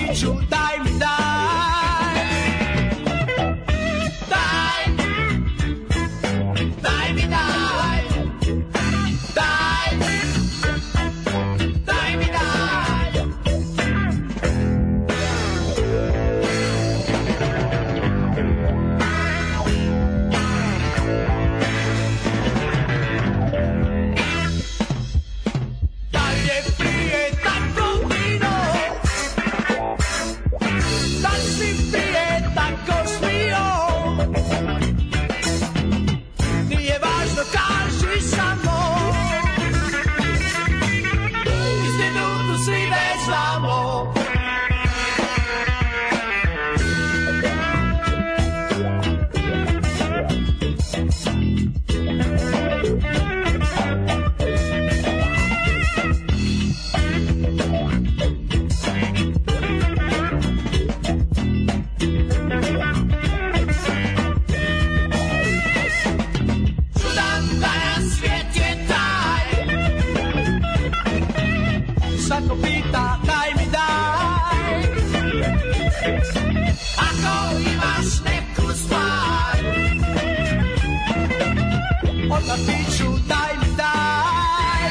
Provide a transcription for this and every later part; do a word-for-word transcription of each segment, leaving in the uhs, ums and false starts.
piću, daj mi daj. Daj, daj mi daj. Daj, daj mi daj. Dalje prije tako vino, da si prije tako smio. Nije važno, kaži samo, istinu tu svi već znamo. Čudan danas svijet je taj, svako pita daj mi daj. Ako imaš neku stvar, odmah piću daj mi daj.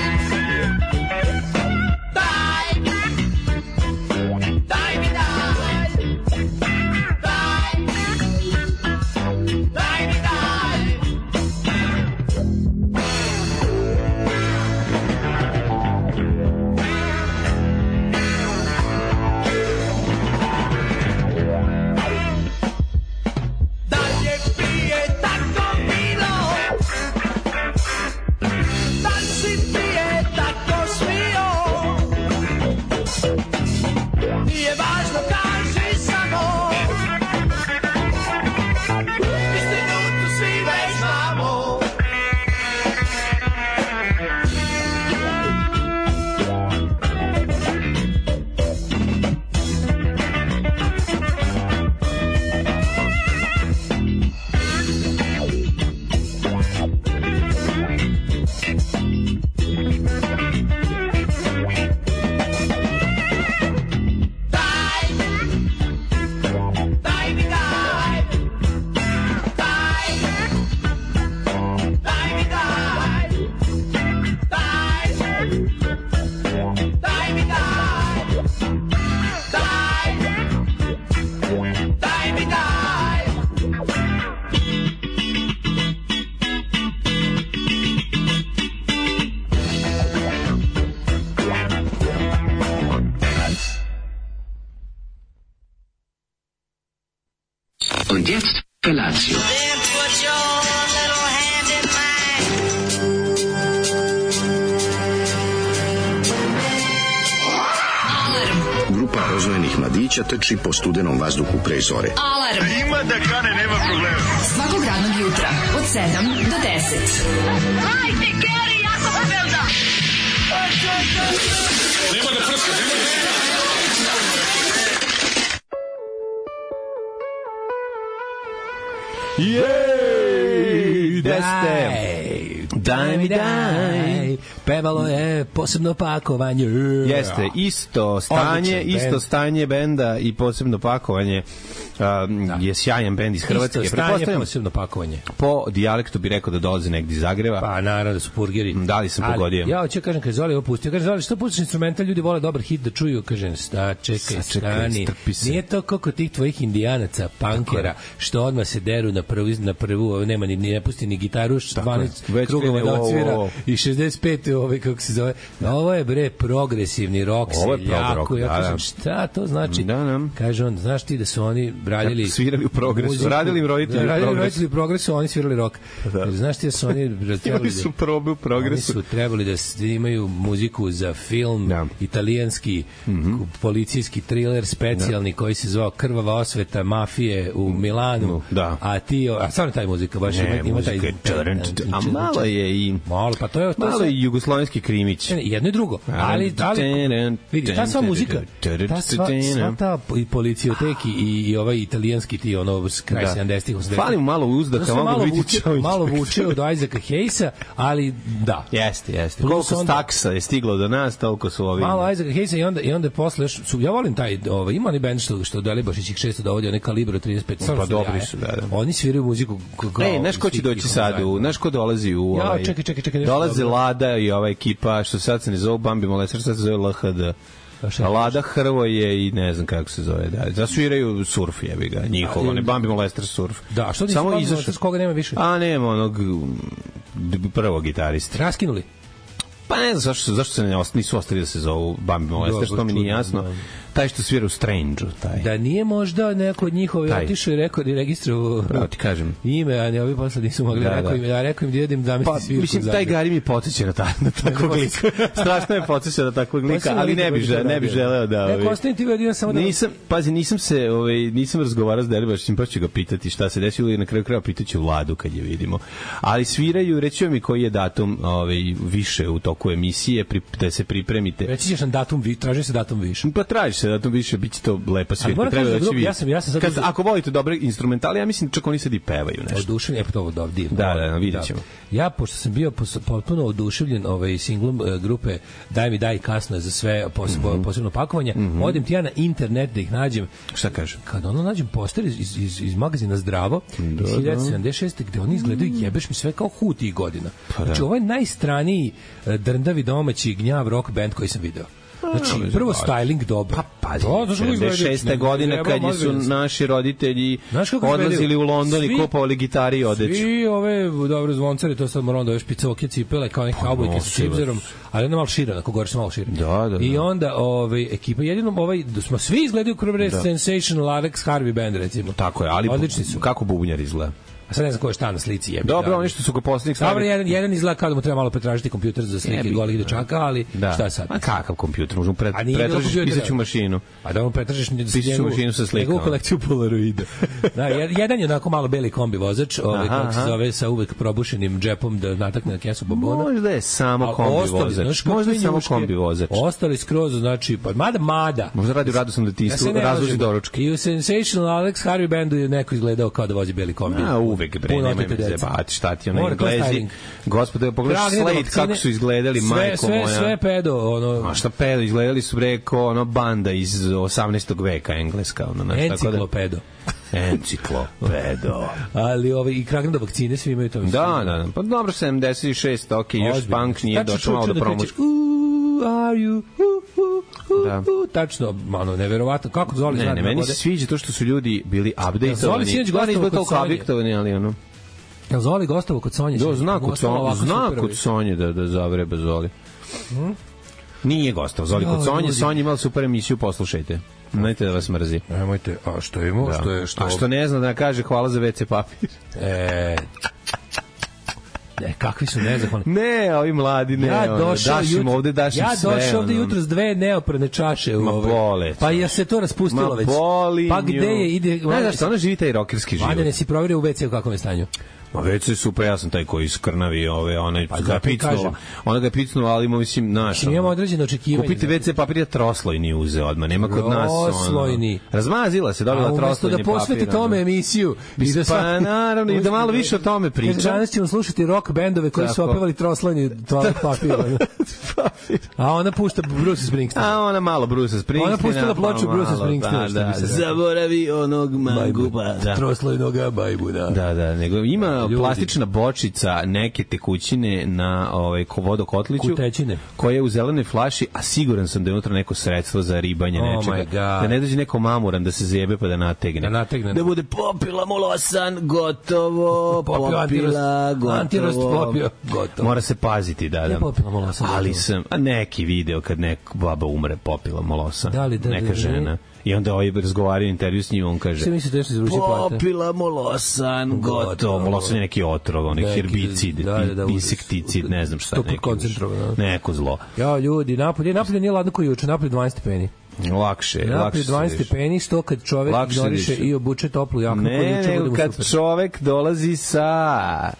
Daj, daj mi daj. Daj, daj mi daj. Dalje pije tako vino, da si prije tako smio. Nije važno, kaži samo, istinu tu svi već znamo. Daj, daj mi daj. Daj, daj mi daj. Daj, daj mi daj. Daj, daj mi daj. Und jetzt Felatio. Then put your little hand in mine. Grupa rozvojenih mladića trči po studenom vazduhu pre zore. Alarm. Ima da kane, nema problema. Svakog radnog jutra od sedam do deset. Hajde, Geri, jako se velda. Nema da prska, nema da prska. Jej, gde ste? Daj mi daj. Pevalo je posebno pakovanje. Jeste, isto stanje, Odličan isto bend. stanje benda i posebno pakovanje um, je sjajan bend iz Hrvatske. Isto stanje, Pretpostavljam, posebno pakovanje. po dijalektu bi rekao da dolaze negdje iz Zagreba. Pa naravno da su purgeri. Da li sam pogodio? Ali, ja hoću kažem, kad Zoli ovo pustio, kaže Zoli, što pustiš instrumental, ljudi vole dobar hit da čuju, kažem, sta, čekaj, Sačekaj, stani. strpi se. Nije to kako tih tvojih indijanaca, punkera, što odmah se deru na prvu, na prvu, nema ni, ni ne pusti ni gitaru, dvanaest Već krugova krene, da o, odsvira o, o. i šezdeset pet ovaj, kako se zove. Ovo je bre progresivni rock, Ovo je seljako. prog rock, Ja da, kažem, da. šta to znači? Da, da. Kaže on, znaš ti da su oni radili Kako svirali u Progresu, muziku- radili im roditelji da, u radili Progresu. roditelji u Progresu, oni svirali rock. Da. Kaže, znaš ti da su oni trebali Imali da- su probe u Oni Progresu. su trebali da s- da imaju muziku za film, Da. italijanski, policijski thriller specijalni koji se zvao Krvava osveta mafije u Milanu. Da. A ti, a stvarno taj muzika baš Ne, ima, ima taj... muzika je čarant, a malo je i Malo, pa to je... To malo se- je jugoslovenski krimić. Ne, jedno i drugo. Ali, ali vidi, ta sva muzika, ta sva, sva ta i policijoteki i, i ovaj italijanski ti, ono, kraj da. sedamdesetih, osamdesetih. Falim malo uzda, kao malo vuče, malo vuče od Isaaca Hayesa, ali da. Jeste, jeste. Koliko onda, staksa je stiglo do nas, toliko su ovi... Malo Isaaca Hayesa i onda, i onda posle još, su, ja volim taj, ovaj, ima oni band što, što Delibašić ih često dovodi, onaj Kalibro trideset pet. Pa dobri su, da, da. Oni sviraju muziku kao... Ej, znaš ko će doći sad, znaš ko dolazi u... Ovaj, ja, čekaj, čekaj, čekaj. Dolaze Lada i ova ekipa, što sad se ne zove Bambi Molestar, sad se zove L H D. A Lada Hrvoje i ne znam kako se zove, da. Da sviraju surf, jebi ga, njihov, ne Bambi Molestar surf. Da, što ti samo izašao, s koga nema više? A nema onog prvog gitarista. Raskinuli. Pa ne znam zašto, zašto se ne ostali, nisu ostali da se zovu Bambi Molestar, što mi nije jasno. Taj što svira u Strange-u, taj. Da nije možda neko od njihove otišao i rekao i registrovao pravo ti kažem ime, a ne ovi posle nisu mogli, da, rekao da. im, ja rekao im da idem da misli pa, svirku. Mislim, taj Gari mi podsjeća na, ta, na takvog lika. Strašno je podsjeća na takvog lika, ali ne bi, žele, ne bi želeo da... Neko ostajem ti vidio samo da... Nisam, pazi, nisam se, ovaj, nisam razgovarao s Delibašićem, pa ću ga pitati šta se desilo i na kraju kraja pitaću Vladu kad je vidimo. Ali sviraju, reći mi koji je datum ovaj, više u toku emisije, pri, da se pripremite. Reći ćeš nam datum, traži se datum više. Pa traži se datum više, biće to lepa svirka. Treba da će vidjeti. Ja sam, ja sam sad... Kad, ako volite dobre instrumentale, ja mislim čak oni sad i pevaju nešto. Oduševljen, je to ovo da divno. Da, da, vidjet ćemo. Da. Ja, pošto sam bio potpuno oduševljen ovaj singlom uh, grupe Daj mi daj kasno za sve posebno, mm -hmm. posebno pakovanje, mm -hmm. odem ti ja na internet da ih nađem. Šta kažem? Kad ono nađem poster iz, iz, iz, iz magazina Zdravo, da, iz hiljadu devetsto sedamdeset šeste gde oni izgledaju jebeš mi sve kao Huti godina. Pa, znači, ovo je najstraniji uh, drndavi domaći gnjav rock band koji sam video. Znači, prvo styling dobro. Pa, pazi, sedamdeset šeste godine kad su naši roditelji odlazili u London i kupovali gitari i odeću. Svi ove, dobro, zvoncari, to sad moram da ove špicoke cipele, kao neki kaubojke sa cipzerom, ali onda malo šira, ako gore se malo šira. Da, da, I onda ove, ekipa, jedino, ovaj, smo svi izgledaju kroz da. Sensational Alex Harvey Band, recimo. Tako je, ali odlični su. Kako bubnjar izgleda? A sad ne znam ko je šta na slici jebi. Dobro, da. Oni što su ga poslednjih stavili. Dobro, jedan, jedan izgleda kao da mu treba malo pretražiti kompjuter za slike golih dečaka, ali da. Šta sad? A kakav kompjuter? Možemo pret, pretražiti pisaću mašinu. A da mu pretražiš pisaću mašinu sa slikom. Njegovu kolekciju polaroida. Da, jedan je onako malo beli kombi vozač, ovaj kako se zove, sa uvek probušenim džepom da natakne na kesu babona. Možda je samo kombi vozač. Možda je samo kombi vozač. Ostali skroz, znači, pa mada mada. Možda radi u radosnom detinjstvu, razloži doručke. I u Sensational Alex Harvey Bandu je neko izgledao kao da vozi beli kombi. A uvek bre, zebati, šta ti ono Englezi. Gospode, pogledaš Slade kako su izgledali, majko moja. Sve, sve pedo, ono... A šta pedo, izgledali su preko ono banda iz osamnaestog veka engleska. Ono, naš, enciklopedo. Enciklopedo. Ali ovaj, i kragna vakcine svi imaju to. Da, da, da. Pa dobro, sedamdeset šest, ok, još punk nije došao malo do promoći. Are you? Da. Tačno, ono, neverovatno. Kako Zoli zna? Ne, ne, meni se sviđa to što su ljudi bili updateovani. Zoli sinoć gostovao kod Sonje. Ali ono... Jel Zoli gostovao kod Sonje? Do, zna kod Sonje, zna kod Sonje da, da zavreba Zoli. Hmm? Nije gostovao Zoli kod Sonje, Sonje imala super emisiju, poslušajte. Nemojte da vas mrzi. Nemojte, a što imamo? Da. Što je, što... A što ne zna da kaže hvala za ve ce papir? E... Ne, kakvi su nezahvalni. Ne, ovi mladi, ne. Ja došao jutro, ovde daš ja sve. Ja došao ovde jutro s dve neoprane čaše. Ma bole. Pa je se to raspustilo već. Pa gde je, ide... Ne, znaš, ona živi taj rokerski život. Vanja, ne si provjerio u ve ce u kakvom je stanju? Ma već je super, ja sam taj koji iskrnavi ove, onaj pa ga picnuo, ona ga picnuo, ali mislim, naš. Mislim, imamo određeno očekivanje. Kupite ve ce papir, ja troslojni uze odmah, nema kod nas. Troslojni. Razmazila se, dobila troslojni papir. A umesto da posveti tome emisiju. I da pa naravno, i da malo više o tome priča. Danas ćemo slušati rock bendove koji su opevali troslojni toalet papir. A ona pušta Bruce Springsteen. A ona malo Bruce Springsteen. Ona pustila ploču Bruce Springsteen. Zaboravi onog mangupa. Troslojnog bajbuna. Da, da, nego ima plastična bočica neke tekućine na ovaj vodokotliću koja je u zelenoj flaši, a siguran sam da je unutra neko sredstvo za ribanje oh nečega. Da ne dođe neko mamuran da se zjebe pa da nategne. Da nategne. Da bude popila molosan, gotovo, popila, gotovo. Antirost popio, gotovo. Mora se paziti, da, da. Ne popila molosan. Ali sam, a neki video kad neka baba umre popila molosan. Da li, da, neka žena. I onda ovaj razgovaraju intervju s njim, on kaže sve misli da se izruči plate. Popila molosan, gotovo. Molosan je neki otrov, onaj herbicid, da, da, da, insekticid, ne znam šta. Neki koncentrovan. Neko zlo. Ja, ljudi, napolje, napolje nije ladno koji juče, napolje dvanaest stepeni. Lakše, napolje lakše. dvanaest stepeni, što kad čovek ignoriše i obuče toplu jaknu. Ne, nego kad čovek dolazi sa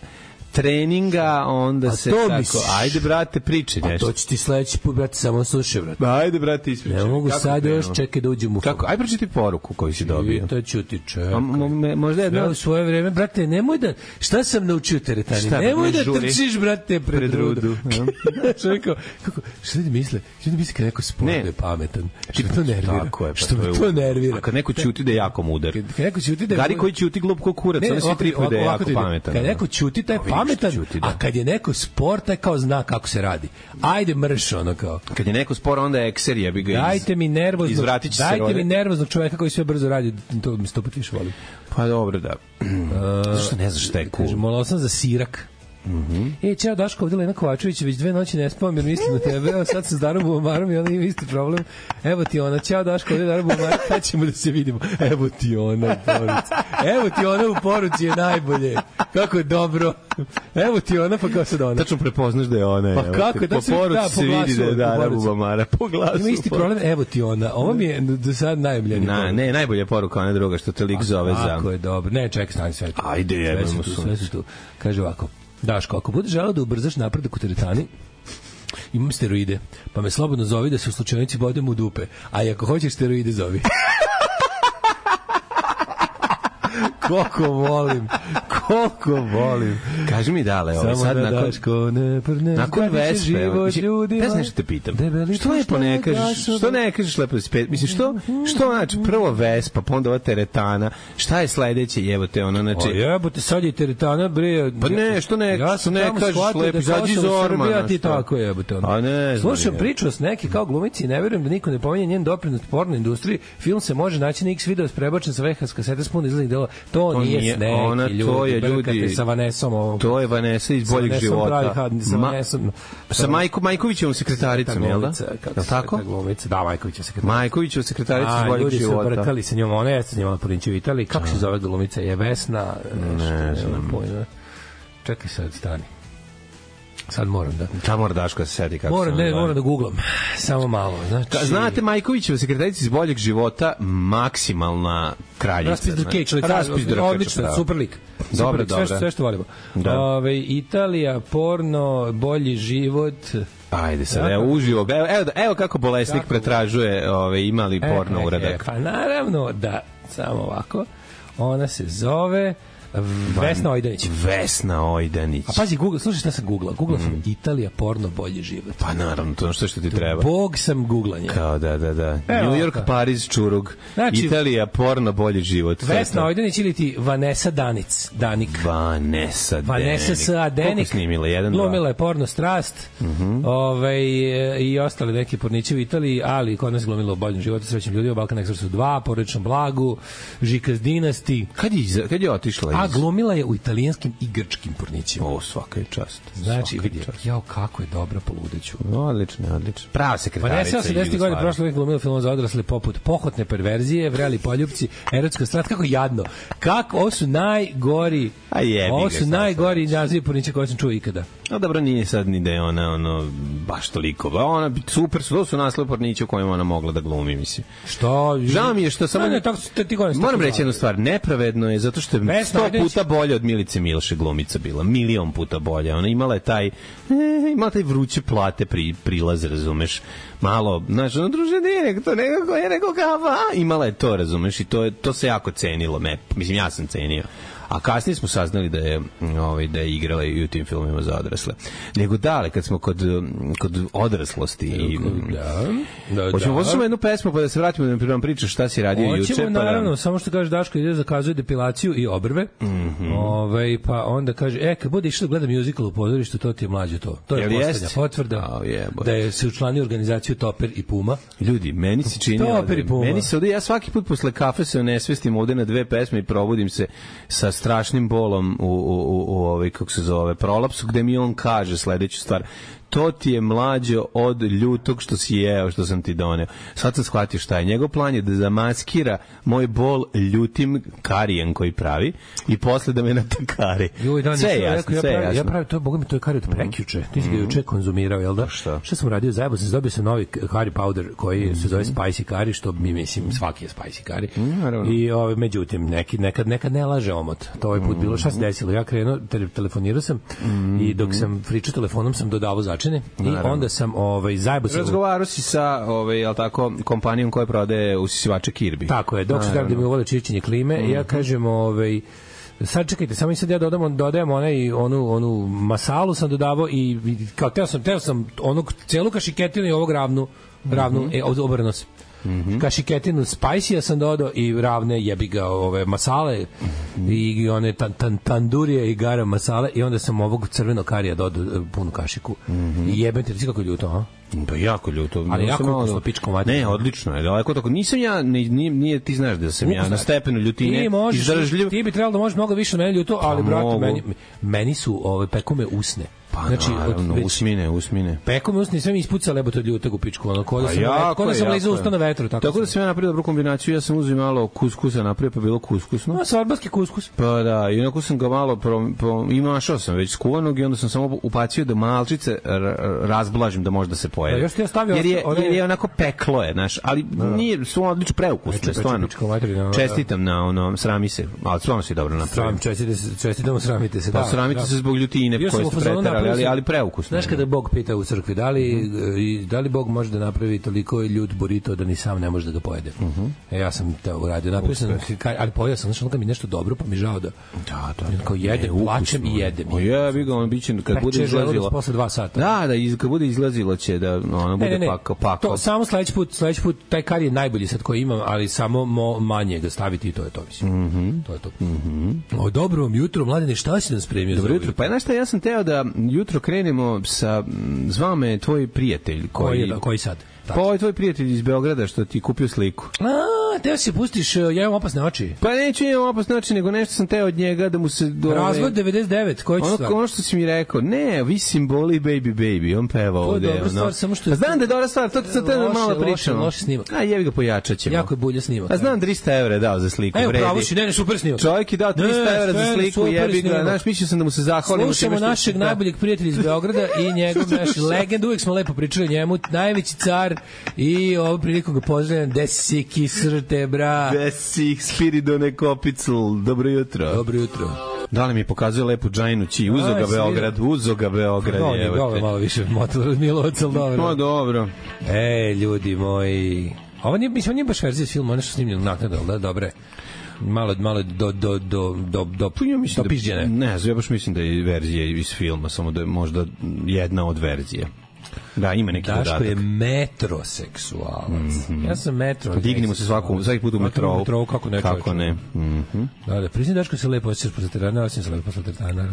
treninga, onda A se to tako, misliš? ajde brate, priči Pa nešto. to će ti sledeći put, brate, samo slušaj, brate. Ajde brate, ispričaj. Ne mogu Kako sad krenuo? još, čekaj da uđem u Kako? Aj pročiti poruku koju si dobio. To ću ti čekaj. A, mo- me- možda Sve jedna u svoje vreme, brate, nemoj da, šta sam naučio teretani, Šta, nemoj ne da žuri? trčiš, brate, pred, Pred rudu. rudu, ja. Znaš, rekao, kako, šta ljudi misle? Šta ljudi misle kad neko sport Ne. da je pametan? Što me to nervira? Tako je, pa Što to me je to u- nervira? A kad neko ćuti da je jako mudar. Kad, kad neko ćuti da je... Gari koji ćuti glup ko kurac, oni svi ovako- tripuju da je ovako jako ti ide. pametan. Kad neko ćuti, taj je A vidiš pametan, što ćuti, da. a kad je neko sport, taj kao zna kako se radi. Ajde mrš, ono kao. Kad je neko spor, onda je ekser, ja bi ga iz... Dajte mi nervoznog, izvratit će se dajte rode. mi nervoznog čoveka koji sve brzo radi, to mi sto put više volim. Pa dobro, da. Zašto ne znaš šta je cool? Kaže, molao sam za sirak. Mm-hmm. E, čao Daško, ovdje Lena Kovačević, već dve noći ne spavam jer mislim na tebe, evo sad sam s Darom Bubamarom i ona ima isti problem. Evo ti ona, čao Daško, ovdje Darom Bubamar, kad ćemo da se vidimo? Evo ti ona u poruci. Evo ti ona u poruci je najbolje. Kako je dobro. Evo ti ona, pa kao sad ona. Tačno prepoznaš da je ona. Pa evo kako, te. da Po se- poruci da, se po vidi da je glasu, po Dara poruci. Bubamara. Po glasu. Ima isti problem, evo ti ona. Ovo mi je do sad najomljeniji. Na, ne, najbolja poruka, ona druga, što te lik zove za... Kako je dobro. Ne, čekaj, stani sve. tu. Ajde, Sve jebemo su tu, sunce. sve su tu. Kaže ovako. Daško, ako budeš želeo da ubrzaš napredak u teretani, imam steroide, pa me slobodno zovi da se u slučajnici bodem u dupe. A i ako hoćeš steroide, zovi. Koliko volim, koliko volim. Kaži mi dale, ovo Samo sad da nakon... Daško ne prne, Nakon zgradiće Vespe, život mislim, ljudima. ne znam što te pitam. Debeli Što lepo ne pušta kažeš, gasova. što ne kažeš lepo spet? Mislim, što, što znači, prvo Vespa, pa onda ova teretana, šta je sledeće, jevo te ono, znači... O jebote, sad je teretana, bre. Pa ne, što ne- ja što sam ne tamo kažeš shvatio lepo, da izađi iz Kosovo, ormana, Srbija, ti što? tako jebote. ono. A ne znam, Slušam je. priču s neki kao glumici i ne verujem da niko ne pominje njen doprinos porno industriji. Film se može naći na X video prebačen sa V H S kasete s puno izglednih dela. To, To nije nije s neki ona, ljudi. to je brkate ljudi- sa Vanesom ovom. To je Vanessa iz Sa boljeg Vanesom života. pravi had- sa Ma- Vanesom. Sa Majko, Majkovićevom sekretaricom, jel da? Kako Jel se tako? ta glumica? Da, Majkovića sekretarica. Majkovićeva sekretarica iz A, boljeg ljudi su života. brkali sa njom, ona jeste s njom na Porinčev Italiji. Kako se zove glumica? Je Vesna? Nešto, Ne znam. nemam pojma. Čekaj sad, stani. Sad moram da... Ta mora Daško da se sedi kako Moram, se ne, ona moram da googlam. Samo malo. Znači, Ka- Znate, Majkovićeva sekretarica iz boljeg života, maksimalna kraljica. Raspis Drkeć, znači. Raspis Drkeća, odlično, pravo. super lik. Dobro, Super lik, sve, dobro. što- sve što volimo. Da. Ove, Italija, porno, bolji život. Ajde sad, Ja, evo kako- uživo. Evo, evo, evo kako bolesnik Kako- pretražuje ove, imali porno E, e, uradak. e, pa naravno da, samo ovako, ona se zove Vesna Ojdanić. Vesna Ojdanić. A pazi, Google, slušaj šta sam googlao. Googlao sam Italija, porno, bolji život. Pa naravno, to je ono što što ti treba. Bog sam googlanje. Kao da, da, da. Evo New York, ovako. Pariz, Čurug. Znači- Italija, porno, bolji život. Vesna Ojdanić ili ti Vanessa Danic, Danik. Vanessa Denik. Vanessa S A. Koliko Denik. snimila? Jedan, dva? Glumila je porno Strast, Mhm. ovaj, e, i ostale neke porniće u Italiji, ali kod nas glumila u boljem životu, srećnim ljudima, Balkan Expressu dva, Porodičnom blagu, Žikas Dinasti, Kad je, iz- kad je otišla iz... a glumila je u italijanskim i grčkim pornićima. O, svaka je čast. Znači, Svaka vidi, je čast. jao, kako je dobra poludeću. Odlično, odlično. Prava sekretarica. Vanessa osamdesetih godina prošle uvijek glumila film za odrasle poput Pohotne perverzije, Vreli poljupci, Erotska strast, kako jadno. Kako, ovo su najgori, A jebi ovo ga, su šta najgori nazivi pornića koje sam čuo ikada. No dobro, nije sad ni da je ona ono, baš toliko. Ba, ona, super su, to su naslov pornića u kojima ona mogla da glumi, mislim. Što? Žao mi je što samo... Ne, ne, tako, te, ti godina, Moram reći jednu stvar, nepravedno je zato što je Vesna sto Ojdanić- puta bolje od Milice Milše glumica bila, milion puta bolje. Ona imala je taj, e, imala taj vruće plate pri, prilaz, razumeš, malo, znaš, ono druže, nije nego to, nekako je neko kava, imala je to, razumeš, i to, je, to se jako cenilo, me, mislim, ja sam cenio. A kasnije smo saznali da je ovaj da je igrala i u tim filmima za odrasle. Nego dale, kad smo kod kod odraslosti i Da, da, hoćemo da. poslušati jednu pesmu pa da se vratimo da nam pričaš šta si radio juče. Hoćemo, Pa naravno, da... samo što kaže Daško ide zakazuje depilaciju i obrve. Mm Mhm. Ovaj, pa onda kaže, e, kad bude išao da gleda musical u pozorištu, to ti je mlađe to. To je Jel poslednja jest? potvrda Au, jebote. da je se učlanio organizaciju Toper i Puma. Ljudi, meni se čini, To da- operi Puma. meni se ovde, ja svaki put posle kafe se onesvestim ovde na dve pesme i probudim se sa strašnim bolom u, u, u, u ovaj, kako se zove, prolapsu, gde mi on kaže sledeću stvar. to ti je mlađo od ljutog što si jeo, što sam ti doneo. Sad sam shvatio šta je. Njegov plan je da zamaskira moj bol ljutim karijem koji pravi i posle da me natakari. Sve je jasno, sve je jasno. Ja pravim to, boga mi, to je kari od prekjuče. Ti si ga juče konzumirao, jel da? Šta? Šta sam radio? Zajebo sam, dobio sam novi curry powder koji se zove spicy curry, što mi mislim svaki je spicy curry. I ovaj, međutim, neki, nekad, nekad ne laže omot. To ovaj put bilo. Šta se desilo? Ja krenuo, te, telefonirao sam i dok sam pričao telefonom sam dodavao začine i onda sam ovaj, zajebo sam... Razgovarao si sa ovaj, jel tako, kompanijom koja prodaje usisivače Kirby. Tako je, dok se da mi uvode čišćenje klime, mm-hmm. ja kažem, ovaj, sad čekajte, samo i sad ja dodamo, dodajem onaj, onu, onu masalu sam dodavao i kao teo sam, teo sam onu celu kašiketinu i ovog ravnu, ravnu, mm-hmm. e, obrano se. Mm-hmm. Kašiketinu spicy sam dodao i ravne jebi ga ove masale mm-hmm. i one tan, tan, tandurije i garam masale i onda sam ovog crvenog karija dodao punu kašiku mm-hmm. i jebem te, ti kako ljuto, ha? Pa jako ljuto. Ali jako ukusno pičko mati. Ne, odlično je. Daleko tako. Nisam ja, nije, nije ti znaš da sam ja na stepenu ljutine izdržljiv. Ti bi trebalo da možeš mnogo više od mene ljuto, ali pa brate, meni, meni su ove pekume usne. Pa znači, naravno, od, već, usmine, usmine. Pekume usne, sve mi ispucale lebo to ljutog u pičku. Ono, kod da sam, jako, kod da sam lezao usta na vetru. Tako, tako da sam ja napravio dobru kombinaciju. Ja sam uzeo malo kuskusa napravio, pa bilo kuskusno. No, sarbarski kuskus. Pa da, i onako sam ga malo pro, pro, imašao sam već skuvanog i onda sam samo upacio da malčice razblažim da može da se pojede. Da, još ti ja stavio jer je, one... jer je onako peklo je, znaš, ali da. Nije, su odlično preukusne, stvarno. Čestitam na ono, srami se, ali stvarno si dobro napravio. Čestitam, sramite se. Pa sramite se zbog ljutine koje ste preterali, ali, ali preukusno. Znaš kada Bog pita u crkvi, da li, uh-huh. da li Bog može da napravi toliko ljut burrito da ni sam ne može da ga pojede? Uh-huh. E, ja sam to uradio, napravio sam, ali pojeo sam, znaš, ono kad mi nešto dobro, pa mi žao da, da, da, da. kao jedem, plačem i jedem. O ja, bi ga, on biće, kad bude izlazilo. Posle dva sata. Da, da, iz, kad bude izlazilo će da ono bude ne, ne, ne. Pako, pako. To, samo sledeći put, sledeći put, taj kar je najbolji sad koji imam, ali samo mo, manje ga staviti i to je to, mislim. Mm-hmm. To je to. Mm-hmm. O, dobro vam jutro, mladine, šta si nam spremio? Dobro jutro, pa znaš šta, ja sam teo da jutro krenemo sa, zvao me tvoj prijatelj. Koji, koji, koji sad? Pa ovaj tvoj prijatelj iz Beograda što ti kupio sliku. A, teo si pustiš, ja imam opasne oči. Pa neću imam opasne oči, nego nešto sam teo od njega da mu se... Do, Razvod devedeset devet, koji će stvar? Ono što si mi rekao, ne, vi simboli baby baby, on peva ovde. To je dobra stvar, samo što... A znam da je dobra stvar, to ti sam te malo pričao. Loše, loše snimak. A jevi ga pojačat ćemo. Jako je bulja snimak. A znam trista evra je dao za sliku, vredi. Evo, pravo si, ne, ne, super snimak. Čovjek je dao trista evra za sliku, jebi ga, znaš, mislio sam da mu se zahvalim. Slušamo našeg najboljeg prijatelja iz Beograda i njegov naš legend, uvek smo lepo pričali njemu, najveći car i ovu priliku ga pozdravljam, desi kisrte, bra. Desi Spiridone Kopicl, dobro jutro. Dobro jutro. Da li mi pokazuje lepu džajnu ći, uzo ga Beograd, uzo ga Beograd. No, je dobro, malo više motor od Milovac, ali dobro. No, dobro. E, ljudi moji, ovo nije, mislim, ovo nije baš verzija iz filma, ono što snimljeno naknadno, da, dobre. Malo, malo do, do, do, do, do, ja mislim do pižđene. Ne, ja baš mislim da je verzija iz filma, samo da je možda jedna od verzija. Da, ima neki Daško dodatak. Daško je metroseksualac. Mm-hmm. Ja sam metro. Dignimo se svaku, svaki put u metrou. Metrou, kako ne. Kako ne. Mm-hmm. Da, da, priznam Daško se lepo osjećaš posle teretana, osim se lepo posle teretana.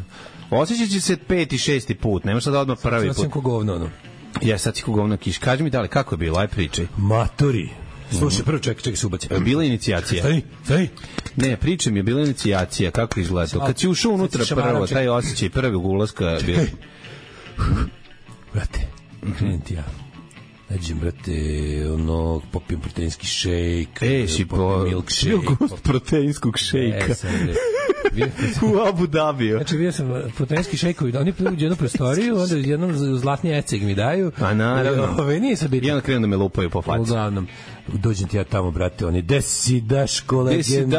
Osjećat će se peti, šesti put, nemaš sad odmah prvi put. Sad sam ko govno, ono. Ja, sad si ko govno kiš. Kaži mi da li, kako je bilo, aj pričaj. Matori. Slušaj, prvo čekaj, čekaj se ubaci. Bila inicijacija. Staj, staj. Ne, pričaj mi, je bila inicijacija, kako izgleda. Kad si ušao unutra prvo, taj osjećaj prvog ulaska bio. Brate, krenem ti ja. Nađem, brate, ono, popijem proteinski šejk. E, si po... milkshake. Gost proteinskog šejka. E, sad, u Abu Dhabiju. Znači, bio sam proteinski šejkovi, oni uđu jednu prostoriju, onda jednom zlatni eceg mi daju. A naravno. Ove, nije sad bitno. I onda krenu da me lupaju po faci. Uglavnom, dođem ti ja tamo, brate, oni, gde si Daško, legendo,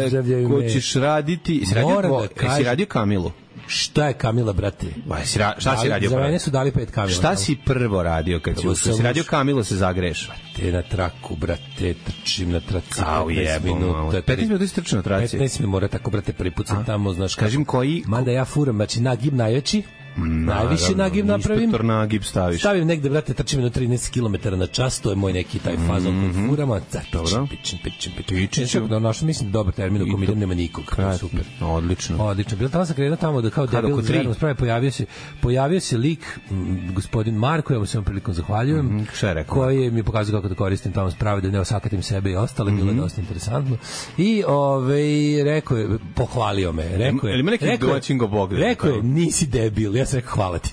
pozdravljaju me. Ko ćeš raditi? Si radio, da si radio Kamilu? Šta je Kamila, brate? Ba, si ra, šta si radio? Za mene su dali pet Kamila. Šta si prvo radio kad si ušao? Si radio Kamilu, se zagreš? Te na traku, brate, trčim na traci. Au je, minuta. petnaest minuta si trčio na traci. petnaest mi mora tako, brate, pripucam tamo, znaš. Kažem koji... Mada ja furam, znači nagib najveći. Najviše nagib napravim. Inspektor nagib staviš. Stavim negde, brate, trčim na trinaest kilometara na čas, to je moj neki taj fazon mm-hmm. koji furama. Dobro. Pičim, pičim, pičim. Pičim. Da, našao, mislim, dobar termin, u kom idem nema nikog. Super. Odlično. Odlično. Bilo tamo sam krenuo tamo da kao debil zverno sprave, pojavio se, pojavio se lik, m, gospodin Marko, ja mu se ovom prilikom zahvaljujem, mm-hmm. Šta je rekao? Koji mi pokazuje kako da koristim tamo sprave, da ne osakatim sebe i ostale, mm-hmm. bilo je dosta interesantno. I ovaj, rekao je, pohvalio me, rekao je, ima neki domaćin go Bog. Rekao je, nisi debil, ja sam rekao, hvala ti.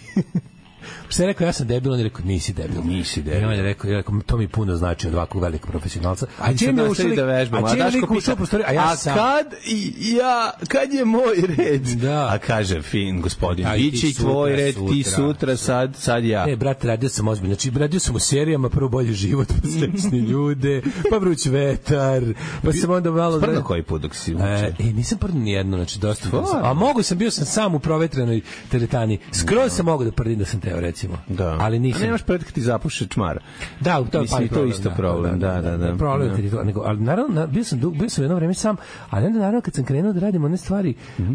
Što je rekao, ja sam debil, on je rekao, nisi debil. Nisi debil. I on je rekao, ja rekao, to mi puno znači od ovakvog velikog profesionalca. A Čim sad je nastavi ušli- da vežbamo. a A čim je Daško lik ušao pita, u prostoriju, a ja a sam. kad i ja, kad je moj red? Da. A kaže, fin, gospodin, Aj, ti biće i sutra, tvoj red, ti sutra. sutra, sad, sad ja. E, brate, radio sam ozbiljno. Znači, radio sam u serijama, prvo bolji život, pa srećni ljude, pa vruć vetar, pa sam onda malo... Sprno koji put dok si E, uče? e, nisam prvo ni jedno, znači dosta. Stvarno? A mogu sam, bio sam sam u provetrenoj teretani. Skroz sam mogu da prdim da sam teo, recimo. Da. Ali nisam. A nemaš pred kad ti zapuše čmara. Da, to je Mislim, pa i to je isto problem, da, da, da. Problem Da. kad je to, nego, ali naravno, na- bio sam, dug, bio sam jedno vreme sam, ali onda naravno kad sam krenuo da radim one stvari...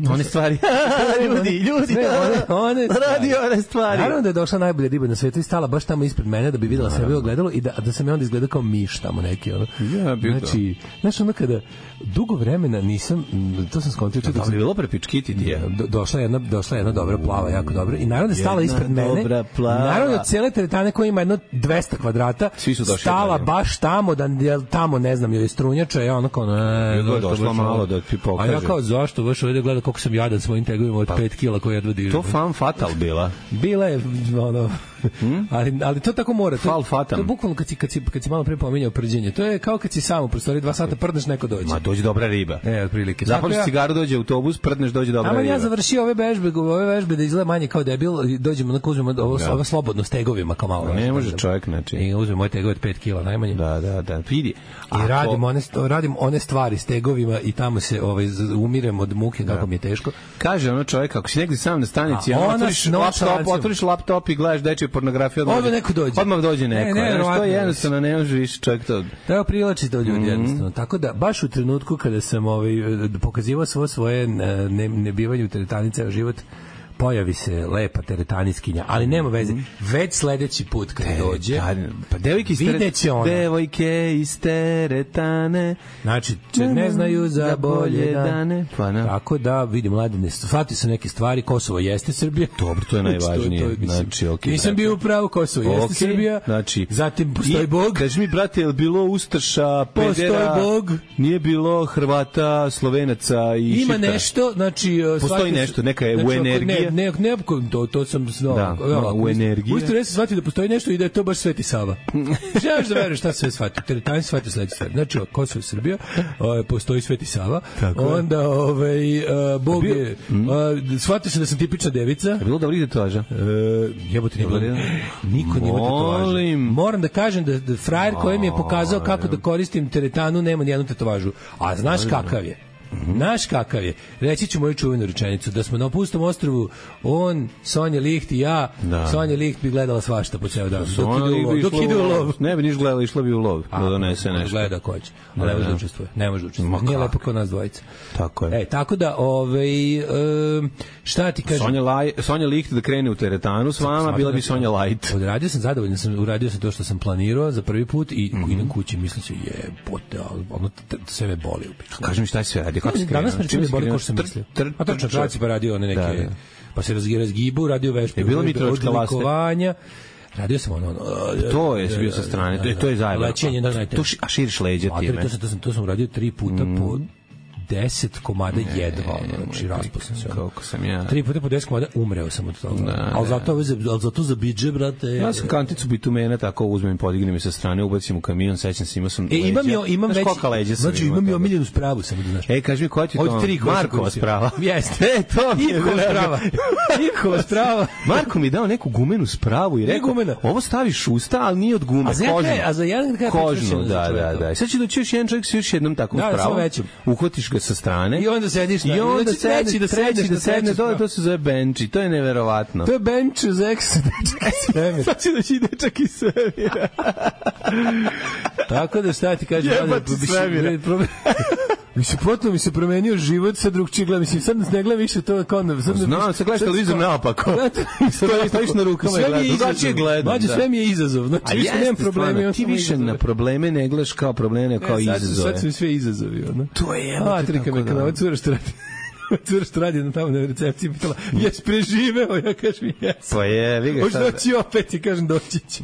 One stvari. ljudi, ljudi, Sve one, one radi one stvari. Naravno da je došla najbolja riba na svetu i stala baš tamo ispred mene da bi videla sebe ogledalo i da, da sam ja onda izgledao kao miš tamo neki. Ono. Ja, bio znači, znaš ono kada dugo vremena nisam, m, to sam skontio čak Da li je bilo prepičkiti ti je? do, došla jedna došla jedna dobra plava, jako dobra. I naravno da je stala Jedna ispred mene. dobra plava. Naravno od cele teretane koja ima jedno dvesta kvadrata, Svi su došli stala od nje. baš tamo da jel tamo ne znam joj je strunjača, ja ono kao ne, Nego je zašto došla baš malo ovo? da ti A pokaže. ja kao zašto baš ovdje gleda koliko sam jadan svojim tegovima od pet kila koje jedva dižem. To fan fatal bila. Bila je ono ali, ali to tako mora. To, Fal fatam. to je bukvalno kad si, kad, si, kad si malo pre pominjao prđenje. To je kao kad si sam u prostoriji dva sata prdneš, neko dođe. Ma dođe dobra riba. E, otprilike. Zapališ Tako ja- cigaru, dođe autobus, prdneš, dođe dobra Ama riba. ja završio ove vežbe, ove vežbe da izgleda manje kao debil i dođemo, onako uzmemo ovo, Da. ovo slobodno s tegovima kao malo. Ne može čovjek, znači. I uzmemo moje tegove od pet kila najmanje. Da, da, da. Vidi. I Ako- radim one, st- radim one stvari s tegovima i tamo se ovaj, z- umirem od muke kako mi je teško. Kaže ono čovjek, ako si negdje sam na stanici, A ono, ona otvoriš s noćalancem. laptop, otvoriš laptop i gledaš dečju pornografiju, odmah, Odmah neko dođe. Odmah dođe neko. Ne, Ne, ne, ne, to verovatno. je jednostavno, ne može više čovjek to. Treba privlači to ljudi Mhm. jednostavno. Tako da, baš u trenutku kada sam ovaj, pokazivao svo svoje ne, ne, nebivanje u teretani ceo život, pojavi se lepa teretaniskinja, ali nema veze. Već sledeći put kad dođe, Pa devojke iz vidjet će ona. Devojke iz teretane. znači, če ne znaju za bolje dane. Pa ne. Tako da, vidim, mladine, shvatio sam neke stvari, Kosovo jeste Srbija. Dobro, to je najvažnije. mislim, Znači, okej, nisam brate. bio u pravu, Kosovo jeste Okej, Srbija. znači, Zatim postoji I- Bog. Kaži mi, brate, je li bilo Ustaša, Postoji pedera, Bog. nije bilo Hrvata, Slovenaca i Ima Šiptara? nešto, znači uh, Postoji shvatio sam- nešto, neka je znači, u ako- energiji. Ne, ne, ne, to, to sam znao. Da, Evo, no, ako u uist- energiji. Uistinu ja sam shvatio da postoji nešto i da je to baš Sveti Sava. Želiš da veruješ šta se sve shvatio? Teretani shvatio sledeće stvari. Znači, Kosovo i Srbija, ovaj, postoji Sveti Sava, Tako je. onda ovaj, uh, Bog Bio- je, uh, shvatio sam da sam tipična devica. Je bilo dobrih tetovaža? E, jebote, nije bilo. Bilo? Niko nije imao tetovaže. Molim. Moram da kažem da, da frajer koji mi je pokazao kako da koristim teretanu nema ni jednu tetovažu. A znaš kakav je? Znaš kakav je? Reći ću moju čuvenu rečenicu, da smo na Pustom ostrvu, on, Sonja Licht i ja, Da. Sonja Licht bi gledala svašta po ceo dan. Dok Ona ide u lov. bi Dok išla ide u lov. Ne bi niš gledala, išla bi u lov. Da donese ona nešto. gleda ko će. Ali ne može da učestvuje. Ne može da učestvuje. Ma Nije kako? lepo kao nas dvojica. Tako je. E, tako da, ovaj, em, šta ti kažem? Sonja, Laj, Sonja Licht da krene u teretanu s vama, bila bi Sonja Light. Odradio sam zadovoljan, sam uradio sam to što sam planirao za prvi put i mm -hmm. idem kući, mislim se jebote, ali ono t- sve me boli u pičku. Kaži mi šta je sve radio, kako si krenuo? Danas me Čime čini si boli krenuo? kao što sam Tr- mislio. tr- A tačno, trčao. traci pa radio one neke, Da, da. pa se razgi- razgibu, radio vežbe. Je bilo Mitrovička laste? odlikovanja. Radio sam ono... ono To je bio sa strane, to je, to je zajebano. Lećenje, da, znajte. To ši- a širiš leđa Materi, time. to sam, to sam, to sam uradio tri puta po deset komada jedva, ono, znači raspusan se. Koliko sam ja. Tri puta po deset komada umreo sam od toga. Da, ali da. zato, ove za- ali zato za bidže, brate... Ja sam kanticu bitumena tako uzmem, podignem je sa strane, ubacim u kamion, sećam se, imao sam E, imam leđa. jo, imam Znaš već... kolika leđa sam Znači, imao imam i toga? omiljenu spravu, samo da znaš. E, kaži mi, koja ti je to? Od tri koje sam Markova koristio. sprava. Jeste. E, to mi je Nikova bilo- sprava. Nikova sprava. Marko mi je dao neku gumenu spravu i Nije rekao, gumena. ovo staviš u usta, ali nije od gume, A za jedan kožnu. kraj- a za jedan kraj Kožnu, prekršeno za da, da, čoveka. da. I sad će doći još jedan čovjek s još jednom takvom Da, samo spravom. većom. Uhvatiš ga sa strane. I onda sediš na- I onda znači, treći sedneš, da treći sedneš da na sedne treću dole, spravu. to se zove bench i to je neverovatno. To je bench uz eks, dečak iz svemira. Sad će doći dečak iz svemira. Tako da šta ti kažem, Jebati mladen, bi se- svemira. problem- Mi se potpuno mi se promenio život, sad drugčije gledam, mislim, sad ne gledam više to kao na... Sad Znam, sad gledaš televizor naopako. Stojiš- stojiš na rukama i Sve mi je gledaš. Drugačije izazov. gledam, Mlađe, da. sve mi je izazov. Znači, A više nemam jeste, probleme. stvarno, imam ti samo više izazove. na probleme ne gledaš kao probleme, nego kao E, sad, izazove. sad su mi sve izazovi, ono. To je jebote, A, trika tako me da. kad ova cura što radi. Cura što radi na tamo na recepciji pitala, jes preživeo? Ja kažem, jes. Pa je, vi ga šta... Hoće doći opet i kažem, doći ću.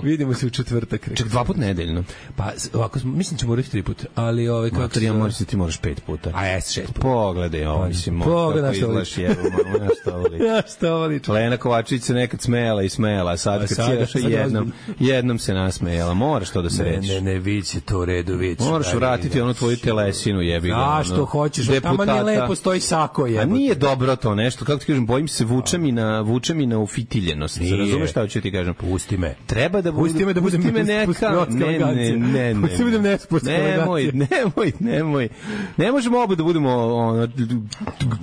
Vidimo se u četvrtak. Ček, dva put nedeljno. Pa, ovako, mislim ćemo morati tri puta, ali ovaj kako Mater, ja moraš, ti moraš pet puta. A jes, šest puta. Pogledaj, ovo, mislim, Pogledaj kako izgledaš, jevo, malo, ja što voli. Ja što voli. Lena Kovačević se nekad smejala i smejala, a sad kad si došao jednom, jednom se nasmejala. Moraš to da se reći. Ne, ne, ne, viće to u redu, viće. Moraš vratiti onu tvoju telesinu, jebi ga. A što hoćeš, tamo nije lepo, stoji sako je. A nije dobro to nešto, kako ti kažem, bojim se vuče mi na vuče mi na ufitiljenost. Razumeš šta hoću ti kažem? Pusti me. Treba da pusti me da budem neka, ne, ne, ne, ne. Pusti me da nespostava. Nemoj, nemoj, nemoj. Ne možemo oba da budemo ono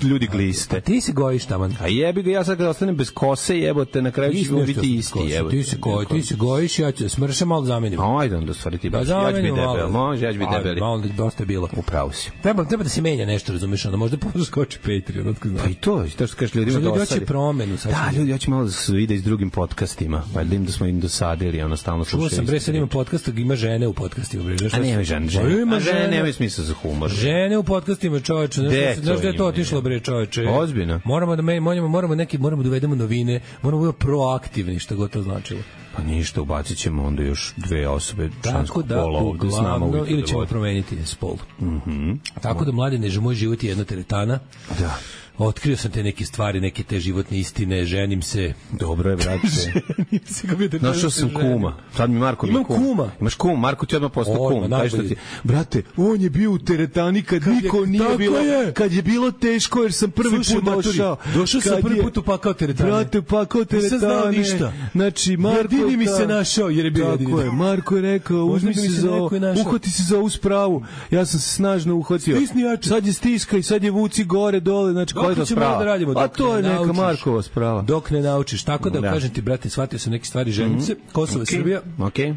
ljudi gliste. Ti se gojiš taman. A jebi ga, ja sad kad ostanem bez kose, jebote, na kraju ćemo biti isti, jebote. Ti se gojiš, ti se gojiš, ja ću smršam, malo zamenim. Ajde, onda stvari ti baš. Ja ću biti debel, može, ja ću biti debeli. Malo da dosta je bilo. Upravo si. Treba, treba da se menja nešto, razumeš, onda možda poskoči Patreon, otko znam. Pa i to, to što kažeš ljudima da dosadi. Ljudi promenu. Da, ljudi, ja ću malo da se vide i s drugim podcastima, pa da im da smo im dosadili, ono stalno slušaju. Čuo sam, bre, sad ima podcast, ima žene u podcastima, bre. A nema žene, žene. Ima žene, nema smisla za humor. Žene u podcastima, čoveče, znaš da je to otišlo, bre, čoveče. Ozbiljno. Moramo da moramo, moramo neki, moramo da uvedemo novine, moramo da budemo proaktivni, što god to značilo. Pa ništa, ubacit ćemo onda još dve osobe ženskog da, pola ovde s nama uvijek. Ili ćemo promeniti spol. Mm-hmm. Tako da, Mladine, že moj život je jedna teretana. Da. Otkrio sam te neke stvari, neke te životne istine, ženim se. Dobro je, brate. Ženim se, kako bi te našao sam kuma. Sad mi Marko Imam kum. kuma. Imaš kuma, Marko ti odmah postao kum. Taj što ti, brate, on je bio u teretani kad, kad niko je, nije bilo, je. Kad je bilo teško jer sam prvi Slušaj, put došao. Došao sam prvi je, put upakao teretane. Brate, upakao teretane. Nisam znao ništa. Znači, Marko jedini mi se našao jer je bio jedini. Tako je, Marko je rekao, uzmi se za ovo, uhvati se za ovu spravu. Ja sam se snažno uhvatio. Sad je stiskaj, sad je vuci gore, dole, znači koja je to sprava. A to je neka Markova sprava. Dok ne naučiš. Tako da, da. kažem ti, brate, shvatio sam neke stvari, ženim se, Kosovo i okay. Srbija. Okej. Okay.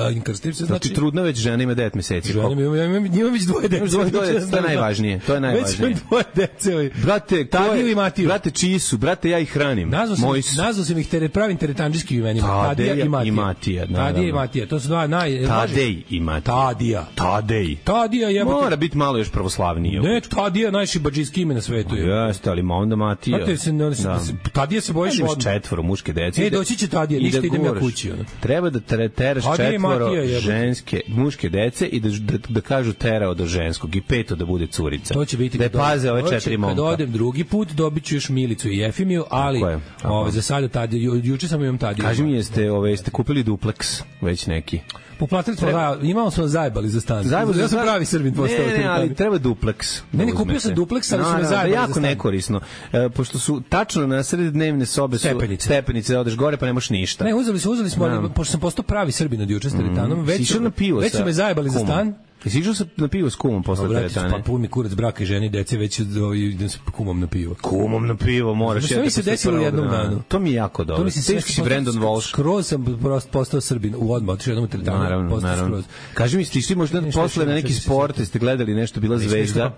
Uh, inkarstiv se znači. Znači trudna već žena ima devet meseci. Žena ima, imam, imam, imam već dvoje dece. Dvoje dece, to je najvažnije. To je najvažnije. Već dvoje dece. Brate, Tadiju i Matiju. Brate, čiji su? Brate, ja ih hranim. Nazvao sam, nazvao sam ih tere, pravim teretandžijskim imenima. Tadija i Matija. I Matija, Tadija i Matija. To su dva naj... Tadej i Matija. Tadija. Tadej. Tadija jebote. Mora biti malo još pravoslavnije. Ne, Tadija najšibadžijski ime na svetu. Jeste, ali onda Matija. Znate se, ne, da. Tadija se bojiš od četvoro muške dece. E, doći će Tadija, ništa idem ja kući. Ono. Treba da teraš četvoro ženske, muške dece i da, da, da kažu terao do ženskog i peto da bude curica. To će biti da paze ove četiri momka. Kad odem drugi put, dobit ću još Milicu i Jefimiju, ali ove, za sada Tadija, ju, juče sam imam Tadija. Kaži mi, jeste, ove, jeste kupili dupleks već neki? Poplatili smo, treba... imamo smo zajebali za stan. Zajebali, ja sam pravi Srbin postao. Ne, ne, ali treba dupleks. Ne, ne, kupio sam dupleks, ali no, su me zajebali jako za stan. Nekorisno. E, pošto su tačno na sred dnevne sobe stepenice. Su stepenice, da odeš gore pa nemaš ništa. Ne, uzeli smo, uzeli smo, ali, pošto sam postao pravi Srbin od juče s teretanom, mm. već, već su me zajebali za stan. Jesi išao na pivo s kumom posle teretane? Pa pun mi kurac braka i ženi dece, već idem sa kumom na pivo. Kumom na pivo, moraš. Što mi se desilo u jednom danu? To mi je jako dobro. To mi se teški si Brandon Walsh. Skroz sam postao Srbin u odmah, otišao jednom teretanu. Naravno, naravno. Kaži mi, ste išli možda posle na neki sport, ste gledali nešto, bila zvezda?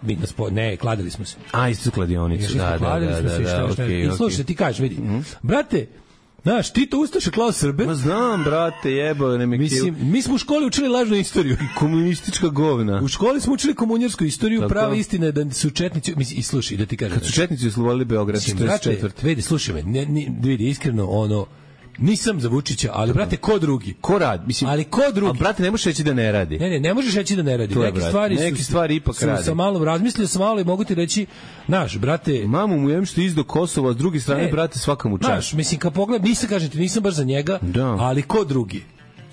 Ne, kladili smo se. A, isto kladionicu, da, da, da. I slušaj, ti kažeš, vidi, brate, znaš, ti to ustaše klao Srbe? Ma znam, brate, jebo, ne me Mislim, mi smo u školi učili lažnu istoriju. Komunistička govna. U školi smo učili komunjarsku istoriju, tako. Prava istina je da su četnici, mislim, i slušaj, da ti kažem. Kad su četnici oslovali Beograd, četrdeset četvrte. Vidi, slušaj me, ne, ne, vidi, iskreno, ono, nisam za Vučića, ali brate, ko drugi? Ko radi? Mislim, ali ko drugi? Ali brate, ne možeš reći da ne radi. Ne, ne, ne možeš reći da ne radi. Neke stvari su, neke stvari ipak su, radi. Sam malo razmislio sam malo i mogu ti reći, naš, brate, mamu mu jem što izdo Kosova, s druge strane, ne, brate, svaka mu čast. Naš, mislim, kad pogled, nisam, kažem ti, nisam baš za njega, da. Ali ko drugi?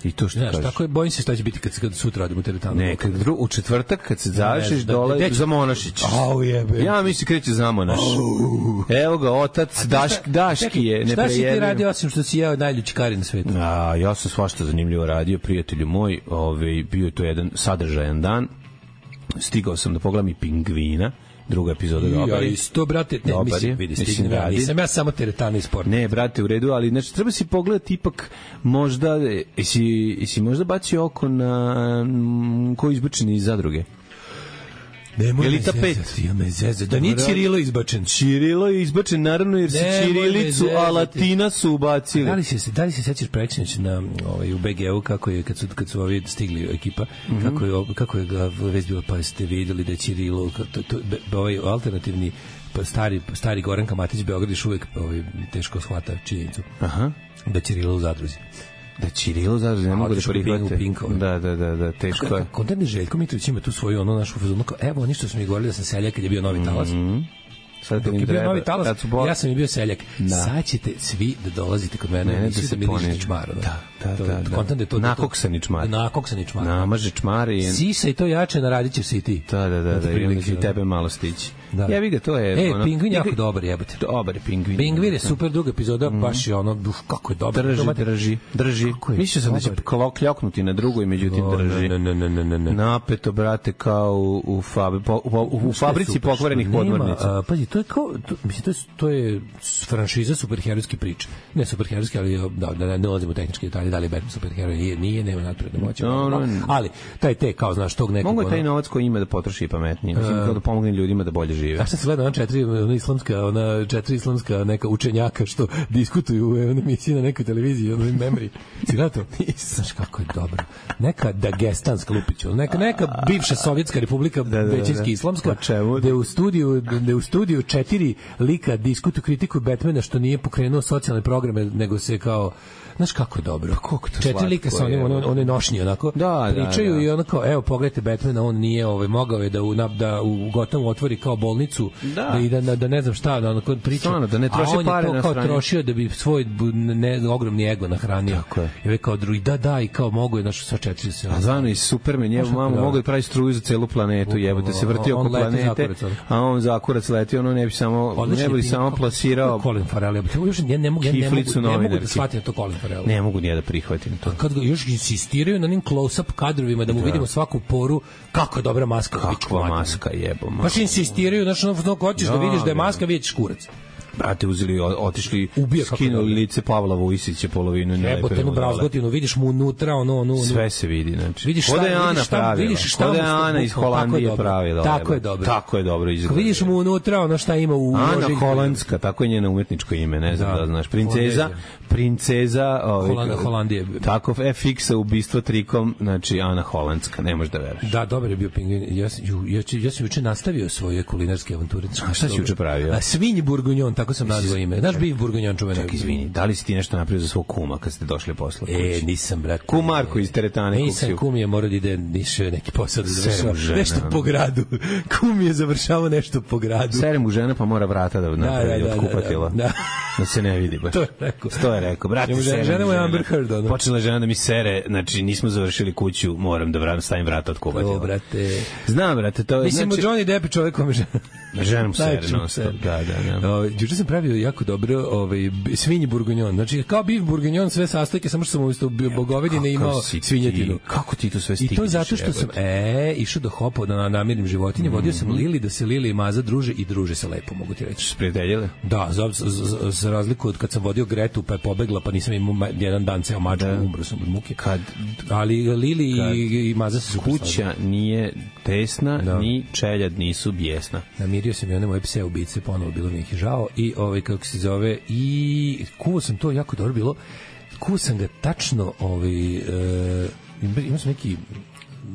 I to što znaš, kažeš. Tako je, bojim se šta će biti kad, kad sutra radimo teretanu. Ne, kad dru, u četvrtak kad se završiš da, dole da, za Monašić. Au jebe. Ja mislim kreće za Monaš. Au. Evo ga, otac Daš, Daški je neprejedno. Šta si ti radio osim što si jeo najljući kari na svetu? A, ja sam svašta zanimljivo radio, prijatelju moj. Ovaj, bio je to jedan sadržajan dan. Stigao sam da pogledam i Pingvina. Druga epizoda dobar. Ja isto, brate, ne, mislim, vidi, stignem ja, nisam ja samo teretana i sport. Ne, brate, u redu, ali znači, treba si pogledati ipak možda, jesi, jesi možda bacio oko na m, koji izbačeni iz zadruge? Nemoj Elita me pet. zezati, ja me zezati. Da nije Cirilo izbačen. Cirilo je izbačen, naravno, jer su Nemoj me Cirilicu, a zezati. Latina su ubacili. Da li se da li se sećaš preksinoć na ovaj u be ge u kako je kad su kad su ovi stigli ekipa mm-hmm. kako je kako je ga već bilo, pa ste videli da je Cirilo to, to, be, ovaj alternativni pa stari stari Goran Kamatić Beograd još uvek ovaj teško shvata činjenicu. Aha. Da Cirilo u zadruzi. Da Cirilo zadruži, ne mogu da prihvate. Da, da, da, da, teško je. Kontent Željko Mitrović ima tu svoju ono našu fazonu kao evo oni što su mi govorili da sam seljak kad je bio Novi talas. Mm-hmm. Sad dok je bio Novi talas, bo... ja sam i bio seljak. Da. Sad ćete svi da dolazite kod mene, ne, da se miliš čmar. Da, da, da. da. Kontent je to. Nakoksani čmar. Nakoksani čmar. Namaže čmar i... Sisa i to jače, naradit ćeš se i ti. Da, da, da, da, i onda će i tebe malo stići. Da. Ja vi ga, to je... E, ono, Pingvin jako dobar, jebote. Dobar je Pingvin. Pingvin je super druga epizoda, mm. baš je ono, uf, kako je dobar. Drži, drži, drži. Mislio sam da će kljoknuti na drugoj, međutim drži. Ne, ne, ne, ne, ne, ne. Napeto, brate, kao u, u, fabri, po, u, u, u fabrici pokvarenih podmornica. Pazi, to je kao, to, mislim, to je, to je franšiza superherojske priče. Ne superherojske, ali da, da ne, ne ulazimo u tehničke detalje, da li je Batman superheroj, nije, nije, nema nadprirodne moći. No, no, ali, taj te, kao, znaš, tog nekog... Mogu je taj novac koji ima da potroši i pametnije. Mislim, kao da pomogne ljudima da bolje žive. Ja sam se gledao na četiri, ona islamska, ona četiri islamska neka učenjaka što diskutuju u emisiji na nekoj televiziji, ono memory. Si gledao to? Znaš kako je dobro. Neka Dagestanska lupića, neka, neka bivša sovjetska republika, da, da, većinski islamska, gde u studiju, gde u studiju četiri lika diskutuju, kritikuju Batmana što nije pokrenuo socijalne programe, nego se kao znaš kako je dobro. Pa četiri lika sa onim, one, one nošnje, onako, da, pričaju da, da. I onako, evo, pogledajte Batmana, on nije ovaj, mogao je da u, da u Gotamu otvori kao bolnicu, da, da, i da, da, da ne znam šta, da onako priča, Stvarno, da ne troši a on pare je to na kao strani. trošio da bi svoj ne, ogromni ego nahranio. Tako je. I ove kao drugi, da, da, i kao mogu je naš sva četiri se. A zvano i Superman, je, mamo, mogu da pravi struju za celu planetu, jebote, se vrti oko planete, a on za kurac leti, ono ne bi samo, ne bi samo plasirao Colin Farrell, ja ne mogu, ja ne mogu, ne mogu da shvatim to Colin Farrell. Ne mogu ni da prihvatim to. Kad ga još insistiraju na onim close-up kadrovima da mu da. vidimo svaku poru, kako je dobra maska. Kakva maska, jebo. Baš insistiraju, znači, ono, hoćeš da, da vidiš da je maska, vidješ kurac. Brate, uzeli, otišli, ubija, skinuli lice Pavla Vujsića polovinu. Jebo, te brazgotinu, vidiš mu unutra, ono, ono, sve se vidi, znači. Vidiš šta, je Ana vidiš šta, pravila. vidiš šta, Kod je Ana iz Holandije pravila. Tako je dobro. Tako je dobro izgleda. Vidiš mu unutra, ono šta ima u Ana Holandska, tako je njeno umetničko ime, ne znam da, da znaš. Princeza, princeza, ovaj, Holandije. Tako F X-a ubistvo trikom, znači Ana Holandska, ne možeš da veruješ. Da, dobar je bio Pingvin. Ja ja ja sam juče nastavio svoje kulinarske avanture. A šta si juče pravio? A svinj burgunjon, tako sam nazvao ime. Znaš bif burgunjon čuveni. Čak izvini, da li si ti nešto napravio za svog kuma kad ste došli posle kući? E, nisam, brate. Kum Marko iz teretane kupio. Nisam, kum je morao da ide niše neki posao da završava. Nešto po gradu. Kum je završavao nešto po gradu. Sere mu žena pa mora vrata da napravi od kupatila. Da, da se ne vidi baš. To je rekao. To je rekao. Brate, žena mu je Amber Heard, ono. Počela žena da mi sere, znači nismo završili kuću, moram da vratim stavim vrata od kupatila. O, brate. Znam, brate, to mislim znači, Johnny Depp čovjek kome žena. Žena mu sere, non stop. Da, da, da. Ovaj juče sam pravio jako dobro, ovaj svinji burgunjon. Znači kao bif burgunjon sve sastojke, samo što sam umesto bogovedine imao svinjetinu. Kako ti to sve stigneš? I to zato što sam e išao do hopa da namirim životinje, vodio sam Lili da se Lili i Maza druže i druže se lepo, mogu ti reći. Sprijateljile? Da, za, za, za razliku od kad sam vodio Gretu pa je pobegla, pa nisam imao jedan dan ceo mačku, umro sam od muke. Kad, ali Lili kad i, i Maza se super kuća slavili. Nije tesna, da. Ni čeljad nisu bijesna. Namirio sam i one moje pse ubice, ponovo bilo mi ih žao i ovaj kako se zove i kuo sam to jako dobro bilo. Kuo sam ga tačno ovaj e, imao sam neki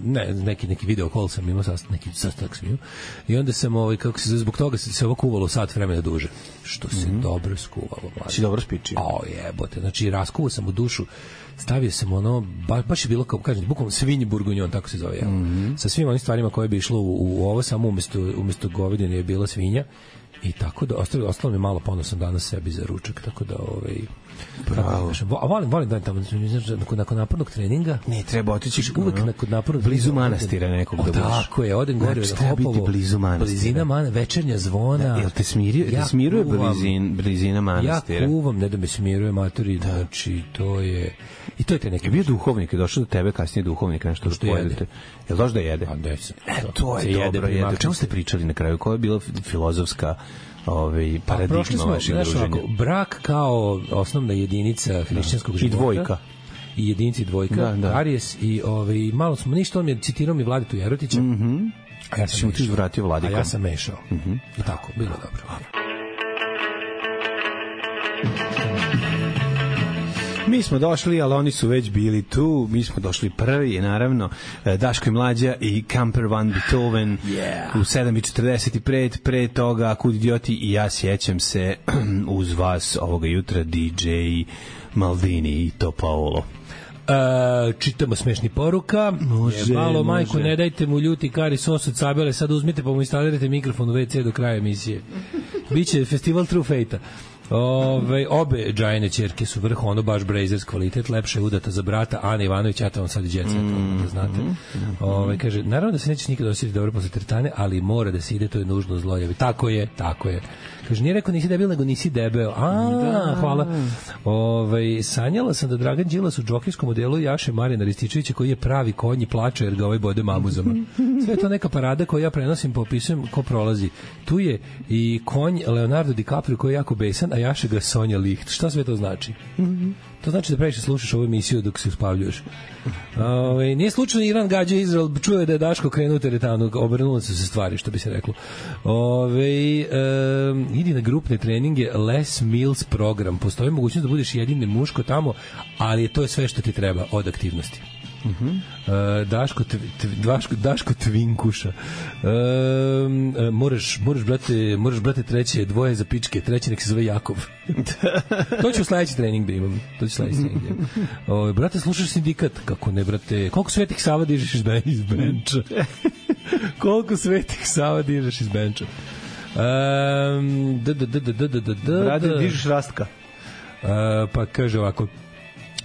ne, neki neki video call sam imao sastanak, neki sastanak sam imao i onda sam ovaj kako se zbog toga se se ovo kuvalo sat vremena duže što se mm-hmm. dobro skuvalo mlađe. Si dobro spičio. O jebote, znači raskuvao sam u dušu, stavio sam ono ba, baš je bilo kao kažem bukvalno svinji burgunjon, tako se zove ja. Mm-hmm. Sa svim onim stvarima koje bi išlo u, u ovo samo umesto umesto govedine je bila svinja. I tako da ostalo, ostalo mi malo ponosan danas sebi za ručak, tako da ovaj bravo. A volim, volim da tamo nakon, nakon napornog treninga. Ne, treba otići uvek no, nakon napornog blizu manastira nekog da budeš. Tako je, odem gore znači, na Hopovo. Blizu manastira. Blizina man, večernja zvona. Da, jel te smirio, ja te smiruje blizin, blizina manastira? Ja kuvam, ne da me smiruje matori, da. Znači to je i to je te neki. Je bio duhovnik, je došao do tebe kasnije duhovnik, nešto što pojedete. Jel došao da jede? A da se. E, to je dobro, jede. O čemu ste pričali na kraju? Koja je bila filozofska ovaj paradigma vašeg druženja? Brak kao osnovna jedinica hrišćanskog života. I dvojka. i jedinci dvojka, Da, da. karijes i ovaj, malo smo, ništa, on mi je citirao mi Vladitu Jerotića, Mhm. a ja sam Si mu ti mešao. vratio A Vladikom. ja sam mešao. I tako, bilo dobro. Mi smo došli, ali oni su već bili tu. Mi smo došli prvi, naravno. e, Daško i Mlađa i Camper Van Beethoven Yeah. u sedam i četrdeset pet. Pre toga, Kud idioti i ja sjećam se uz vas ovoga jutra D J Maldini i to Paolo. Uh, čitamo smešni poruka. Može, Malo, može. majko, ne dajte mu ljuti kari sos od sabele, sad uzmite pa mu instalirajte mikrofon u ve ce do kraja emisije. Biće festival True Fate-a. Ove, obe džajne ćerke su vrh, ono baš Brazers kvalitet, lepše je udata za brata Ana Ivanović, ja to vam sad i djece, mm, da znate. Ove, kaže, naravno da se nećeš nikada osjetiti dobro posle teretane, ali mora da se ide, to je nužno zlojavi. Tako je, tako je. Kaže, nije rekao nisi debil, nego nisi debeo. A, da. Hvala. Ove, sanjala sam da Dragan Đilas u džokijskom modelu jaše Marijana Rističevića koji je pravi konj i plače jer ga ovaj bode mamuzama. Sve je to neka parada koju ja prenosim, popisujem ko prolazi. Tu je i konj Leonardo DiCaprio koji je jako besan, a jaše ga Sonja Licht. Šta sve to znači? To znači da previše slušaš ovu emisiju dok se uspavljuješ. Ove, nije slučajno Iran gađa Izrael, čuje da je Daško krenuo u teretanu, obrnule su se stvari, što bi se reklo. Ove, um, idi na grupne treninge, Les Mills program. Postoji mogućnost da budeš jedini muško tamo, ali to je sve što ti treba od aktivnosti. Uh -huh. uh, Daško, tv, tv, Daško, Daško Tvinkuša. Um, uh, moraš, moraš, brate, moraš, brate, treće, dvoje za pičke, treći nek se zove Jakov. To ću u sledeći trening da imam. To ću sledeći trening da imam. O, brate, slušaš sindikat? Kako ne, brate? Koliko Svetih Sava dižeš iz, ben, iz benča? Koliko Svetih Sava dižeš iz benča? Um, d, d, d, d, d, d, d, d, Brate, dižeš Rastka. Uh, pa kaže ovako,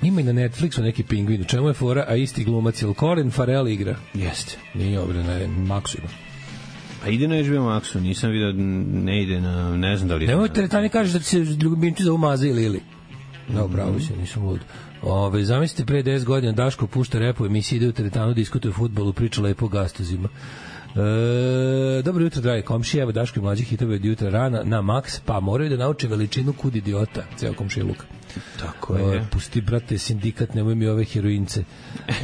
ima i na Netflixu neki pingvin, u čemu je fora, a isti glumac, jel Colin Farrell igra? Jeste. Nije obre, ne, Maxu ima. Pa ide na H B O Maxu, nisam vidio, ne ide na, ne znam da li... Nemoj teretani kažeš da ti se ljubimči zovu Maza ili Ili. Da, upravo se, nisam lud. Ove, zamislite, pre deset godina Daško pušta rep u emisiji, ide u teretanu, diskutuje o fudbalu, priča lepo o gastozima. E, dobro jutro, dragi komšije, evo Daško i mlađi hitove od jutra rana na Max, pa moraju da nauče veličinu Kud idiota, ceo komšiluk. Tako je. O, pusti, brate, sindikat, nemoj mi ove heroince.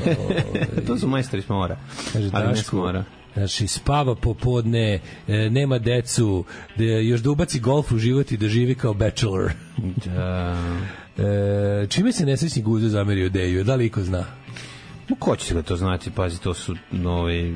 O, to su majstori smora. kaže, ali ne Daško, smora. znači, spava popodne, e, nema decu, da, još da ubaci golf u život i da živi kao bachelor. Da. E, čime se nesrećni Guzo zamerio Deju? Da li iko zna? No, ko će ga to znati? Pazi, to su nove,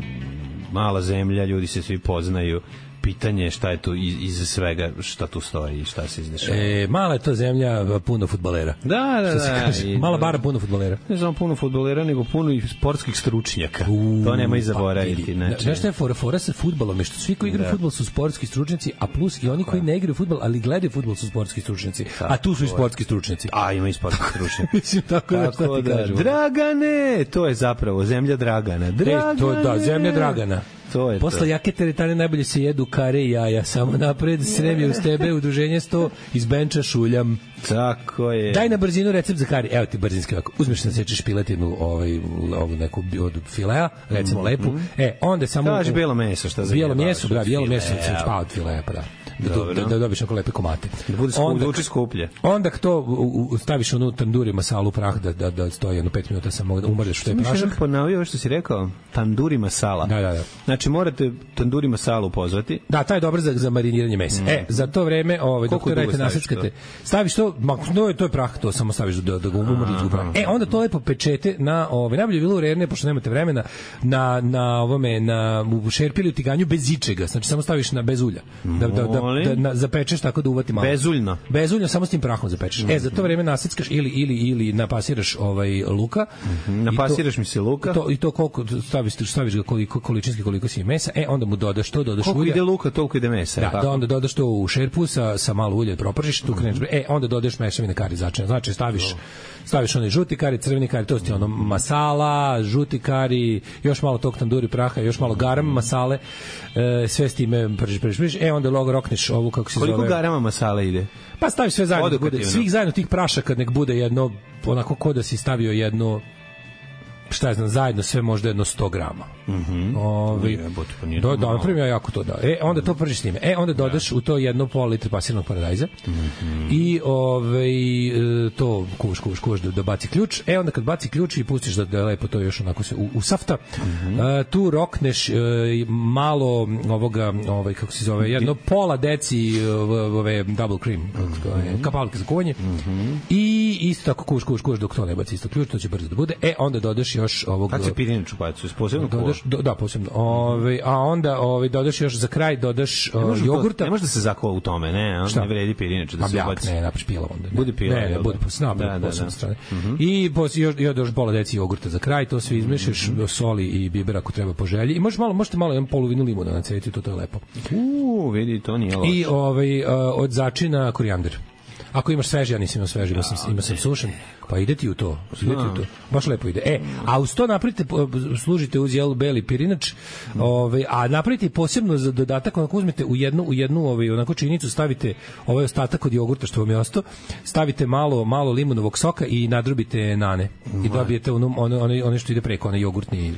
mala zemlja, ljudi se svi poznaju. Pitanje je šta je tu iz, iz svega, šta tu stoji i šta se izdešava. E, mala je to zemlja, puno fudbalera. Da, da, Što se da. kaže, I- mala bara, puno fudbalera. Ne znam puno fudbalera, nego puno i sportskih stručnjaka. U, to nema i pa zaboraviti. vidi. Znači, Znaš šta je fora? Fora sa fudbalom je što svi koji igraju Da. fudbal su sportski stručnjaci, a plus i oni koji ne igraju fudbal, ali gledaju fudbal su sportski stručnjaci. A tu su i sportski stručnjaci. a ima i sportskih stručnjaka. Mislim, tako da šta Tako ti da, kažem. Dragane, to je zapravo zemlja Dragana. Dragane. E, to, da, zemlja Dragana. To je Posle to. jake teretane najbolje se jedu kare i jaja. Samo napred, srem je uz tebe, udruženje sto, iz benča šuljam. Tako je. Daj na brzinu recept za kari. Evo ti brzinski ovako. Uzmeš da sečeš piletinu, ovaj, ovu neku od filea, recimo lepu. E, onda samo... Kaži bijelo meso, šta za Bijelo njega meso, baš da, od bijelo filea. meso, se pa od filea, pa da. Da, Dobro. da, da dobiš onako lepe komate. Da bude skuplje, da uči skuplje. Onda to u, u, staviš onu tanduri masalu prah da, da, da stoji jedno pet minuta samo da umreš u taj Mi prašak. še ponavio ovo što si rekao, tanduri masala. Da, da, da. Znači morate tanduri masalu pozvati. Da, taj je dobar za, za mariniranje mesa. Mm. E, za to vreme, ovaj, dok Koliko to dugo radite, staviš naseckate, staviš to, ma, no, to je prah, to samo staviš da, da ga umrliš u prah. E, onda to lepo pečete na, ovaj, najbolje je bilo u rerne, pošto nemate vremena, na, na ovome, na, u šerpi ili u tiganju bez ičega, znači samo staviš na bez ulja. Da, da, da, da, na, zapečeš tako da uvati malo. Bezuljno. Bezuljno, samo s tim prahom zapečeš. Mm. E, za to vreme naseckaš ili, ili, ili napasiraš ovaj, luka. Mm, napasiraš mi se luka. To, I to koliko staviš, staviš ga koliko, količinski koliko si mesa, e, onda mu dodaš to, dodaš Koliko ulja. ide luka, toliko ide mesa. Da, tako? da, onda dodaš to u šerpu sa, sa malo ulja, propržiš, tu kreneš, e, onda dodaš mešavine kari začine. Znači, staviš, staviš onaj žuti kari, crveni kari, to ti ono masala, žuti kari, još malo tog tanduri praha, još malo garam masale, e, sve s time pržiš, pržiš, pržiš, e, onda logo rokneš ovu, kako se Koliko zove... garama masale ide? Pa staviš sve zajedno, da bude, Odokativno. svih zajedno tih prašaka nek bude jedno, onako ko da si stavio jedno šta ja znam, zajedno sve možda jedno sto grama. Mhm. Ovaj do da napravim ja jako to da. E onda to pržiš s njime. E onda dodaš u to jedno pola litre pasiranog paradajza. Mm-hmm. I ovaj to kuvaš, kuvaš, kuvaš da, da baci ključ. E onda kad baci ključ i pustiš da, da lepo to još onako se u, usafta, mm-hmm. uh, tu rokneš uh, malo ovoga, ovaj kako se zove, jedno pola deci uh, ove double cream, mm-hmm. kapalke za kuvanje. Mm-hmm. I isto tako kuvaš, kuvaš, kuvaš dok to ne baci isto ključ, to će brzo da bude. E onda dodaš još ovog kad se pirinač ubaci, posebno dodaš do, da posebno. Ovaj a onda ovaj dodaš još za kraj dodaš uh, jogurta. Ne može da se zakuva u tome, ne, on ne vredi pirinač da se ubaci. Ne, napraviš pila onda. Bude pila. Ne, ne, bude posna, da, da, da. Strane. Mm-hmm. I posle još još pola deci jogurta za kraj, to sve izmešaš, mm-hmm. soli i biber ako treba po želji. I možeš malo, možete malo jedan polovinu limuna nacetiti, to to je lepo. U, vidi, to nije loše. I ovaj uh, od začina korijander. Ako imaš sveži, ja nisam imao sveži, ima sam, ima sam sušen, pa ide ti u to, ide ti u to, baš lepo ide. E, a uz to napravite, služite uz jel beli pirinač, ovaj, a napravite posebno za dodatak, onako uzmete u jednu, u jednu ovaj, onako činicu, stavite ovaj ostatak od jogurta što vam je ostao, stavite malo, malo limunovog soka i nadrobite nane. I dobijete ono, ono, ono, ono što ide preko, onaj jogurtni...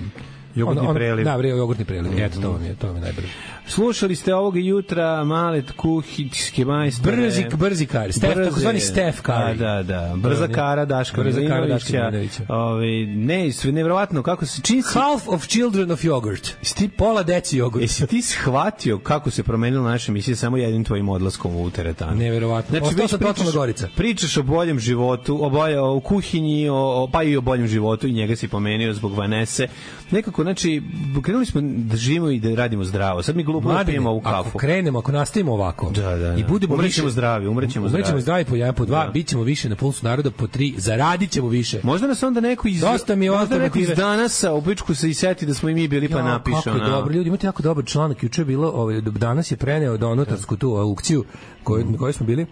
Jogurtni on, on, preliv. Da, bre, jogurtni preliv. Mm-hmm. Eto, to vam je, to vam je najbrže. Slušali ste ovoga jutra male kuhinjske majstore. Brzi, brzi kar. Stef, tako zvani Stef Curry. Da, da, da. Brza kara Daška Milinovića. Ove, ne, sve nevjerovatno kako se čini si... Half of children of yogurt. Sti pola deci jogurt. Jesi ti shvatio kako se promenila naša emisija samo jednim tvojim odlaskom u teretanu? Nevjerovatno. Znači, već pričaš, Gorica. pričaš o boljem životu, o, bolje, o kuhinji, o, o, pa i o boljem životu i njega si pomenio zbog Vanese. Nekako, znači, krenuli smo da živimo i da radimo zdravo. Sad mi glupo da pijemo ovu kafu. Ako krenemo, ako nastavimo ovako da, da, da. i budemo umrećemo više zdravi, umrećemo zdravi. Umrećemo zdravi po jedan, po dva, da. Bićemo više na pulsu naroda, po tri, zaradit ćemo više. Možda nas onda neko iz, Dosta mi možda neko iz Danasa u pičku se i seti da smo i mi bili pa napišu. Kako je dobro, ljudi, imate jako dobar članak. Juče je bilo, ovaj, danas je preneo do notarsku tu aukciju koju, na kojoj smo bili.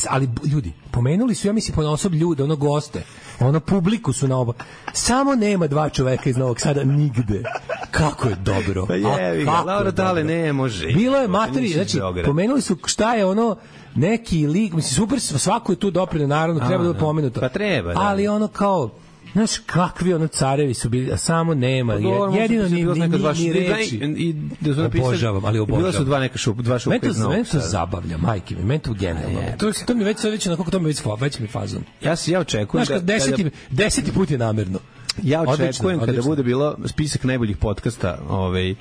Ali ljudi, pomenuli su, ja mislim, ponosob ljude, ono goste, ono publiku su na oba. Samo nema dva čoveka iz Novog Sada nigde. Kako je dobro. Pa jevi ga, Laura Dale ne može. Bilo je materi, znači, pomenuli su šta je ono, neki lik, mislim, super, svako je tu doprineo, naravno, treba da je pomenuto. Pa treba, da. Ali ono kao, znaš, kakvi ono carevi su bili, a samo nema. Pa, jedino ni, ni, ni reči. I, da su napisali, obožavam, ali obožavam. Bilo su dva neka šup, dva šupka iz Novog Sada. Meni to zabavlja, majke mi, meni to genijalno. To, to mi već, već, onako, to mi već, već mi fazon. Ja se, ja očekujem znaš, da... Deseti, kada, deseti put je namerno. Ja očekujem odlično, kada odlično. Bude bilo spisak najboljih podcasta, ovaj,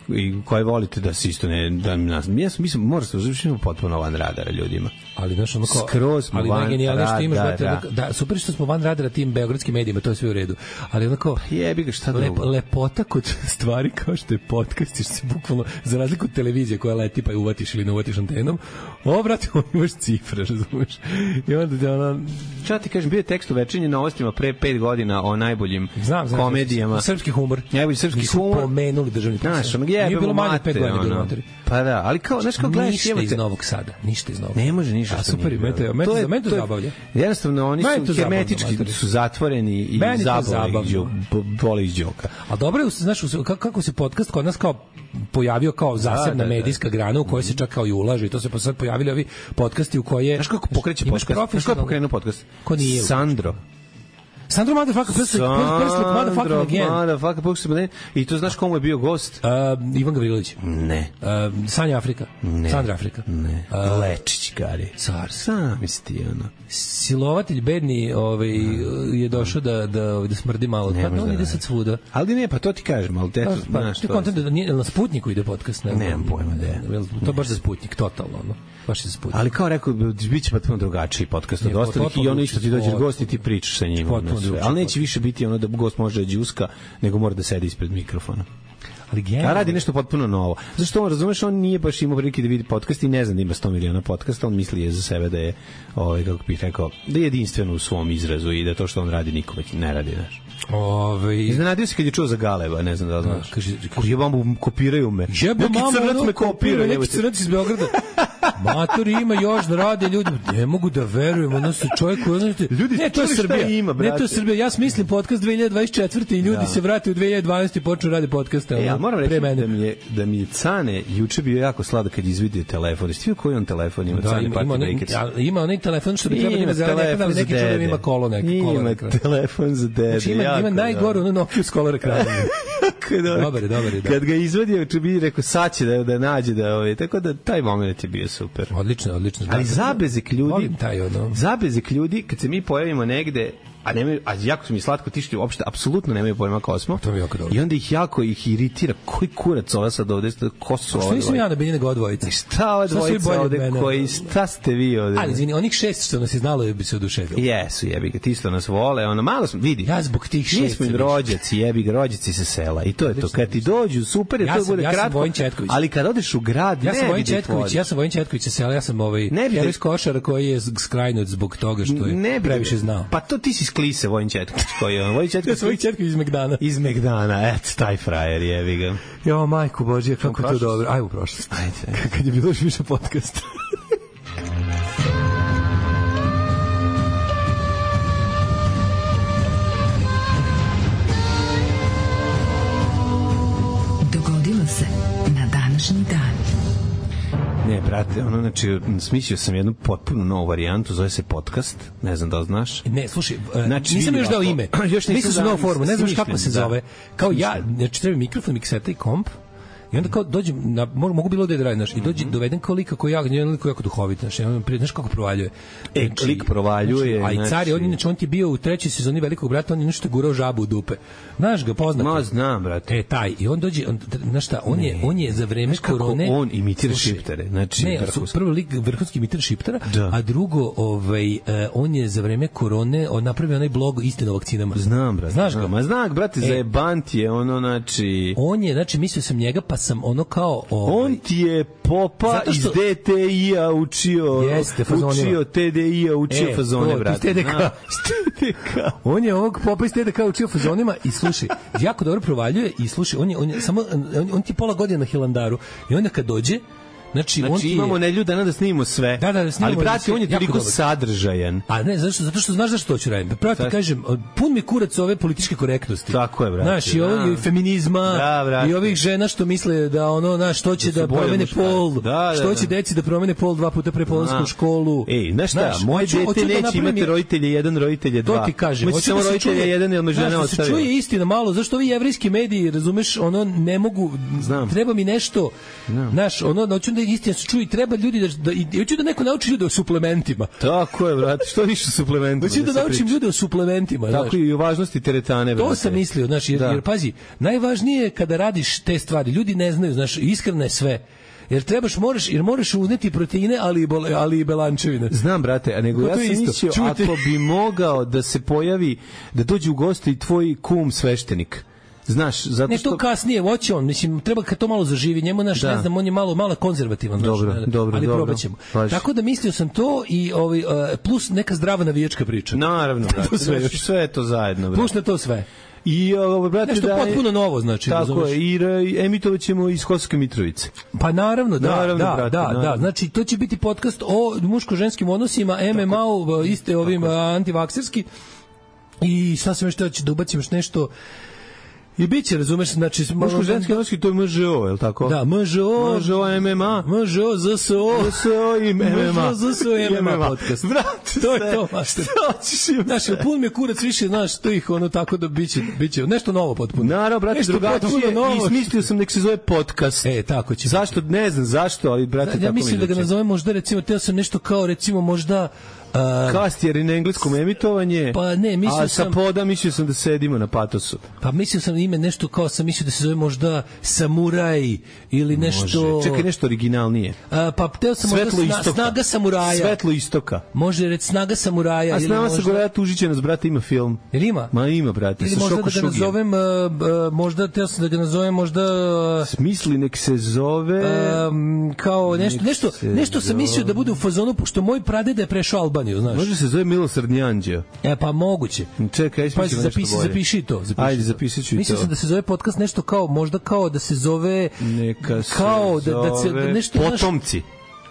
i koje volite da se isto ne da nas ja mislim mora se uzvišimo potpuno van radara ljudima, ali znaš ono kao skroz ali van genijalno što imaš da, da super što smo van radara tim beogradskim medijima, to je sve u redu, ali onako jebi ga šta lep, lepota kod stvari kao što je podcast, što se bukvalno za razliku od televizije koja leti pa je uvatiš ili ne uvatiš antenom, ovo brate imaš cifre, razumeš, i onda da ona šta ti kažem, bio je tekst u Večernjim novostima pre pet godina o najboljim znam, znam, komedijama, srpski humor, najbolji srpski humor, pomenuli državni znaš, ono je bilo manje pet godina bilo materi. Pa da, ali kao znaš kako gledaš ništa iz Novog Sada, ništa iz Novog. Ne može ništa. A super, mete, mete za mene to zabavlja. Jednostavno oni su hermetički, su zatvoreni i zabavljaju, boli iz đoka. A dobro je, znaš, kako se podcast kod nas kao pojavio kao zasebna medijska grana u kojoj se čak kao i ulaže i to se pa sad pojavili ovi podcasti u koje znaš kako pokreće podcast, znaš kako pokrenuo podcast? Ko nije? Sandro. Sandro motherfucker, first motherfucker again. Motherfucker, first again. I to znaš komu je bio gost? Uh, Ivan Gavrilović. Ne. Uh, Sanja Afrika. Ne. Sandra Afrika. Ne. Uh, Lečić, Gari. Car. Sam isti, ono. Silovatelj bedni ovaj, je došao da, da, da smrdi malo. Ne, pa on ide sad svuda. Ali ne, pa to ti kažem, ali te... Pa, znaš, ti kontent da nije na Sputniku ide podcast. Ne, nemam pojma, da je. To baš za Sputnik, totalno, ono. Baš je za Sputnik. Ali kao rekao, biće potpuno drugačiji podcast od ostalih i ono isto ti dođeš gost i ti pričaš sa njim. Ali neće više biti ono da gost može da đuska, nego mora da sedi ispred mikrofona. Ali a radi nešto potpuno novo. Zašto on, razumeš, on nije baš imao prilike da vidi podcast i ne zna da ima sto miliona podcasta, on misli je za sebe da je, ovaj, kako bih rekao, da je jedinstven u svom izrazu i da to što on radi nikome ne radi, znaš. Ove... Iznenadio se kad je čuo za Galeba, ne znam da li znaš. Kaže, jebam, kopiraju me. Jebam, neki crnac me kopiraju. Neki crnac iz Beograda. Matori ima još da rade ljudi, ne mogu da verujem, ono su čovjek koji znači, ljudi, ne, to je Srbija, ima, ne, to je Srbija, ja smislim podcast dve hiljade dvadeset četvrte i ljudi da. se vrate u dve hiljade dvanaeste i počnu radi podcaste. Ja moram reći da mi je, da mi je Cane juče bio jako sladak kad izvidio telefon. Jesi vidio koji on telefon ima? Da, Cane ima, Party ima, Breakers. Ima onaj telefon što bi trebalo ima zeleni ekran, ali neki čujem ima kolo neki. Ima telefon za dede. Znači, ima, ima najgoru ono Nokia s color ekranom. Dobar je, dobar je. Da. Kad ga izvadio, če bi rekao sad će da, da nađe da ovaj, tako da taj moment je bio super. Odlično, odlično. Ali zabezek ljudi, taj ono. Zabezek ljudi kad se mi pojavimo negde, a nemaju, a jako su mi slatko tišti, uopšte apsolutno nemaju pojma ko smo. To mi je jako dobro. I onda ih jako ih iritira, koji kurac ova sad ovde, ko su ovo? Što nisam ja na Benji nego odvojica? Šta ova dvojica ovde, koji, šta ste vi ovde? Ali izvini, onih šest što nas je znalo bi se oduševilo. Jesu, jebi ga, ti što nas vole, ono, malo smo, vidi. Ja zbog tih šest. Mi smo im rođaci, jebi ga, rođaci se sela. I to je to, kad ti dođu, super je, ja to sam, bude ja kratko, ali kad odeš u grad, ja ne sam Vojin vidi Četković, ja sam Vojin Četković sa sela, ja sam ovaj heroj iz Košara koji je skrajnut zbog toga što je previše znao. Pa to ti si sklise, Vojin Četković. Koji je on? Vojin Četković. Ja sam Vojin Četković iz Megdana. Iz Megdana, eto, taj frajer jevi ga. Jo, majku Božje, kako to dobro. Ajmo u prošlost. Ajde. Kad je bilo još više podcasta. Dogodilo se na današnji dan. Ne, brate, ono, znači, smislio sam jednu potpuno novu varijantu, zove se podcast, ne znam da li znaš. Ne, slušaj, znači, nisam još dao ime. Još nisam za novu formu, ne znaš kako se da. zove. Kao ja, znači, treba mikrofon, mikseta i komp, i onda kao dođem, na, mogu bilo da je radim, znaš, i dođem, doveden kao lika koji jako, jedan lik koji jako duhovit, znaš, znaš kako provaljuje. E, znači, lik provaljuje. Znači, a i car je, on, inače, on ti bio u trećoj sezoni Velikog brata, on je nešto gurao žabu u dupe. Znaš ga, poznat. Ma, znam, brate. E, taj, i on dođe, on, znaš šta, on, je, on je za vreme korone... on imitira šiptare, znači, ne, vrhunski. Prvo lik vrhunski imitira šiptara, da. A drugo, ovaj, uh, on je za vreme korone on napravio onaj blog Istina o vakcinama. Znam, brate. Znaš ga? Ma, znam, brate, e, zajebant je, ono, znači... On je, znači, mislio sam njega, pa sam ono kao... Ovaj, on ti je popa što, iz D T I-a učio, jeste, učio T D I-a, učio e, fazone, brate. T D K. On je ovog popa iz T D K učio fazonima i slušaj, jako dobro provaljuje i slušaj, on je, on je samo, on, on ti je pola godine na Hilandaru i onda kad dođe, Znači, znači on ti je... imamo nedelju dana da snimimo sve. Da, da, da snimimo. Ali brate, on je toliko sadržajan. A ne, zašto? Zato što znaš zašto to ću raditi. Prvo ti kažem, pun mi kurac ove političke korektnosti. Tako je, brate. Znaš, i ovo i feminizma, da, i ovih žena što misle da ono, znaš, što će da, da promene pol, da, da, što da. će deci da promene pol dva puta pre polasku školu. Ej, znaš šta, znaš, moje hoću, dete hoću neće da imati roditelje jedan, roditelje dva. To ti kažem. Hoće samo roditelje jedan, jer me žena ostavila. Se čuje istina malo, zašto ovi jevrejski mediji, razumeš, ono ne mogu, treba mi nešto, znaš, ono, hoću da istina se čuje, treba ljudi da, da i hoću da neko nauči ljude o suplementima. Tako je, brate, što više suplementima. Hoću da, da naučim ljude o suplementima, tako znaš. I o važnosti teretane, brate. To sam mislio, znaš, jer, jer pazi, najvažnije je kada radiš te stvari, ljudi ne znaju, znaš, iskreno je sve. Jer trebaš, moraš, jer moraš uzneti proteine, ali i, bol, ali i belančevine. Znam, brate, a nego ja sam mislio, ako bi mogao da se pojavi, da dođe u goste i tvoj kum sveštenik. Znaš, zato što... Ne, to kasnije, hoće on, mislim, treba kad to malo zaživi, njemu, naš, da. ne znam, on je malo, malo konzervativan, dobro, znaš, dobro, ali dobro, probat ćemo. Baš. Tako da mislio sam to i ovaj, uh, plus neka zdrava navijačka priča. Naravno, brate, sve, znaš, sve je to zajedno, brate. Plus na to sve. I ovo, brate, nešto da je, potpuno novo, znači. Tako je, i emitovat ćemo iz Kosovske Mitrovice. Pa naravno, da, naravno, da, brate, da, naravno. da. Znači, to će biti podcast o muško-ženskim odnosima, M M A-u, iste ovim antivakserski. I šta sam još teo da ubacim još nešto... I biće, razumeš, znači... Muško-ženski odnosi, to je M Ž O, je li tako? Da, M Ž O... M Ž O, M M A... M Ž O, Z S O... Z S O i M M A... M Ž O, Z S O i M M A podcast. Vrati, to je to, master. Znaš, pun mi je kurac više, znaš, to ih ono tako da biće, biće nešto novo potpuno. Naravno, brate, drugačije, i smislio sam nek se zove podcast. E, tako će. Zašto, ne znam zašto, ali, brate, tako mi ja mislim da ga nazovem možda, recimo, teo sam nešto kao, recimo, možda... Uh, Kast je na engleskom emitovanje, pa ne, mislio a sa sam, poda mislio sam da sedimo na patosu. Pa mislio sam ime nešto kao sam mislio da se zove možda Samuraj ili nešto... Može. Čekaj, nešto originalnije. A, pa teo sam Svetlo možda sna, Snaga Samuraja. Svetlo istoka. Može reći Snaga Samuraja. A s nama se govorio tužiće nas, brate, ima film. Jer ima? Ma ima, brate, ili sa Šoko možda da ga nazovem, uh, uh, možda teo sam da ga nazovem možda... Uh, Smisli nek se zove... Um, kao nešto, nešto, nešto sam mislio da bude u fazonu, pošto moj pradeda je prešao Albaniju, znaš. Može se zove Milosrdni anđeo. E, pa moguće. Čekaj, pa zapisi, zapiši to. Zapiši Ajde, zapisat ću i to. Mislim sam da se zove podcast nešto kao, možda kao da se zove... Neka se kao zove... Da, da se, nešto, Potomci.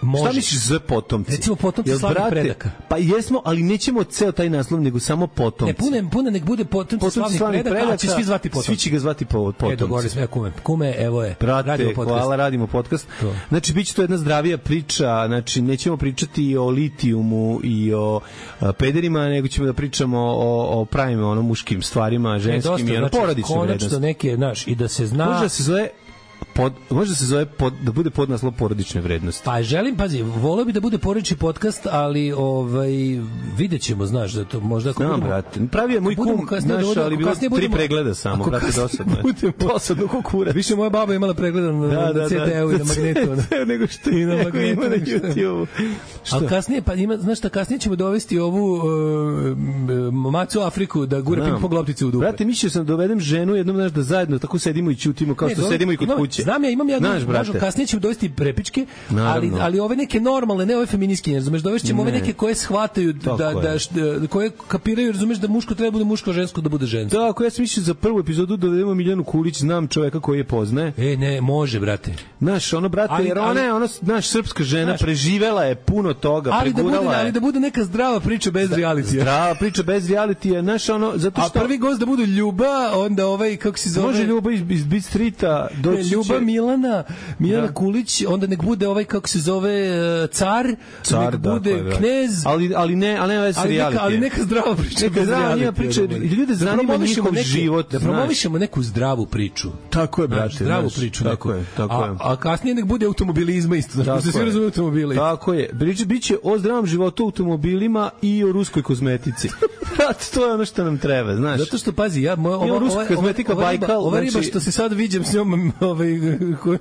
Može. Šta misliš za potomci? Recimo potomci Jel, slavnih brate, predaka. Pa jesmo, ali nećemo ceo taj naslov, nego samo potomci. Ne, puno, puno nek bude potomci, Potomci slavnih, slavnih predaka, predaka, a će svi zvati potomci. Svi će ga zvati po, potomci. E, dogovori sve, kume. Kume, evo je. Brate, hvala, radimo podcast. To. Znači, bit će to jedna zdravija priča, znači, nećemo pričati o litijumu i o a, pederima, nego ćemo da pričamo o, o pravim, ono, muškim stvarima, ženskim i ono, znači, porodične vrednosti. konačno neke, znaš, i da se zna... Može da se zove pod, može da se zove pod, da bude podnaslov porodične vrednosti. Pa želim, pazi, voleo bi da bude porodični podcast, ali ovaj videćemo, znaš, da to možda ako Znam, budemo, brate. Pravi je moj kum, naš, ali bilo tri budemo, pregleda samo, brate, dosadno je. Dosadno ko kurac. Više moja baba imala pregleda na, da, na C D-u da, i na magnetu. Da, nego što i na magnetu. Na YouTube. A kasnije, pa ima, znaš šta, kasnije ćemo dovesti ovu uh, Macu Afriku da gure ping-pong loptice u dupe. Brate, mislio sam da dovedem ženu jednom, znaš, da zajedno tako sedimo i ćutimo kao ne, što dole, sedimo i kod imam, kuće. Znam ja, imam ja, znaš, možda kasnije ćemo dovesti prepičke, ali, ali ove neke normalne, ne ove feministkinje, razumeš, dovešćemo ove neke koje shvataju da, da, da, koje kapiraju, razumeš, da muško treba bude muško, a žensko da bude žensko. Da, ako ja sam mislio za prvu epizodu da dovedemo Miljanu Kulić, znam čoveka koji je poznaje. E, ne, može, brate. Znaš, ono, brate, ali, jer ona je, ona, naš srpska žena, znaš, preživela je puno toga, ali pregurala da bude, je. Ali da bude neka zdrava priča bez da, realitija. Zdrava priča bez realitija, znaš, ono, zato što... A prvi gost da bude Ljuba, onda ovaj, kako se zove... Može Ljuba iz, iz Beat Streeta, doći će... Ljuba Milana, Milana da. Kulić, onda nek bude ovaj, kako se zove, car, car nek da, bude da. knez... Ali, ali ne, ali ne veze ali realitija. Neka, ali neka zdrava priča neka bez realitija. Priča, ljude zanima da njihov neke, život. Da promovišemo neku zdravu priču. Tako je, brate. Zdravu znaš, priču tako neku. Je, tako a, je. a kasnije nek bude automobilizma isto. Znači, da se svi razume automobile. Tako je. Biće, biće o zdravom životu, automobilima i o ruskoj kozmetici. To je ono što nam treba, znaš. Zato što, pazi, ja... Ova, ova, ruska kozmetika ova, Bajkal... Ova riba znači... što se sad viđem s njom, ovaj,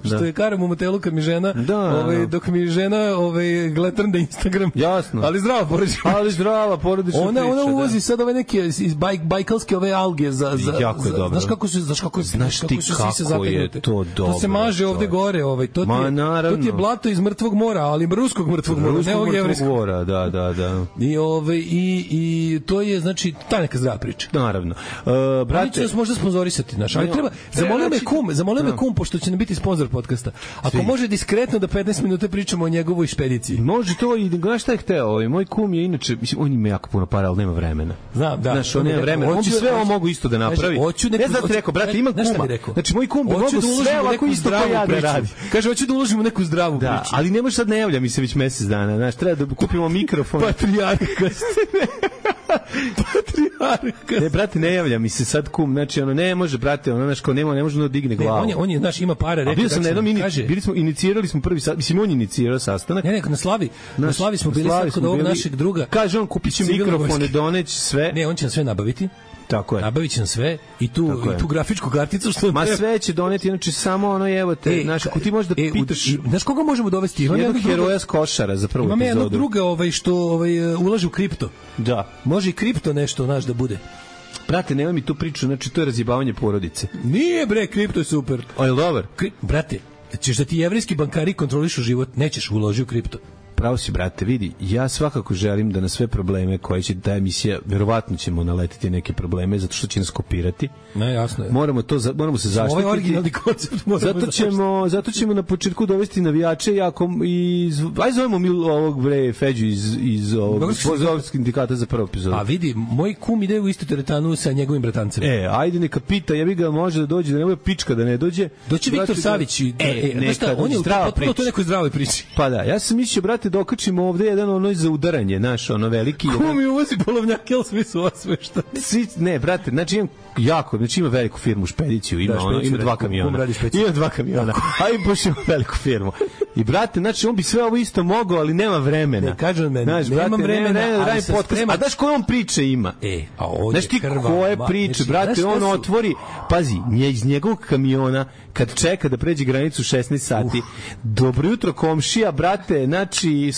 što da. je karam u motelu kad mi žena, da, ovaj, dok mi žena ovaj, gletam da Instagram. Jasno. Ali zdrava porodična. Ali zdrava porodična ona, priča. Ona uvozi da. sad ove neke iz bajk, bajkalske ove alge za... za jako je za, dobro. Znaš kako su, znaš kako, znaš kako ti su kako sise zategnute. Je to dobro. To se maže ovde gore. Ovaj, to, ti Ma, je, to ti je blato iz mrtvog mora, ali ruskog mrtvog mora. Ruskog ne ovog mrtvog mora, da, da, da. I, ovaj, i, i to je, znači, ta neka zdrava priča. Naravno. Uh, brate, oni će nas možda sponzorisati, naš, ali treba, zamolio me kum, zamolio me kum, pošto će nam biti sponzor podcasta. Ako Svi. može diskretno da petnaest minuta pričamo o njegovoj špediciji. Može to i, znaš šta je hteo, ovaj, moj kum je inače, mislim, on ima jako puno para, ali nema vremena. Znam, da. Znaš, on nema vremena, on bi sve ovo mogu isto da napravi. Hoću neku, ne znam ti rekao, brate, ima kuma. Znači, moj kum bi mogu sve ovako isto kao ja da radi. Kaže, hoću da uložimo neku zdravu priču. Da, ali ne može sad ne javlja mi se već mesec dana, znaš, treba da kupimo mikrofon. Patrijarka ste. Patrijarka. Ne, brate, ne javlja mi se sad kum, znači ono ne može, brate, ono znaš kao nema, ne može da digne glavu. Ne, on je, on je, znaš, ima para, rekao. Bio sam na jednom ini, bili smo inicirali smo prvi sad, mislim on je inicirao sastanak. Ne, ne, na Slavi, naš, na Slavi smo bili sad kod ovog našeg druga. Kaže on kupiće mikrofone, doneći sve. Ne, on će nam sve nabaviti. Tako je. Nabavit će nam sve i tu, i tu grafičku karticu što ma sve će doneti, znači samo ono evo te, e, znaš, ako ti možeš da e, pitaš, znaš koga možemo dovesti? Imam jednog heroja s Košara za prvu epizodu. Imam jednog druga ovaj, što ovaj, ulaže u kripto. Da. Može i kripto nešto, znaš, da bude. Brate, nema mi tu priču, znači to je razjebavanje porodice. Nije bre, kripto je super. O, je dobar? Kri... Brate, ćeš da ti jevrijski bankari kontrolišu život, nećeš uloži u kripto. Pravo si, brate, vidi, ja svakako želim da na sve probleme koje će ta emisija, verovatno ćemo naletiti neke probleme, zato što će nas kopirati. Ne, jasno je. Moramo, to, moramo se zaštititi. Ovaj originalni koncept moramo zato ćemo, zato ćemo na početku dovesti navijače, jako, iz, aj zovemo mi ovog bre Feđu iz, iz ovog Bozovskog sindikata za prvu epizodu. A vidi, moj kum ide u istu teretanu sa njegovim bratancem. E, ajde neka pita, ja bi ga može da dođe, da ne bude pička da ne dođe. Doći Viktor Savić. E, e neka, on je potpuno to nekoj zdravoj priči. Pa da, ja sam mislio, brate, dokačimo ovde jedan ono za udaranje, naš, ono veliki. Ko mi uvozi polovnjake, ali svi su osvešta. Svi, ne, brate, znači imam jako, znači ima veliku firmu, špediciju, ima, da, ono, ima dva kamiona. Ima dva kamiona, a im pošljamo veliku firmu. I, brate, znači, on bi sve ovo isto mogao, ali nema vremena. Ne, kažem meni, znaš, nemam brate, vremena, ne, ne, ali se sprema. A znaš koje on priče ima? E, a ovdje znaš ti krva, koje priče, brate, znaš, on su... otvori, pazi, nje iz njegovog kamiona, kad čeka da pređe granicu šesnaest sati, uh. dobro jutro komšija, brate, znači,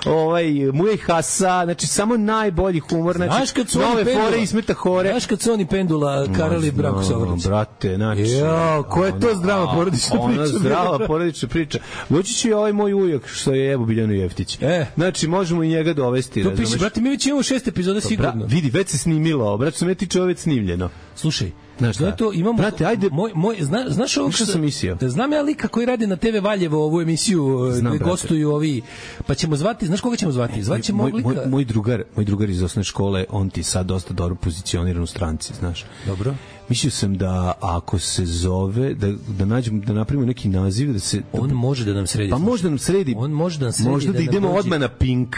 ovaj, Muje Hasa, znači, samo najbolji humor, znači, nove fore i smeta hore. Znaš kad su oni pendula Karali Branko Sovrnić? Brate, znači... Jo, ko je to zdrava porodična priča? Ona zdrava porodična priča. Doći će i ovaj moj ujak, što je Evo Biljanu Jeftić. E. Znači, možemo i njega dovesti. To piše, brate, mi već imamo šest epizoda sigurno. Bra, vidi, već se snimilo, brate, što me tiče ovo već snimljeno. Slušaj, Znaš šta? to imamo Brate, ajde. moj moj zna, znaš ovo Što sam mislio? Znam ja lika koji radi na te ve Valjevo ovu emisiju Znam, gde brate. gostuju ovi, pa ćemo zvati, znaš koga ćemo zvati? Zvaćemo moj, lika. moj, moj drugar, moj drugar iz osnovne škole, on ti sad dosta dobro pozicioniran u stranci, znaš. Dobro. Mislio sam da ako se zove, da, da nađemo, da napravimo neki naziv, da se... On može da nam sredi. Pa može da nam sredi. On može da nam sredi. Možda da, da nam idemo dođe- odmah na Pink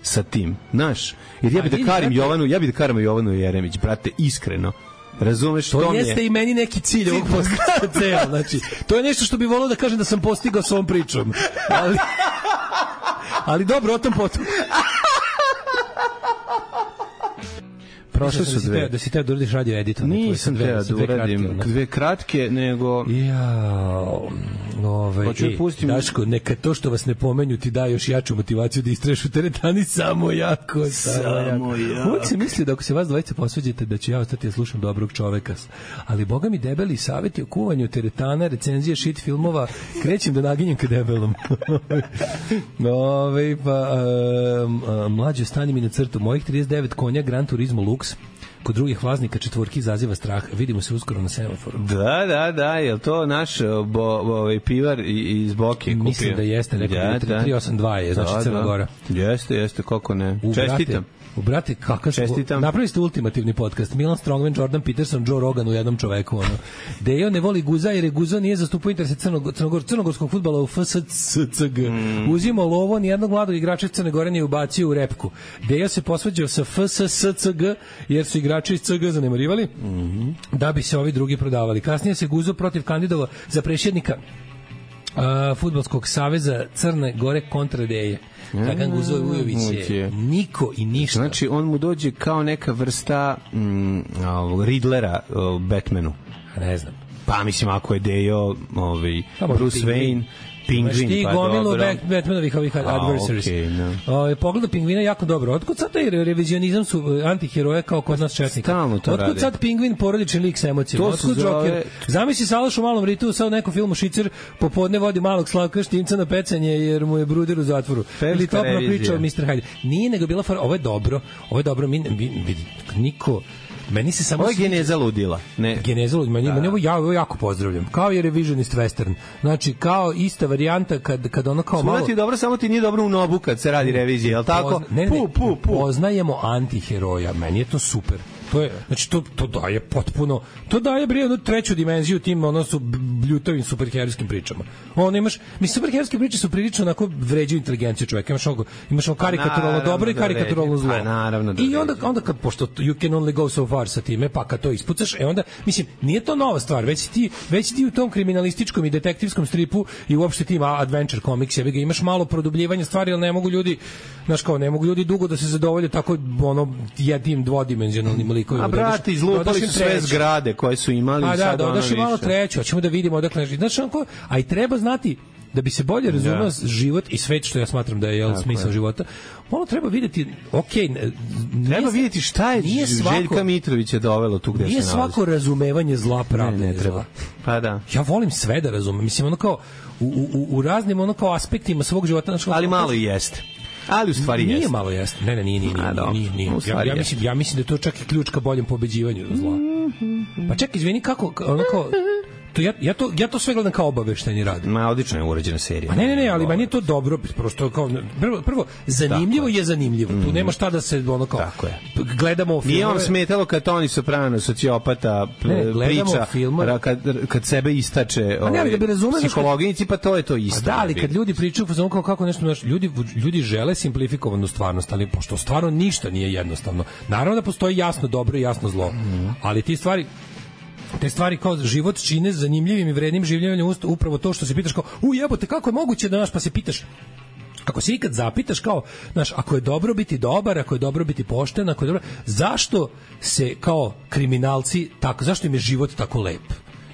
sa tim, znaš. Jer ja A bi da vidi, karim brate. Jovanu, ja bi da karim Jovanu Jeremić, brate, iskreno. Razumeš, To to mi jeste je... i meni neki cilj ovog podcasta ceo, znači, to je nešto što bi volao da kažem da sam postigao s ovom pričom. Ali, ali dobro, o tom potom. Prošle Mislim su da si dve. teo- Da si teo da uradiš radio editor. Nisam teo da uradim dve kratke, nego... Ja, ovaj, Hoću da e, pustim- Daško, neka to što vas ne pomenju ti da još jaču motivaciju da istraješ u teretani samo jako, samo, Samo jako. jako. Uvijek se misli da ako se vas dvojice posvađate da ću ja ostati da slušam dobrog čoveka. Ali boga mi debeli savjeti o kuvanju teretana, recenzije shit filmova, krećem da naginjem ka debelom. Ove, pa, um, um, mlađe, stani mi na crtu. Mojih trideset devet konja Gran Turismo Lux kod drugih vlasnika četvorki izaziva strah. Vidimo se uskoro na semaforu. Da, da, da, je li to naš bo, bo, ovaj pivar i- iz Boke kupio? Mislim da jeste, rekao Ja, da, da. tri osam dva je, znači Da, Crna da. Gora. Jeste, jeste, kako ne. U, Čestitam. Brate, u brate, kakav smo, Čestitam. napravili ste ultimativni podcast. Milan Strongman, Jordan Peterson, Joe Rogan u jednom čoveku. Ono. Dejo ne voli Guza jer je Guzo nije zastupao interese Crnog, Crnogor, crnogorskog fudbala u F S C G. Mm. Uzimo lovo, nijednog mladog igrača iz Crne Gore nije ubacio u repku. Dejo se posvađao sa F S C G jer su igrači iz C G zanemarivali mm-hmm. da bi se ovi drugi prodavali. Kasnije se Guzo protiv kandidova za prešjednika Uh, Fudbalskog saveza Crne Gore kontra Deje. Dragan Guzo Vujović je niko i ništa. Znači, on mu dođe kao neka vrsta mm, ovog Riddlera o, Batmanu. Ne znam. Pa, mislim, ako je Dejo ovaj, Pa, možda Bruce Pingvin. Wayne, Pingvin, Ti pa gomilu dobro. Bat- Batmanovih ovih adversaries. okej, no. O, pogleda Pingvina jako dobro. Otkud sad taj re- revizionizam su uh, antiheroje kao kod nas četnika? Stalno to Otkud rade. sad Pingvin porodični lik s emocijama? To se Otkud zove- Joker? Zamisli Salaš u malom ritu sad u nekom filmu Šicer popodne vodi malog Slavka Štimca na pecanje jer mu je bruder u zatvoru. Ferska Ili topla revizija. priča o mister Hyde. Nije nego bila fora, ovo je dobro, ovo je dobro, mi, mi, mi niko meni se samo Ovo je sviđa- geneza ludila. Ne. Geneza ludila, meni, meni ovo ja ovo jako pozdravljam. Kao je revisionist western. Znači, kao ista varijanta kad, kad ono kao malo... Malo ti je dobro, samo ti nije dobro u nobu kad se radi revizija, je li tako? Pozna- ne, ne, ne, Pu, pu, pu. poznajemo antiheroja, meni je to super. To je, znači to to daje potpuno, to daje bre jednu treću dimenziju tim ono su bljutavim superherojskim pričama. Ono imaš, mi superherojske priče su prilično onako vređaju inteligenciju čoveka. Imaš ono, imaš ono karikaturalno naravno dobro i da karikaturalno vređa. zlo. Pa naravno da I onda vređa. onda kad pošto you can only go so far sa time, pa kad to ispucaš, e onda mislim nije to nova stvar, već si ti već ti u tom kriminalističkom i detektivskom stripu i uopšte tim adventure comics, jebi ga, imaš malo produbljivanja stvari, al ne mogu ljudi, znaš kao, ne mogu ljudi dugo da se zadovolje tako ono jednim dvodimenzionalnim likovima. A brate, izlupali su sve treću. zgrade koje su imali A i da, sad da, ono odaš i malo više. treću, hoćemo da vidimo odakle. Znaš, onako, a i treba znati da bi se bolje razumeo Da. život i svet, što ja smatram da je jel, smisao je. života, malo treba vidjeti, okej, ne- Treba nije- vidjeti šta je nije svako- Željka Mitrovića dovelo tu gde se Nije nalazi. svako razumevanje zla Ne, pravde. ne treba. Pa da. Ja volim sve da razumem. Mislim, ono kao, u, u, u raznim ono kao aspektima svog života. Znači, Ali malo i jeste. Ali u stvari nije jeste. malo jeste. Ne, ne, nije, nije, A, nije, dobro. nije, nije. U Ja, stvari ja, jeste. mislim, ja mislim da je to čak i ključ ka boljem pobeđivanju zla. Pa čekaj, izvini, kako, ono kao, to ja, ja, to, ja to sve gledam kao obaveštajni rad. Ma, odlično je urađena serija. Pa ne, ne, ne, ali meni je to dobro, prosto kao, prvo, prvo zanimljivo je zanimljivo. Tu nema šta da se, ono kao, Tako je. gledamo filmove. Nije vam smetalo kad Toni Soprano, sociopata, p- Ne, gledamo priča, filmove. ra- kad, kad sebe istače Pa ne, ali da bi razumeli, psihologinici, pa to je to isto. A da, ali kad ljudi pričaju fazonu kao kako nešto, znaš, ljudi ljudi žele simplifikovanu stvarnost, ali pošto stvarno ništa nije jednostavno. Naravno da postoji jasno dobro i jasno zlo. Ali ti stvari te stvari kao život čine zanimljivim i vrednim življenjem upravo to što se pitaš kao, u jebote, kako je moguće da, naš, pa se pitaš, ako se ikad zapitaš kao, znaš, ako je dobro biti dobar, ako je dobro biti pošten, ako je dobro, zašto se kao kriminalci tako, zašto im je život tako lep?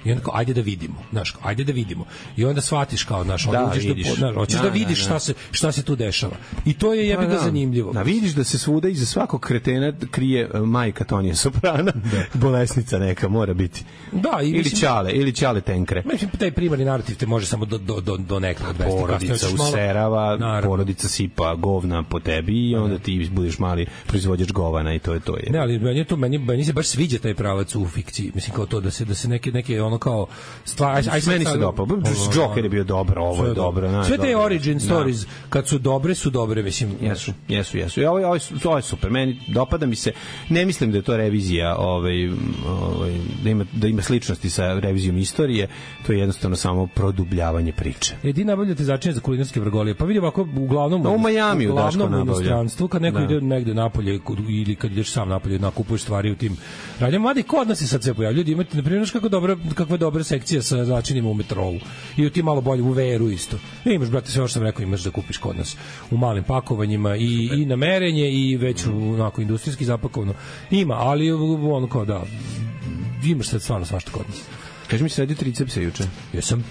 I onda kao, ajde da vidimo, znaš, kao, ajde da vidimo. I onda shvatiš kao, znaš, onda Da, uđeš da, vidiš. znaš, hoćeš da, Da, vidiš da, da. šta se šta se tu dešava. I to je jebi ga zanimljivo. Da, vidiš da se svuda iza svakog kretena krije uh, majka Tonija Soprana, bolesnica neka mora biti. Da, i ili mislim- ćale, ili ćale tenkre. Mislim, taj primarni narativ te može samo do, do, do, do nekada odvesti. Porodica Kasnije hoćeš malo- userava, Naravno. porodica sipa govna po tebi i onda ti budeš mali proizvođač govana i to je to. Je. Ne, ali meni je to meni meni se baš sviđa taj pravac u fikciji. Mislim kao to da se da se neke neke ono kao stvar aj, aj sad- Meni se sad- dopao. Joker je bio dobro, ovo Sve je dobro. znaš, Sve te dobro. origin stories kad su dobre su dobre, mislim. Jesu, jesu, jesu. I ovo, ovo, je su- ovo je super. Meni dopada mi se. Ne mislim da je to revizija, ovaj, ovaj, da, ima, da ima sličnosti sa revizijom istorije. To je jednostavno samo produbljavanje priče. E, ti nabavljate začine za kulinarske vrgolije. Pa vidi ovako, uglavnom... Da, u Majamiju Daško uglavnom u nabavlja. inostranstvu, kad neko Da. ide negde napolje kod- ili kad ideš sam napolje, nakupuješ stvari u tim radnjama. Mada i kod nas se sad sve pojavlja. Ljudi, imate, na primjer, znaš kako dobra, kakva je dobra sekcija sa začinima u metrou. I u tim malo bolje, u veru isto. I imaš, brate, sve što sam rekao, imaš da kupiš kod nas u malim pakovanjima i, i na merenje i već u, onako, industrijski zapakovano. Ima, ali ono kao da, imaš sad stvarno svašta kod nas. Kaži mi se radio tricepse juče. Jesam.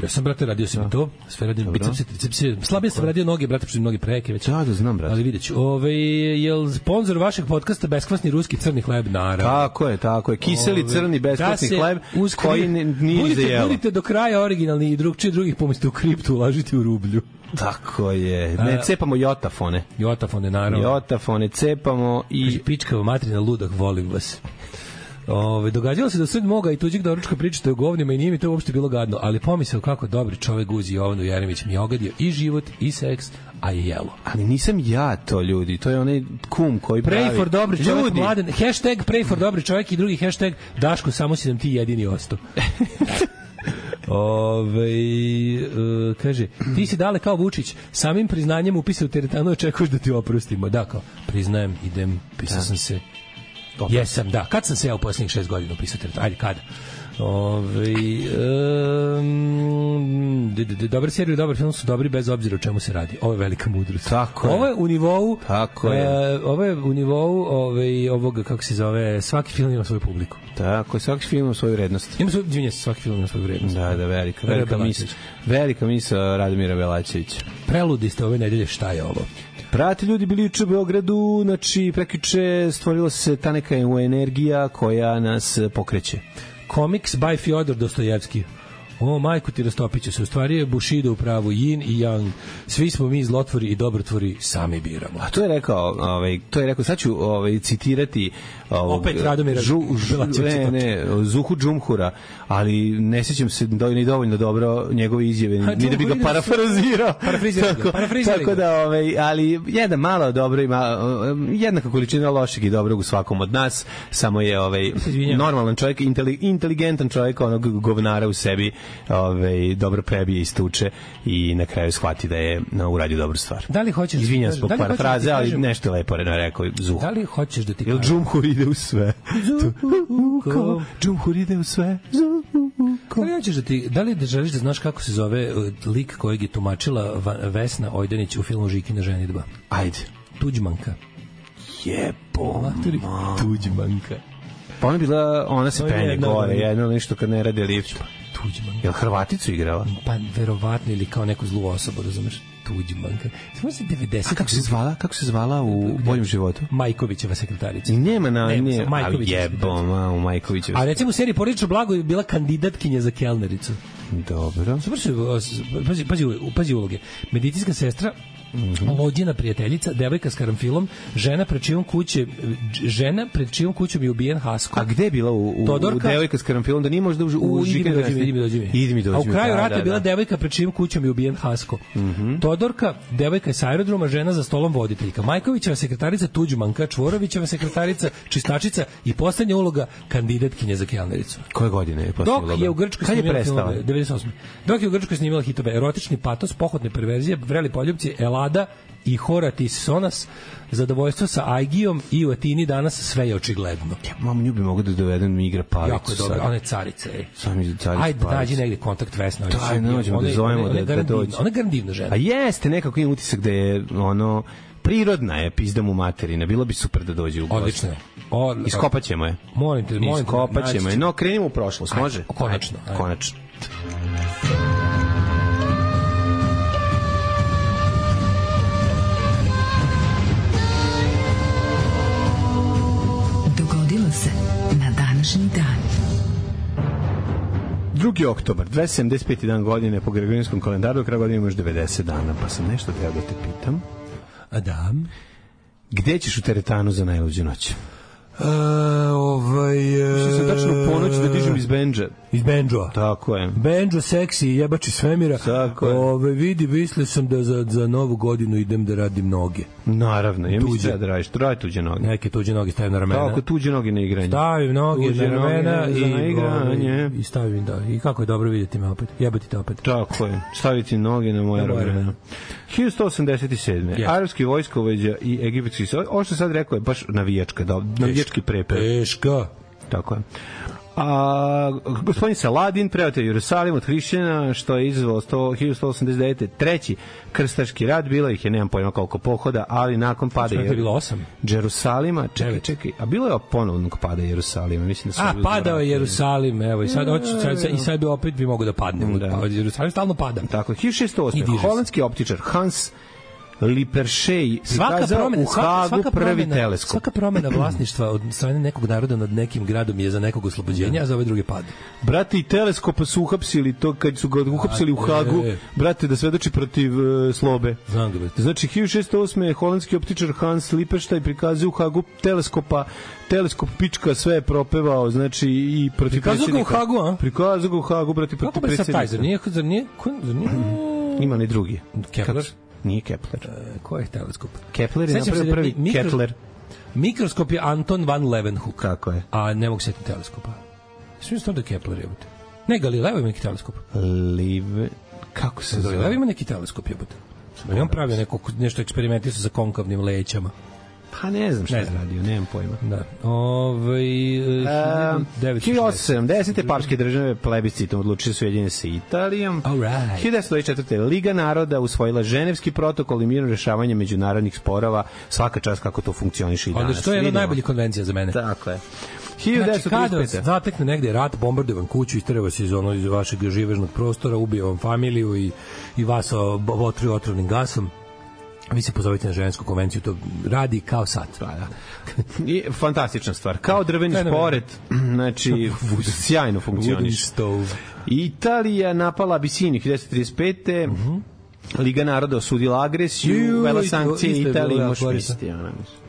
Ja sam, brate, radio sam i to. Sve radim bicepse, tricepse. Slabije sam radio noge, brate, što noge preke već. Da, da znam, brate. Ali vidjet ću. Ove, je li sponsor vašeg podcasta beskvasni ruski crni hleb? Naravno. Tako je, tako je. Kiseli Ove, crni besplatni da se hleb uz- koji ne- nije budite, za jelo. Budite do kraja originalni i drugčije drugih pomiste u kriptu, ulažite u rublju. Tako je. Ne, A- cepamo jotafone. Jotafone, naravno. Jotafone cepamo i... Kaže, pičkava materina ludak, volim vas. Ove, događalo se da sred moga i tuđeg doručka pričate o govnima i nije mi to uopšte bilo gadno, ali pomisao kako dobri čovek Guzi Jovanu Jeremić mi je ogadio i život i seks, a i jelo. Ali nisam ja to, ljudi. To je onaj kum koji pravi. Pray for dobri čovjek, Ljudi, mladen. Hashtag pray for dobri čovjek i drugi hashtag Daško, samo si nam ti jedini ostao. Ove, uh, kaže, ti si dale kao Vučić, samim priznanjem upisa u teretanu očekuješ da ti oprostimo. Da, kao, priznajem, idem, pisao sam se. Jesam, da. Kad sam se ja u posljednjih šest godina upisao teretanu? Ajde, kada? Ove, um, dobar seriju, dobar film su dobri bez obzira o čemu se radi. Ovo je velika mudrost. Tako je. Ovo je u nivou Tako je. e, ovo je u nivou ovaj, ovoga, kako se zove, svaki film ima svoju publiku. Tako je, svaki film ima svoju vrednost. Ima svoju, izvinjam se, svaki film ima svoju vrednost. Da, da, velika, velika mis, Belačević. velika misa Radomira Belačevića. Preludi ste ove nedelje, šta je ovo? Prati ljudi bili juče u Beogradu, znači prekjuče stvorila se ta neka energija koja nas pokreće. Comics by Fyodor Dostojevski. O, majku ti rastopiću se. U stvari je Bushido u pravu, yin i yang. Svi smo mi zlotvori i dobrotvori, sami biramo. A to je rekao, ovaj, to je rekao, sad ću ovaj, citirati ovog, Opet Radomira žu, žu, Belačevića. ne, ne, Zuhu Džumhura, ali ne sjećam se do, ni dovoljno dobro njegove izjave, Ha, ni da bi ga Džumhur ide parafrazirao. Parafrizirali ga, tako, parafrizirali tako ga. da, ovaj, ali jedna malo dobro ima, jednaka količina lošeg i dobrog u svakom od nas, samo je ovaj, Izvinjam. normalan čovjek, inteli, inteligentan čovjek, onog govnara u sebi, ovaj, dobro prebije i stuče i na kraju shvati da je no, uradio dobru stvar. Da li hoćeš... Izvinjam se zbog da li hoćeš da ti parafraze, ali kažem- nešto je lepo rekao Zuhu. Da li hoćeš da ti Jel kažem? Džumhur ide u sve? Zuhuko, Džumhur ide u sve. Zuhuko. Da li hoćeš da ti, da li da želiš da znaš kako se zove uh, lik kojeg je tumačila Va- Vesna Ojdanić u filmu Žikina ženidba? Ajde. Tuđmanka. Jebo. Maturi. Tuđmanka. Pa ona je bila, ona se To je penje jedna, gore, da. jedno nešto kad ne radi lift. Tuđmanka. Jel Hrvaticu igrala? Pa verovatno ili kao neku zlu osobu, razumeš? Tuđmanka. Samo se A devedeset kako se zvala? Kako se zvala u boljem životu? Majkovićeva sekretarica. I nema na... Nema, nije, samo Majković ali je jebo, ma, u Majkovićevu. A recimo u seriji Porodično blago je bila kandidatkinja za kelnericu. Dobro. Super su, pazi, pazi, pazi uloge. Medicinska sestra, lođena prijateljica, devojka s karamfilom, žena pred čijom kuće, žena pred čijom kućom je ubijen Hasko. A gde je bila u, u, u Todorka? devojka s karamfilom? Da nije možda u, u, U, idi mi Žikinu dođi mi, idi mi dođi mi. Idi mi dođi A u mi, kraju da, rata da, je bila da. devojka pred čijom kućom je ubijen Hasko. Todorka, devojka je s aerodroma, žena za stolom voditeljka. Majkovićeva sekretarica Tuđmanka, Čvorovićeva sekretarica Čistačica i poslednja uloga kandidatkinja za kelnericu. Koje godine je posljednja Dok uloga? je u Grčkoj Kad je snimila prestala? filmove, devedeset osme. Dok je u Grčkoj snimila hitove erotični patos, pohotne perverzije, vreli poljubci, Elada i Horatis Sonas, zadovoljstvo sa Aigijom i u Atini danas sve je očigledno. Ja, mam, nju bi mogu da dovedem mi igra palicu. Jako je dobro, ona je carica. Ej. Sam iz carica. Ajde, nađi negde kontakt Vesna. Daj, nađemo da zovemo da- da dođe. Ona je garant divna žena. A jeste, nekako imam utisak da je ono prirodna je, pizdam u materina, bilo bi super da dođe u goste. Odlično. O, Iskopaćemo je. Molim te, molim te. Iskopaćemo je. No, krenimo u prošlost, može? Ajde, konačno. Ajde, konačno. Dogodilo se na današnji dan. drugi oktobar, dvesta sedamdeset peti dan godine po Gregorijanskom kalendaru, do kraja godine imaš devedeset dana, pa sam nešto treba da te pitam. A da? Gde ćeš u teretanu za najluđu noć? Uh, ovaj... Uh, Mislim se tačno u ponoć da dižem iz bendža. Iz bendža. Tako je. Bendža, seksi, jebači svemira. Tako je. Ove, vidi, mislio sam da za, za novu godinu idem da radim noge. Naravno, ja mislim da radiš. Radi tuđe noge. Neke tuđe noge stavim na ramena. Tako, tuđe noge na igranje. Stavim noge tuđe na ramena noge i, na igranje. I stavim, da. I kako je dobro vidjeti me opet. Jebati te opet. Tako je. Staviti noge na moje ramena. hiljadu sto osamdeset sedme. Yes. Arapski vojskovođa i egipatski... Ovo što sad rekao je baš navijačka, da, navijački prepad. Teška. Tako je. A, gospodin Saladin preoteo Jerusalim od hrišćana, što je izazvalo hiljadu sto osamdeset devete. treći krstaški rat, bilo ih je, nemam pojma koliko pohoda, ali nakon pada je bilo osam Jerusalima, čekaj, čekaj, a bilo je ponovnog pada Jerusalima, mislim da su... A, padao je Jerusalim, evo, i sad, hoću, sad, i sad bi opet bi mogo da padne. Da. Jerusalim stalno pada. Tako, hiljadu šeststo osme. holandski optičar Hans Lippershey prikazao u Hagu prvi teleskop. Svaka promena vlasništva od strane nekog naroda nad nekim gradom je za nekog oslobođenja, a za ove druge pad. Brate, i teleskopa su uhapsili to kad su ga uhapsili u Hagu, brate, da svedoči protiv uh, slobe. Znam ga, brate. Znači, hiljadu šeststo osme. holandski optičar Hans Lippershey prikazao u Hagu teleskopa, teleskop pička sve je propevao, znači i protiv prikazao predsjednika. Prikazao ga u Hagu, a? Prikazao ga u Hagu, brate, protiv predsjednika. Kako bi sad taj, zar nije, zar nije, ima li drugi? Kepler? Nije Kepler. E, ko je teleskop? Kepler je napravio prvi mikro, Kepler. Mikroskop je Anton van Leeuwenhoek. Kako je? A ne mogu setiti teleskopa. Svi su to da Kepler jebote. Ne, Galileo ima neki teleskop. Live... Kako se zove? Galileo ima neki teleskop jebote. I on pravio neko, nešto eksperimentisao sa konkavnim lećama. Pa ne znam šta je radio, nemam pojma. Da. Ove, hiljadu osamsto sedamdesete. Papske države plebiscitom odlučili su ujedinjeni sa Italijom. Right. hiljadu devetsto dvadeset četvrte. Liga naroda usvojila Ženevski protokol i mirno rešavanje međunarodnih sporova. Svaka čast kako to funkcioniše i danas. Ali što je jedna od najboljih konvencija za mene. Tako je. hiljadu devetsto trideset pete. Znači, kada zatekne negde rat, bombarduje vam kuću, istereva se iz, ono, iz vašeg živežnog prostora, ubije vam familiju i, i vas otruju otrovnim gasom, vi se pozovite na Ženevsku konvenciju, to radi kao sad. Da, da. I fantastična stvar. Kao drveni šporet, znači sjajno funkcioniš. Italija napala Abisiniju hiljadu devetsto trideset pete. Uh-huh. Liga naroda osudila agresiju, uvela sankcije Italiji, možeš misliti, ona mislim.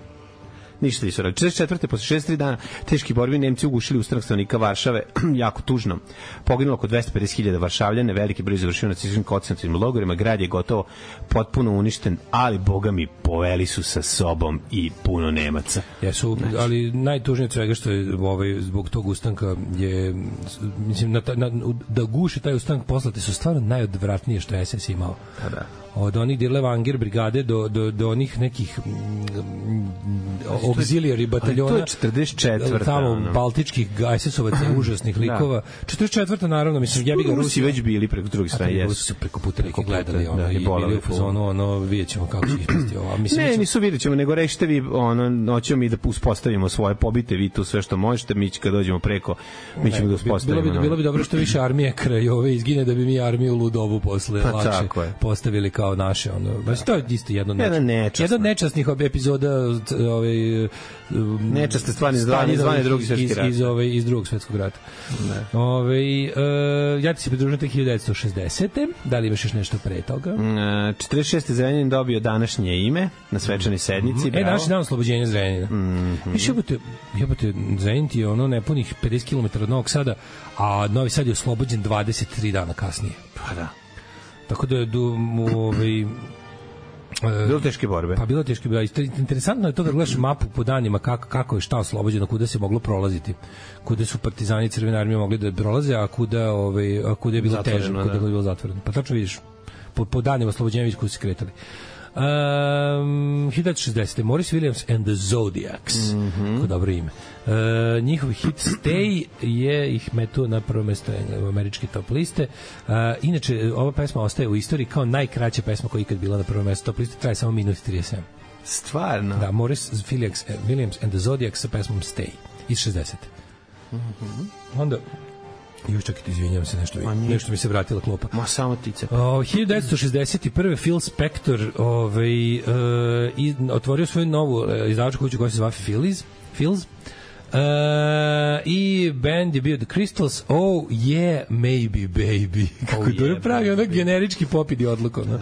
Ništa nisu radili. četrdeset četvrte. posle šezdeset tri dana teški borbi Nemci ugušili ustanak stanovnika Varšave, jako tužno. Poginulo oko dvesta pedeset hiljada Varšavljana, veliki broj završio na nacističkim koncentracionim logorima, grad je gotovo potpuno uništen, ali boga mi poveli su sa sobom i puno Nemaca. Jesu, znači, ali najtužnije od svega što je ovaj, zbog tog ustanka je, mislim, na, na, da guši taj ustanak poslate su stvarno najodvratnije što je es es imao. Pa da. Od onih Dirlevanger brigade do, do, do onih nekih mm, auxiliary bataljona. To je četrdeset četvrta. Tamo ono. Baltičkih es es-ovaca, užasnih likova. četrdeset četvrta naravno, mislim, jebi ga Rusi već bili preko drugih strane. Jesu su preko puta neki gledali, ono, da, i bili u fazonu, ono, vidjet ćemo kako će ispasti ovo. Mislim, ne, ćemo... nisu vidjet ćemo, nego rešite vi, ono, noćemo mi da uspostavimo svoje, pobite vi tu sve što možete, mi kad dođemo preko, mi ćemo da uspostavimo. Bilo bi, bilo bi dobro što više armije kraj ove izgine, da bi mi armiju Ludovu posle pa, lakše postavili kao naše, ono, baš to je isto jedno jedno nečasnih epizoda ovaj nečasne stvari zvane zvane drugi svetski rat iz ove iz drugog svetskog rata. Ovaj uh, ja ti se pridružujem te hiljadu devetsto šezdesete. Da li imaš još nešto pre toga? Uh, četrdeset šeste. Zrenjanin dobio današnje ime na svečanoj sednici. Mm-hmm. E, današnji dan oslobođenja Zrenjanina. Mm-hmm. Više jebote, jebote, Zrenjanin je ono nepunih pedeset kilometara od Novog Sada, a Novi Sad je oslobođen dvadeset tri dana kasnije. Pa da. Tako da je ovaj bilo teške borbe. Pa bilo teške borbe. Interesantno je to da gledaš mapu po danima kako, kako je šta oslobođeno, kuda se moglo prolaziti. Kuda su partizani i Crvene armije mogli da prolaze, a kuda, ovaj, a kuda je bilo teže, kuda je bilo zatvoreno. Pa tačno vidiš, po, po danima oslobođenja vidiš kuda se kretali. Um, hiljadu šezdesete. Maurice Williams and the Zodiacs. Mm-hmm. Ko dobro ime. Uh, njihov hit Stay je ih metu na prvo mesto američke top liste. Uh, inače, ova pesma ostaje u istoriji kao najkraća pesma koja je ikad bila na prvo mesto top liste. Traje samo minut i trideset sedam. Stvarno? Da, Morris Williams, Williams and the Zodiacs sa pesmom Stay iz šezdesete. Mhm. Onda još čekajte, izvinjavam se, nešto, nešto mi se vratila klopa. Ma samo tice. O, hiljadu devetsto šezdeset prve. Phil Spector ovaj, uh, i, otvorio svoju novu uh, izdavačku kuću koja se zove Phillies. Phil's. Uh, i band je bio The Crystals. Oh yeah, maybe baby. Kako oh, dobro yeah, pravi, onak generički pop idi odluko. No? Uh,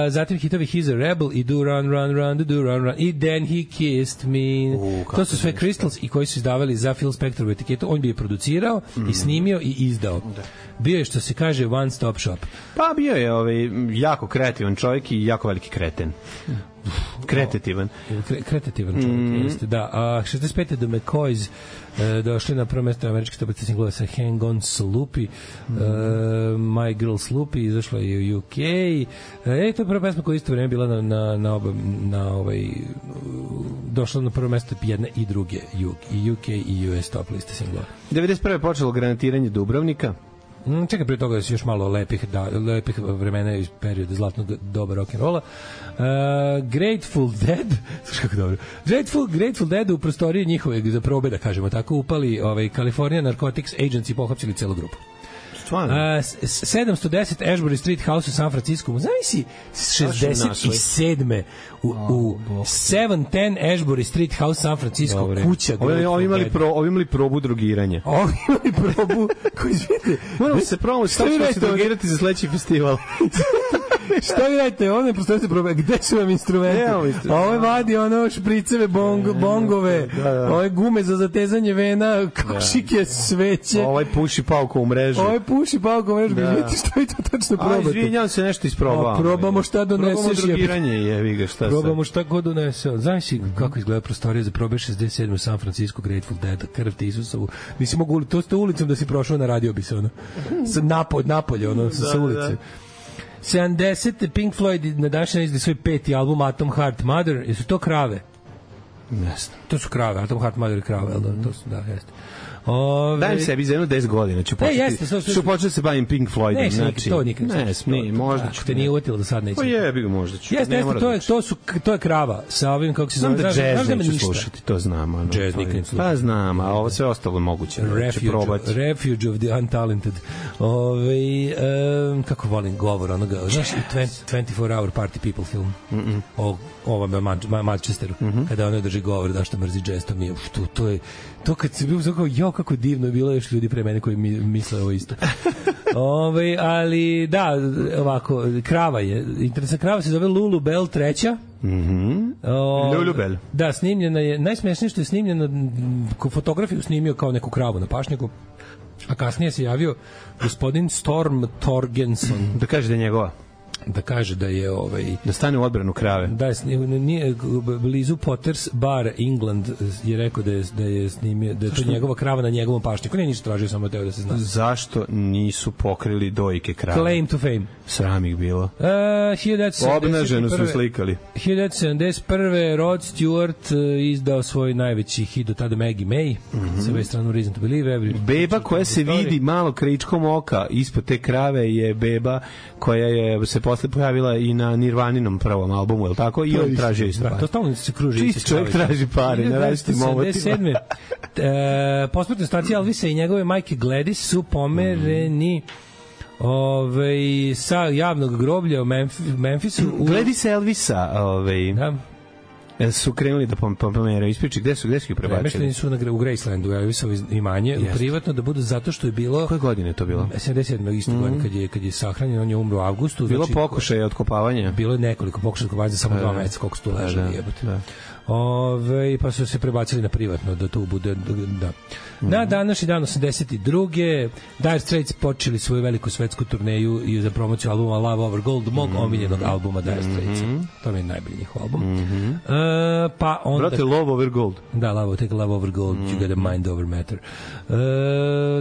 zatim hitovi He's a Rebel i Do Run Run Run Do Run Run i Then He Kissed Me. Uh, to su sve Crystals i koji su izdavali za Phil Spectorovu etiketu. On bi je producirao mm. i snimio i izdao. Da. Bio je, što se kaže, one stop shop. Pa bio je ovaj, jako kreativan čovjek i jako veliki kreten. Kretativan. Kre, kretativan čovjek, mm. jeste, da. A šezdeset pete. The McCoys e, došli na prvo mesto američke stopnice singlova sa Hang On Sloopy, mm. e, My Girl Sloopy, izašla je u U K. E, to je prva pesma koja isto vreme bila na, na, na, oba, na ovaj, došla na prvo mesto jedne i druge, i U K i U S top liste singlova. devedeset prve je počelo granatiranje Dubrovnika. Mm, čekaj, prije toga još malo lepih, da, lepih vremena iz perioda zlatnog doba rock'n'rolla. Uh, Grateful Dead, slušaj kako dobro. Grateful, Grateful Dead u prostoriji njihove za probe, da kažemo tako, upali ovaj, California Narcotics Agency i pohapsili celu grupu. Stvarno? Uh, sedamsto deset Ashbury Street House u San Francisco. Znaš si šezdeset sedme u, u sedam deset Ashbury Street House San Francisco. Dobre. Kuća. Ovi, ovi, imali pro, ovi imali probu drogiranja. Ovi imali probu koji izvijete. Moramo se probamo šta ćemo se drogirati za sledeći festival. Šta vi radite? Ono je prosto se probe. Gde su vam instrumenti? Ovo je vadi ono špriceve, bong, bongove, da, da. Ovo je gume za zatezanje vena, kašike, da. Sveće. Ovo je puši pauko u mrežu. Ovo je puši pauko u mrežu. Da. Vidite što vi to tačno probate. A, izvinjam se, nešto isprobavamo. Probamo šta doneseš. Probamo drogiranje, jevi ga, šta Probamo šta god donese. Znaš si kako izgleda prostorija za probe šezdeset sedme u San Francisco, Grateful Dead, krv te Isusovu. Nisi mogu, to ste ulicom da si prošao, na radio bi se, ono. Napolje, napolje, ono, sa, sa ulice. sedamdesete Pink Floyd na današnji dan izdali svoj peti album Atom Heart Mother. Jesu to krave? Jeste. To su krave, Atom Heart Mother i krave, da, to su, da, jeste. Ove... Dajem sebi za jedno deset godina, ću početi, e, jeste, so, so, ću početi se bavim Pink Floydom. Ne, znači, to nikad. Ne, smije, možda ću. Te nije uvjetilo da sad neće. Pa jebi ga, možda ću. Jeste, jeste, to je, to, su, to je krava sa ovim, kako se zove. Znam da jazz neću slušati, to znam. Ano, jazz nikad neću slušati. Pa znam, a ovo sve ostalo moguće. Refuge, refuge of the Untalented. Ove, um, kako volim govor onoga, znaš, twenty-four hour Party People film. Mm -mm. O ovome Manchesteru, mm -hmm. kada ono drži govor da što mrzi jazz, to mi je, to, to je, to kad se bio kao, jo, kako divno je bilo još ljudi pre mene koji mi misle ovo isto. Ove, ali, da, ovako, krava je, interesna krava se zove Lulu Bell treća. Mhm. Lulu Bell. Da, snimljena je, najsmešnije što je snimljena, fotografiju snimio kao neku kravu na pašnjaku, a kasnije se javio gospodin Storm Torgenson. Da kaže da je njegova. Da kaže da je ovaj da stane u odbranu krave. Da je nije blizu Potters Bar England je rekao da je da je snimio da je to njegova krava na njegovom pašnjaku. Ne, ništa tražio, samo teo da se zna. Zašto nisu pokrili dojke krave? Claim to fame. Sram ih bilo. Uh, Obnaženo su slikali. hiljadu sedamdeset prve Rod Stewart uh, izdao svoj najveći hit do tada, Maggie May, mm -hmm. sa West Run Reason to Believe. Every beba koja se story. Vidi malo kričkom oka ispod te krave je beba koja je se posle pojavila i na Nirvaninom prvom albumu, je li tako? I on traži isto pare. To stalno se kruži. Čist čovjek traži pare na različitim omotima. e, posmrtne stacije Elvisa i njegove majke Gladys su pomereni Ove, sa javnog groblja u Memphisu. U... Gladys Elvisa, ove, da. su krenuli da pomeraju ispriči, gde su, gde su ih prebacili? Premešteni su na, u Gracelandu, Elvisovo imanje, yes. privatno, da budu zato što je bilo... Koje godine je to bilo? sedamdeset sedme isto mm. godine, kad je, kad je sahranjen, on je umro u avgustu. Bilo znači, pokušaja otkopavanja? Bilo je nekoliko pokušaja otkopavanja za samo dva meseca, koliko su tu ležali, da, jebote. Da. Ove, pa su se prebacili na privatno, da tu bude, da. Mm. Na današnji dan osamdeset druge Dire Straits počeli svoju veliku svetsku turneju i za promociju albuma Love Over Gold, mog mm. omiljenog albuma Dire Straits. Mm. To mi je najbolji njihov album. Mm -hmm. uh, pa onda... Brate, Love Over Gold. Da, Love, take Love Over Gold, mm. you got a mind over matter. Uh,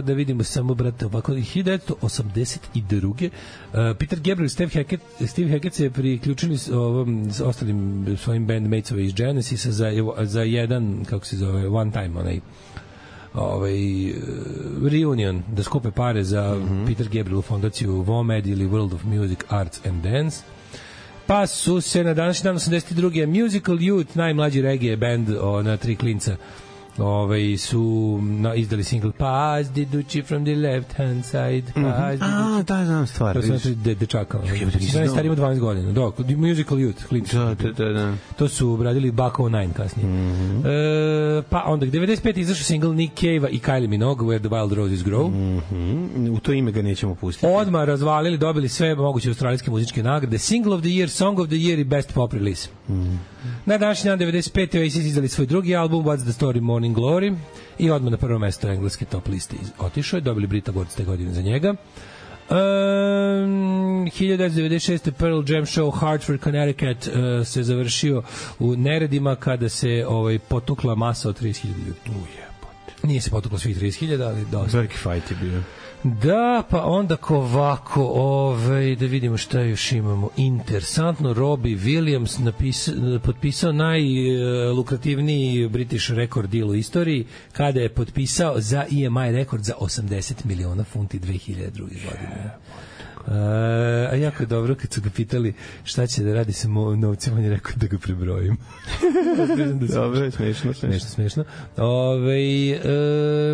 da vidimo samo, brate, ovako, hiljadu devetsto osamdeset druge Uh, Peter Gabriel i Steve Hackett, Steve Hackett se priključili s, ovom, s ostalim svojim bandmatesova iz Genesisa za, za jedan, kako se zove, one time, onaj ovaj reunion, da skupe pare za mm -hmm. Peter Gabriel fondaciju V O M E D ili World of Music, Arts and Dance. Pa su se na današnji dan osamdeset druge Musical Youth, najmlađi reggae band na tri klinca, ovaj su na, izdali single Pass the Duchy from the left hand side. Pass mm-hmm. A, da, znam stvar. To su znači de, dečaka. Znači, stari ima dvanaest godina. Dok, Musical Youth, klinci. Da, da, da, da. To su obradili Back oh nine kasnije. Mm-hmm. E, pa onda, devedeset pete izašao single Nick Cave-a i Kylie Minogue, Where the Wild Roses Grow. Mm-hmm. U to ime ga nećemo pustiti. Odmah razvalili, dobili sve moguće australijske muzičke nagrade. Single of the Year, Song of the Year i Best Pop Release. Mm-hmm. Na današnji dan devedeset pete Oasis izdali svoj drugi album What's the Story Morning Glory i odmah na prvo mesto engleske top liste otišao je, dobili Brit Awards te godine za njega. Um, hiljadu devetsto devedeset šeste Pearl Jam show Hartford, Connecticut uh, se završio u neredima kada se ovaj, potukla masa od trideset hiljada ljudi. Ujebote. Nije se potuklo svih trideset hiljada, ali dosta. Veliki fight je bio. Da, pa onda ko ovako, ovaj, da vidimo šta još imamo. Interesantno, Robbie Williams napisa, potpisao najlukrativniji British record deal u istoriji kada je potpisao za E M I rekord za osamdeset miliona funti dve hiljade druge godine. Uh, a jako je dobro kad su ga pitali šta će da radi sa novcima, on je rekao da ga prebrojim. Dobro, smešno, smešno, smešno. Ove,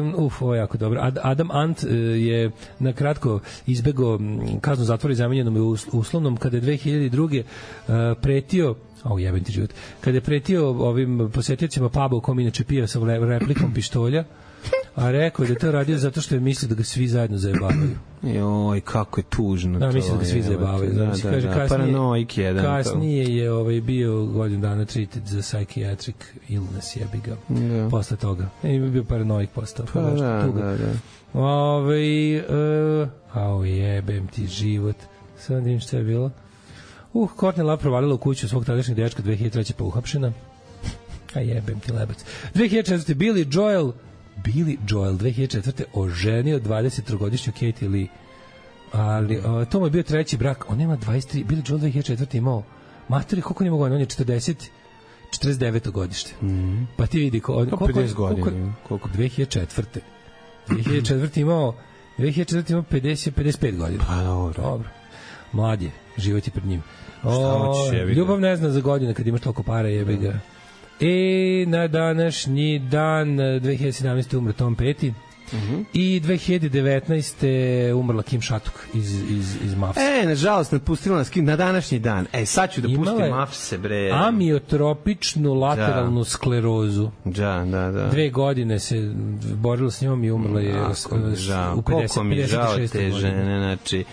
um, uf, ovo je jako dobro. Ad, Adam Ant uh, je na kratko izbegao kaznu zatvora i zamenjenom je uslovnom kada je dve hiljade druge. Uh, pretio o jebem ti život. Kada je pretio ovim posetiocima puba u kom inače pio sa replikom pištolja, a rekao je da to radio zato što je mislio da ga svi zajedno zajebavaju. Joj, kako je tužno da, to. Mislio da ga svi zajebavaju. Da, da, kaže, da, kasnije, paranoik jedan. Kasnije je ovaj, bio godinu dana treated za psychiatric illness, jebi ga. Da. Posle toga. I bio paranoik postao. Pa, da, da, da. Ove, uh, ao jebem ti život. Sad vidim šta je bilo. Uh, Courtney Love provalila u kuću svog tadašnjeg dečka dve hiljade treće pa uhapšena. A jebem ti lebac. dve hiljade četvrte Billy Joel Billy Joel dve hiljade četvrte oženio dvadesettrogodišnju Katie Lee. Ali uh, to mu je bio treći brak. On ima dvadeset tri. Billy Joel dve hiljade četvrte imao materi, koliko nije mogao? On je četrdeset, četrdeset deveto godište. Mm-hmm. Pa ti vidi ko, koliko, pedeset godina. Koliko, koliko dve hiljade četvrte dve hiljade četvrte imao dve hiljade četvrte imao pedeset, pedeset pet godina. Pa dobro. Dobro. Mlad je, život je pred njim. O, ljubav ne zna za godine kad imaš toliko para, jebi ga. E, na današnji dan dve hiljade sedamnaeste umre Tom Petty. Mm-hmm. I dve hiljade devetnaeste umrla Kim Shattuck iz, iz, iz Mavsa. E, nažalost, napustila nas Kim na današnji dan. E, sad ću da pustim Mavse, bre. Amiotropičnu lateralnu da. sklerozu. Da, da, da. Dve godine se borila s njom i umrla je Ako mi žao. u pedeset, koliko mi je žao te žene, znači...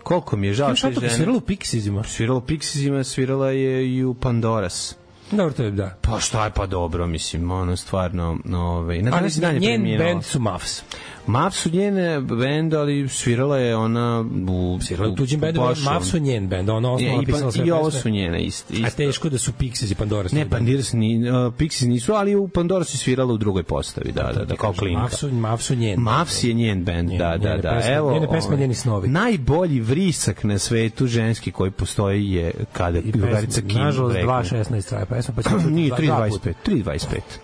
Koliko mi je žao te žene. Kim Shattuck svirala u Pixiesima. Svirala u Pixiesima, svirala je i u Pandoras. Dobro, to je, da. Pa šta je pa dobro, mislim, ono stvarno, ovaj, na ali dan njen band su Muffs. Muffs su njene band, ali svirala je ona u svirala u tuđim bendu, Muffs su njen band, ona osnova pisala sve. I ovo su njene isto. A teško da su Pixies i Pandoras. Ne, Pandoras ni uh, Pixies nisu, ali u Pandoras je svirala u drugoj postavi, da, da, da, kao klinka. Muffs su, Muffs su njen. Muffs je njen band, njen, da, da, da. Pesme, evo, njene pesme, njeni snovi. Najbolji vrisak na svetu ženski koji postoji je kada drugarica Kim. Nažalost dva šesnaest traje pesma, pa ćemo nije tri dvadeset pet, tri dvadeset pet.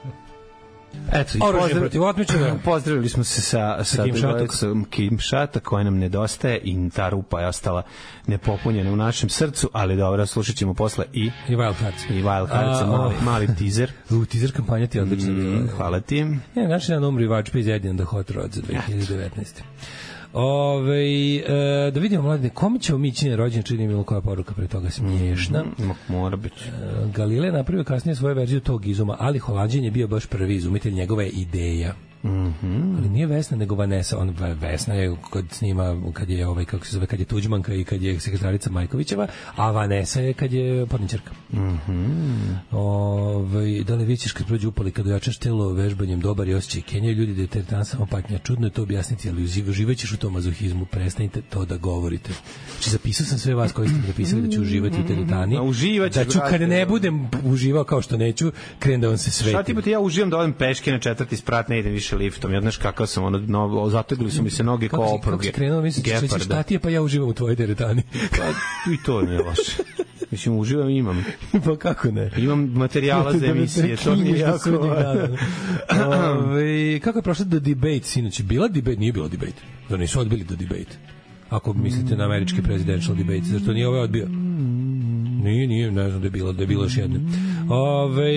Eto, oružje protiv otmičara. Pozdravili smo se sa, sa Kim Shattuck, Kim Shattuck koja nam nedostaje i ta rupa je ostala nepopunjena u našem srcu, ali dobro, slušat ćemo posle i i Wild Hearts. I Wild Hearts, a, mali, mali teaser. U, teaser kampanja ti je odlična. Mm, hvala ti. Ja, naši dan umri Vačpe iz Eddie and the Hot Rod za dve hiljade devetnaeste. Ove, e, da vidimo, mladine, kome ćemo mi čine rođenje, čini mi koja poruka pre toga smiješna. Mm, mora biti. E, Galile napravio kasnije svoju verziju tog izuma, ali Holanđan je bio baš prvi izumitelj, njegova je ideja. Mm-hmm. Ali nije Vesna nego Vanessa, on Vesna je kad snima, kad je ovaj kako se zove, kad je Tuđmanka i kad je sekretarica Majkovićeva, a Vanessa je kad je porničarka. Mhm. Ovaj da li vidiš kad prođe upali kad jačaš telo vežbanjem dobar i osjećaj Kenja, ljudi da je teretan samo patnja. Čudno je to objasniti, ali uživaćeš u tom mazohizmu, prestanite to da govorite. Znači zapisao sam sve vas koji ste mi napisali da ću uživati u teretani. Da ću kad ne budem uživao kao što neću, krenem da vam se svetim. Šta ti pa ti ja uživam da odem peške na četvrti sprat, ne idem više liftom. Ja znaš kakav sam, ono, no, zategli su mi se noge kao opruge. Kako si krenuo, misliš, šta ti je, pa ja uživam u tvojoj teretani. Pa i to ne je loše. Mislim, uživam i imam. Pa kako ne? Imam materijala za emisije, to mi je jako važno. Kako je prošla The Debate, sinoć? Bila debate? Nije bila debate. Da nisu odbili The Debate. Ako mislite na američki presidential debate, zašto nije ovaj odbio? Nije, nije, ne znam da je bilo, da je bilo još jedno. Ove,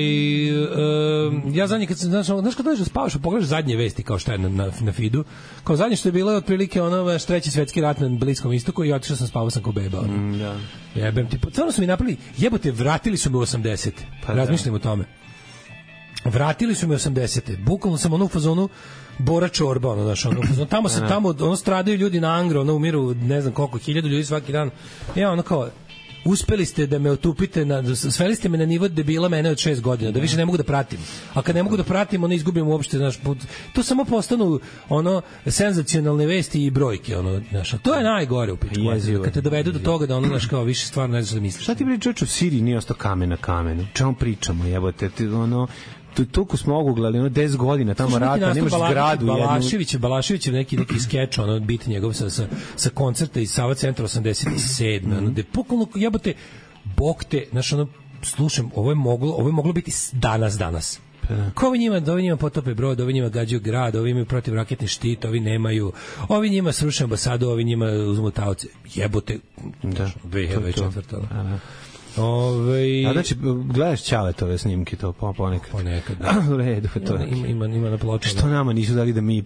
um, ja zadnje, kad sam, znaš, znaš kad dođeš da spavaš, pogledaš zadnje vesti kao šta je na, na, na feedu, kao zadnje što je bilo je otprilike ono, treći svetski rat na Bliskom istoku i otišao sam, spavao sam kao beba. Ono. Mm, da. Jebem ti, stvarno su mi napravili, jebote, vratili su me u osamdesete. Pa razmišljam da. o tome. Vratili su me u osamdesete. Bukvalno sam ono u fazonu Bora Čorba, ono, znaš, ono, ono, tamo se, tamo, ono, stradaju ljudi na Angro, ono, umiru, ne znam koliko, hiljadu ljudi svaki dan. Ja, ono, kao, uspeli ste da me otupite, na, sveli ste me na nivo debila mene od šest godina, da više ne mogu da pratim. A kad ne mogu da pratim, ono, izgubim uopšte, znaš, to samo postanu, ono, senzacionalne vesti i brojke, ono, znaš, to je najgore u pičku. Kad te dovedu do toga da, ono, znaš, kao, više stvarno ne znaš da misliš. Šta ti pričaš u Siriji nije ostao kamen na kamenu? Čemu pričamo, jebote, ti, ono, toliko smo oguglali, ono, deset godina tamo rata, nemaš zgradu. Balašević, Balašević je neki, neki skeč, ono, bit njegov sa, sa, sa koncerta iz Sava centra osamdeset sedme. Ono, gde pokolno, jebote, bog te, znaš, ono, slušam, ovo je moglo, ovo je moglo biti danas, danas. Ko ovi njima, ovi njima potope brod, ovi njima gađaju grad, ovi imaju protivraketni štit, ovi nemaju, ovi njima sruše ambasadu, ovi njima uzmu taoce. Jebote, da, dve hiljade četvrte. Ove... A znači, gledaš Ćaletove snimke to po, ponekad? Ponekad, da. U redu, to je. Ima, ima, ima na pločama. Što nama nisu dali da mi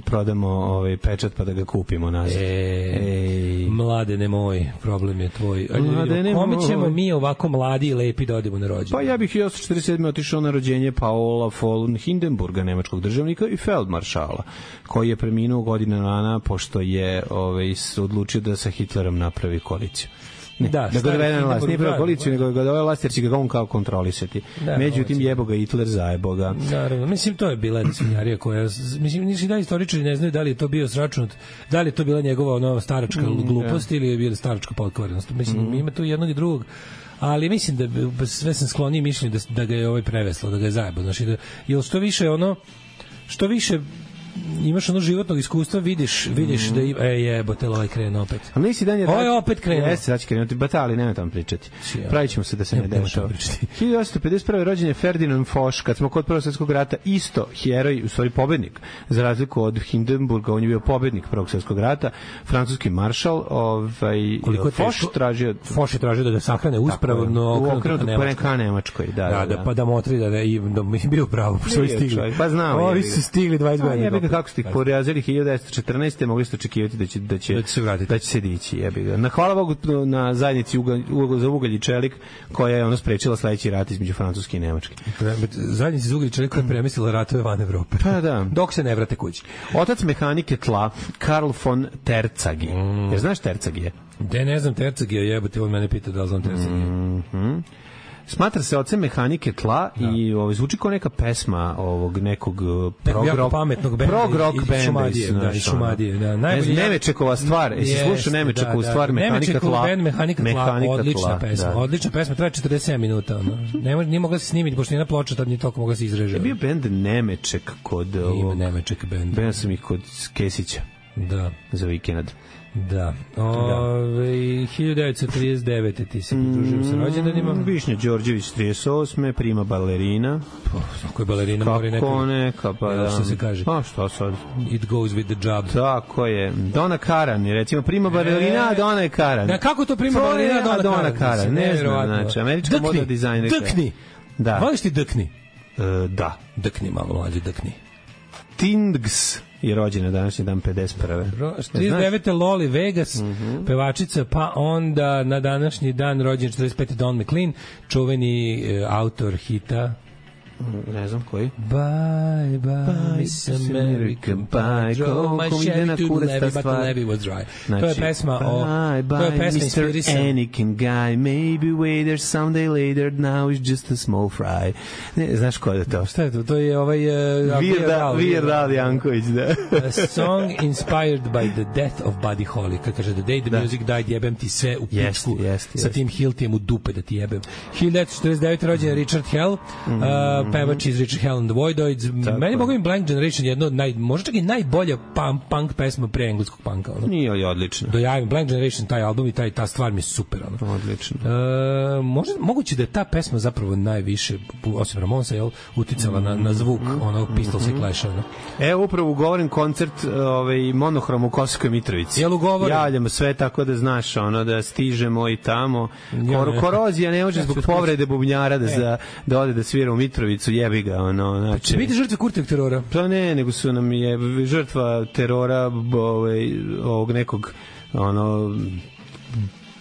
prodamo ovaj pečat pa da ga kupimo nazad? E, Ej. Mlade ne moj, problem je tvoj. Mlade ne kome ćemo mi ovako mladi i lepi da odemo na rođendan? Pa ja bih hiljadu osamsto četrdeset sedme otišao na rođenje Paola von Hindenburga, nemačkog državnika i feldmaršala, koji je preminuo godinu dana pošto je ovaj, odlučio da sa Hitlerom napravi koaliciju. Ne, da, da ga dovede na vlast, nije prvo policiju, nego ga dovede vlast jer će ga on kao kontrolisati. Da, međutim, jebo ga Hitler, zajebo ga. Naravno, mislim, to je bila jedna svinjarija koja, mislim, nisi da istoričari ne znaju da li je to bio sračunat, da li je to bila njegova ono, staračka mm, glupost yeah. ili je bila staračka potkvarenost. Mislim, mm. ima tu jednog i drugog, ali mislim da sve sam skloniji mišljenju da, da ga je ovaj preveslo, da ga je zajebo. Znači, da, jer što više ono, što više imaš ono životnog iskustva, vidiš, vidiš mm. da ima, e jebote, ovaj krenu opet. A nisi dan je Ovo je opet krenuo. Jeste, sad će krenuti, bata, ali nema tamo pričati. Ja. Pravit ćemo se da se ne, ne dešava. hiljadu osamsto pedeset prve rođen je Ferdinand Foch, kad smo kod Prvog svjetskog rata, isto heroj, u stvari pobednik, za razliku od Hindenburga, on je bio pobednik Prvog svjetskog rata, francuski maršal, ovaj, Foch tražio... Foch je tražio da ga sahrane uspravno okrenuto ka Nemačkoj. Da, da, da, pa da motri da je bio pravo, što je stigli. Pa znamo. Ovi su stigli dvadeset godina. Kako ste ih porazili hiljadu devetsto četrnaeste mogli ste očekivati da će da će da će se vratiti, da će se dići, jebi ga. Na hvala Bogu na zajednici ugalj, ugalj, za ugalj i čelik koja je ono sprečila sledeći rat između Francuske i Nemačke. Zajednici za ugalj i čelik koja je premislila ratove van Evrope. Pa da. Dok se ne vrate kući. Otac mehanike tla Karl von Terzagi. Mm. Jer znaš Terzagije? De ne znam Terzagije, jebote, on mene pita da li znam Terzagije. Mhm. Smatra se ocem mehanike tla da. I ovaj zvuči kao neka pesma ovog nekog prog rock pametnog benda, prog rock benda Šumadije, da, iz Šumadije, da. Najbolje Nemečekova stvar, jesi slušao Nemečekovu da, da. stvar mehanika tla? Band, mehanika tla, mehanika odlična tla, pesma, da. Odlična pesma, traje četrdeset sedam minuta, ono. Ne može, nije mogla se snimiti, pošto nije počela, tad ni toliko mogla se izreže. Je bio bend Nemeček kod ovog. Ima Nemeček bend. Ben sam ih kod Kesića. Da. Za vikend. Da. Ove, hiljadu devetsto trideset devete ti se pridružujem sa rođendanima. Višnja Đorđević trideset osme prima balerina. Kako je balerina? Kako neka, neka, pa da. Što se kaže? A što sad? It goes with the job. Tako je. Dona Karan, recimo prima balerina, a Dona je Karan. Da, kako to prima balerina, Dona, Dona Karan? Ne znam, znači, američka moda dizajnerka. Dkni! Da. Voliš ti Dkni? Uh, da. Dkni, malo mlađe, Dkni. Tindgs je rođena današnji dan pedeset prve. trideset devete Loli Vegas, mm -hmm. pevačica, pa onda na današnji dan rođen četrdeset pete Don McLean, čuveni uh, autor hita. Ne znam koji. Bye, bye, Miss America, bye, drove my Chevy to the levee, but the levee was dry. Znači, to je pesma o... Bye, bye, to je pesma mister Anakin guy, maybe waiter, someday later, now is just a small fry. Ne, znaš ko je to? Šta je to? To je ovaj... Uh, Weird Al Janković, da. A song inspired by the death of Buddy Holly. Kad kaže, the day the da. music died, jebem ti sve u pičku. Yes, yes, sa tim Hiltijem u dupe da ti jebem. hiljadu devetsto četrdeset devete rođen Richard Hell, mm. uh, pevač iz Richard Hell and the Voidoids. Tako Meni je. mogu im Blank Generation jedno od naj, možda čak i najbolja punk, punk pesma pre engleskog punka. Ono. Nije li odlično? Do ja im Blank Generation, taj album i taj, ta stvar mi je super. Ono. Odlično. E, možda, moguće da je ta pesma zapravo najviše, osim Ramonsa, jel, uticala na, na zvuk onog Pistols i Clash. Ono. Evo upravo ugovoren koncert ovaj, Monohrom u Kosovskoj Mitrovici. Jel ugovoren? Javljamo sve tako da znaš ono, da stižemo i tamo. Kor, korozija ne može zbog povrede bubnjara da, za, da ode da svira u Mitrovicu, jebi ga. Ono, znači, Će biti žrtve Kurtevog terora? Pa ne, nego su nam je žrtva terora ovaj, ovog nekog ono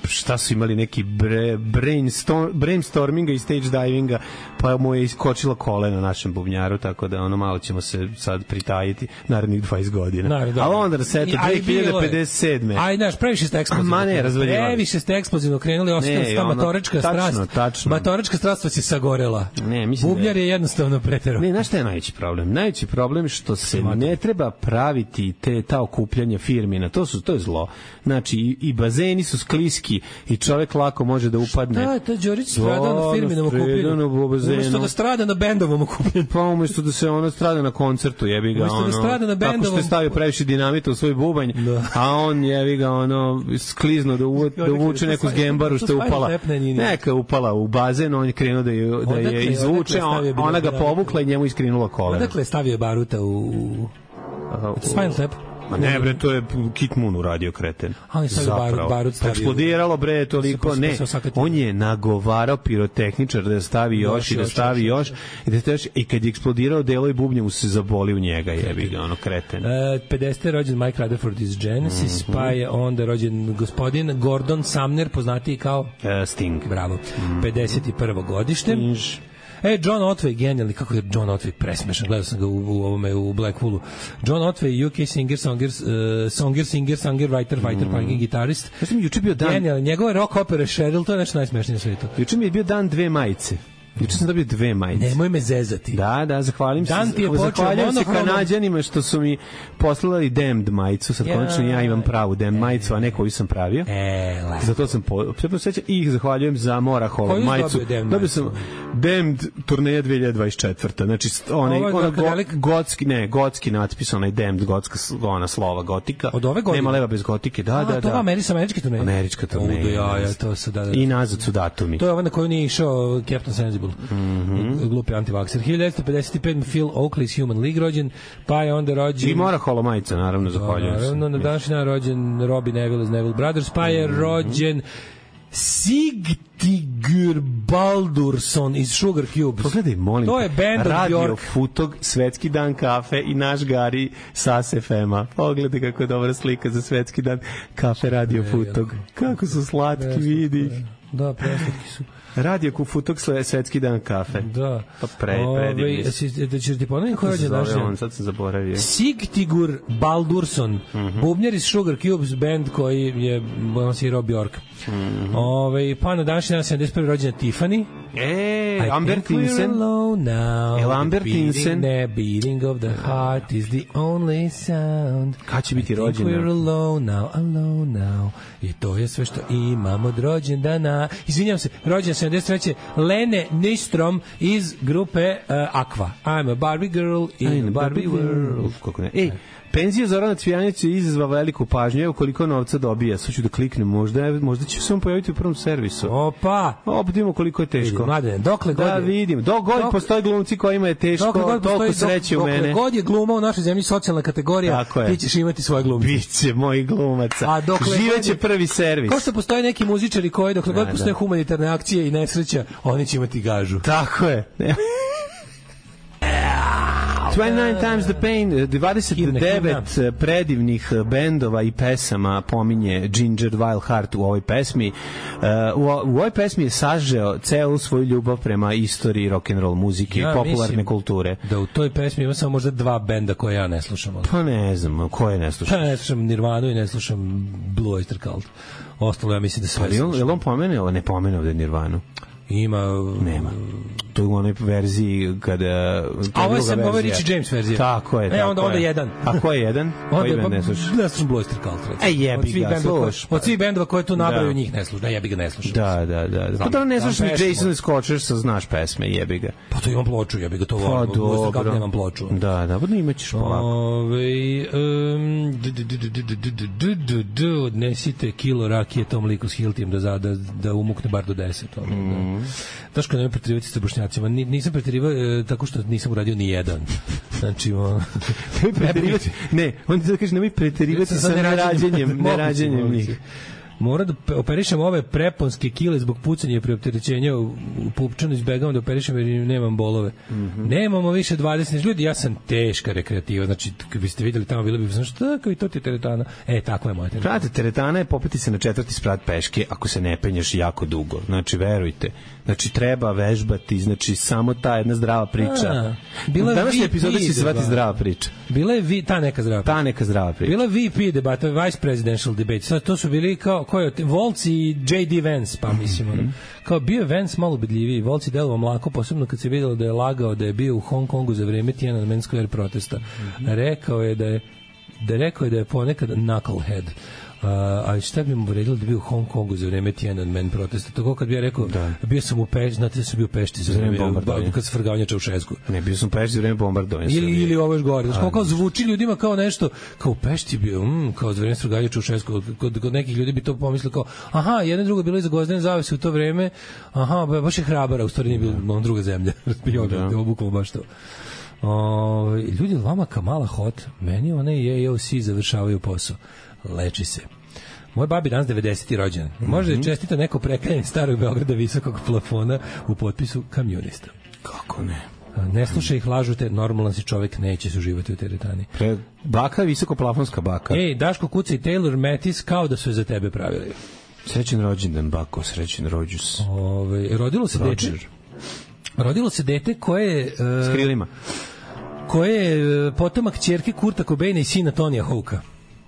šta su imali neki bre, brainstorm, brainstorminga i stage divinga, pa mu je iskočilo koleno našem bubnjaru, tako da ono malo ćemo se sad pritajiti narednih dvadeset godina. Naravno, ali onda da se eto Aj, dve hiljade pedeset sedme. Aj, znaš, previše ste eksplozivno. Ma ne, razvaljivali. Previše ste eksplozivno krenuli, ostala ta ono, matorička tačno, strast. tačno. Matorička strast vas je sagorela. Ne, mislim da Bubnjar je- je jednostavno preterao. Ne, znaš šta je najveći problem? Najveći problem je što se ne treba praviti te ta okupljanja firmina. To su to je zlo. Znači i, i bazeni su skliski i čovek lako može da upadne. Da, to Đorić strada na firminom okupljenju. Umesto da strada na bendovom okupljenju. Pa umesto da se ono strada na koncertu, jebi ga Umesto da ono. strada na Tako što bendovom- je stavio previše dinamita u svoj bubanj, Da. a on jebi ga ono sklizno da, uvu, da uvuče neku zgembaru što je upala. Neka je upala u bazen, on je krenuo da je, da Odakle- je izvuče, odakle je stavio ona ga bilo- povukla i njemu iskrenula koleno. Odakle je stavio baruta u... u Spinal Tap? Ma ne bre, to je Kit Moon uradio kreten. Ali stavio Zapravo. barut- barut Pa stavio- eksplodiralo bre toliko, Pa se- ne. pa se osakatio. On je nagovarao pirotehničar da stavi još i da još, stavi još, još i da stavi još i kad je eksplodirao delo i bubnje mu se zaboli u njega, jebi ga, ono kreten. E, pedesete je rođen Mike Rutherford iz Genesis, Mhm. pa je onda rođen gospodin Gordon Sumner, poznatiji kao... E, Sting. Bravo. Mhm. pedeset prvo godište. Inž. E, John Otway, genijalni, kako je John Otway presmešan, gledao sam ga u, u ovome, u Blackpoolu. John Otway, U K singer, songer, uh, songer, singer, singer, writer, fighter, Mhm. mm. gitarist. Ja sam juče bio dan, Genijalni, njegove rock opere Cheryl, to je nešto najsmešnije na svijetu. juče mi je bio dan dve majice. Juče sam dobio dve majice. Nemoj me zezati. Da, da, zahvalim se. Dan ti je počeo Zahvaljujem se monohronom. Kanađanima što su mi poslali Damned majicu. Sad Ja. konačno ja imam pravu Damned majicu, a ne koju sam pravio. E, lepo. Zato sam po, sve posveća i ih zahvaljujem za Morahol Koju si majicu. dobio Damned Dobio sam Damned turneja dve hiljade dvadeset četvrte. Znači st- onaj Ovo je ona go, Darkadelik? gotski, ne, gotski natpis, onaj Damned gotska s- ona slova gotika. Od ove godine? Nema leva bez gotike. Da, A, da, to da. Ameri, američki turnej? Američka turneja. O, da, ja, ja, to su, da, da. I nazad su datumi. To je ovaj na koju nije išao Captain Sensible. Mhm. Glupi antivakser. hiljadu devetsto pedeset pet Phil Oakley iz Human League rođen, pa je onda rođen... I Morahol majica, naravno, zahvaljujem se. Naravno, na današnji dan rođen Robbie Neville iz Neville Brothers, pa je rođen Sigtigur Baldursson iz Sugar Cubes. Pogledaj, molim To te, je band od Radio Bjork. Futog, Svetski dan kafe i naš Gari sa S F M-a. Pogledaj kako je dobra slika za Svetski dan kafe Radio Futog. Kako su slatki, vidi ih. Da, preslatki su. Radio Futog, Svetski dan kafe. Da. Pa pre, predivni Ove, su. si- da ćeš ti ponovim ko je Kako se rođen zove naš on, sad sam zaboravio. Sigtigur Baldursson, bubnjar iz Sugar Cubes, band koji je on svirao Bjork. Ove, pa na današnji dan sedamdeset prve rođena Tiffany. E, I Amber think we're Tinsen. alone now. Jel Amber The beating- Tinsen? Ne, beating of the heart is the only sound. Kad će biti I think rođena? we're alone now, alone now. I to je sve što imamo od rođendana. Izvinjam se, rođen sedamdeset treće Lene Nystrom iz grupe uh, Aqua. I'm a Barbie girl in a Barbie world. Kako ne? Ej, penzija Zorana Cvijanića izazva veliku pažnju. Evo koliko novca dobija. Sad ću da kliknem. Možda, možda će se on pojaviti u prvom servisu. Opa! Opet vidimo koliko je teško. Mladene, dokle god Da je- vidim. Dok god Dok- postoje glumci kojima je teško, Dokle god toliko postoji- sreće u dokle mene. god je gluma u našoj zemlji socijalna kategorija, Tako je. ti ćeš imati svoje glumce. Biće mojih glumaca. A dokle Živeće god je- prvi servis. Kao što postoje neki muzičari koji, dokle god Da, postoje da. humanitarne akcije i nesreća, oni će imati gažu. Tako je. dvadeset devet Times the Pain, dvadeset devet predivnih bendova i pesama pominje Ginger Wild Heart u ovoj pesmi. Uh, u, u ovoj pesmi je sažeo celu svoju ljubav prema istoriji rock'n'roll muzike Ja i popularne mislim kulture. Da u toj pesmi ima samo možda dva benda koje ja ne slušam. ali- Pa ne znam, ko je ne sluša? Pa ne slušam Nirvanu i ne slušam Blue Oyster Cult. Ostalo ja mislim da sve Ali on, je slušam. li on pomenuo, ne pomenuo da je Nirvanu? Ima... Nema. to je u onoj verziji kada... A ovo je sam, ovo je Richie James verzija. Tako je, tako e, onda, je. onda jedan. A ko je jedan? Koji band ne slušaš? Ne slušam Blue Oyster Cult. E, jebi ga, sluš. Od svih bendova koje tu nabraju njih ne slušam. Da, jebi ga ne slušam. Da, da, da. Pa da ne slušaš ni Jason Scotcher, sa znaš pesme, jebi ga. Pa to imam ploču, jebi ga to volim. Pa dobro. Kako nemam ploču. Da, da, pa da imaćeš polako. Ove, um, odnesite kilo rakije tom liku s Hiltijem da, da, da umukne bar do deset. Mm. Daško, nemoj preterivati sa Bošnjacima. Nisam preterivao e, tako što nisam uradio ni jedan. Znači, o... ne, on ti da kaže, nemoj preterivati sa nerađenjem, nerađenjem njih. Mora da operišem ove preponske kile zbog pucanja i preopterećenja u, u pupčanu, izbegavam da operišem jer nemam bolove. Mm -hmm. Nemamo više dvadeset ljudi, ja sam teška rekreativa, znači kad biste videli tamo bilo bi znači šta kao i to ti teretana. E, tako je moja teretana. Znate, teretana je popeti se na četvrti sprat peške ako se ne penješ jako dugo. Znači, verujte. Znači, treba vežbati, znači, samo ta jedna zdrava priča. A, bila danas je epizoda će se zvati zdrava priča. Bila je vi, ta neka zdrava priča. Ta neka zdrava priča. Bila V P debata, Vice Presidential debate. Sad, to su bili kao, ko je, Volc i J D Vance, pa mislim, mm -hmm. kao bio je Vance malo bedljiviji, Volc je delovao mlako, posebno kad se videlo da je lagao da je bio u Hong Kongu za vreme Tiananmen Square protesta. Mm -hmm. Rekao je da je da je rekao je da je ponekad knucklehead. Uh, a šta bi mu vredilo da bio u Hong Kongu za vreme Tiananmen protesta? Tako kad bi ja rekao, da. bio sam u Pešti, znate da sam bio u Pešti za vreme bombardovanja. Kad se frgavanja Čaušesku. Ne, bio sam u Pešti za vreme bombardovanja. Ili, ili ovo još gore. Znači, kao zvuči ljudima kao nešto, kao u Pešti bio, mm, kao za vreme frgavanja Čaušesku. Kod, kod nekih ljudi bi to pomislili kao, aha, jedno drugo bilo iza Gvozdene zavese u to vreme, aha, baš je Hrabara, u stvari nije bilo druga zemlja. Bio da je obuklo baš to. O, ljudi, Lama Kamala Hot, meni one je O C završavaju posao. Leči se. Moj babi danas devedeseti rođen. Može mm -hmm. čestita neko prekajanje starog Beograda visokog plafona u potpisu kamionista. Kako ne? Ne slušaj ih, lažu te, normalan si čovek, neće se uživati u teretani. Pre, baka je visokoplafonska baka. Ej, Daško, kuca i Taylor Matis kao da su je za tebe pravili. Srećen rođendan, bako, srećen rođus. Ove, rodilo se Roger. dete. Rodilo se dete koje... Uh, S krilima. Koje je uh, potomak ćerke Kurta Cobaina i sina Tonija Hawka.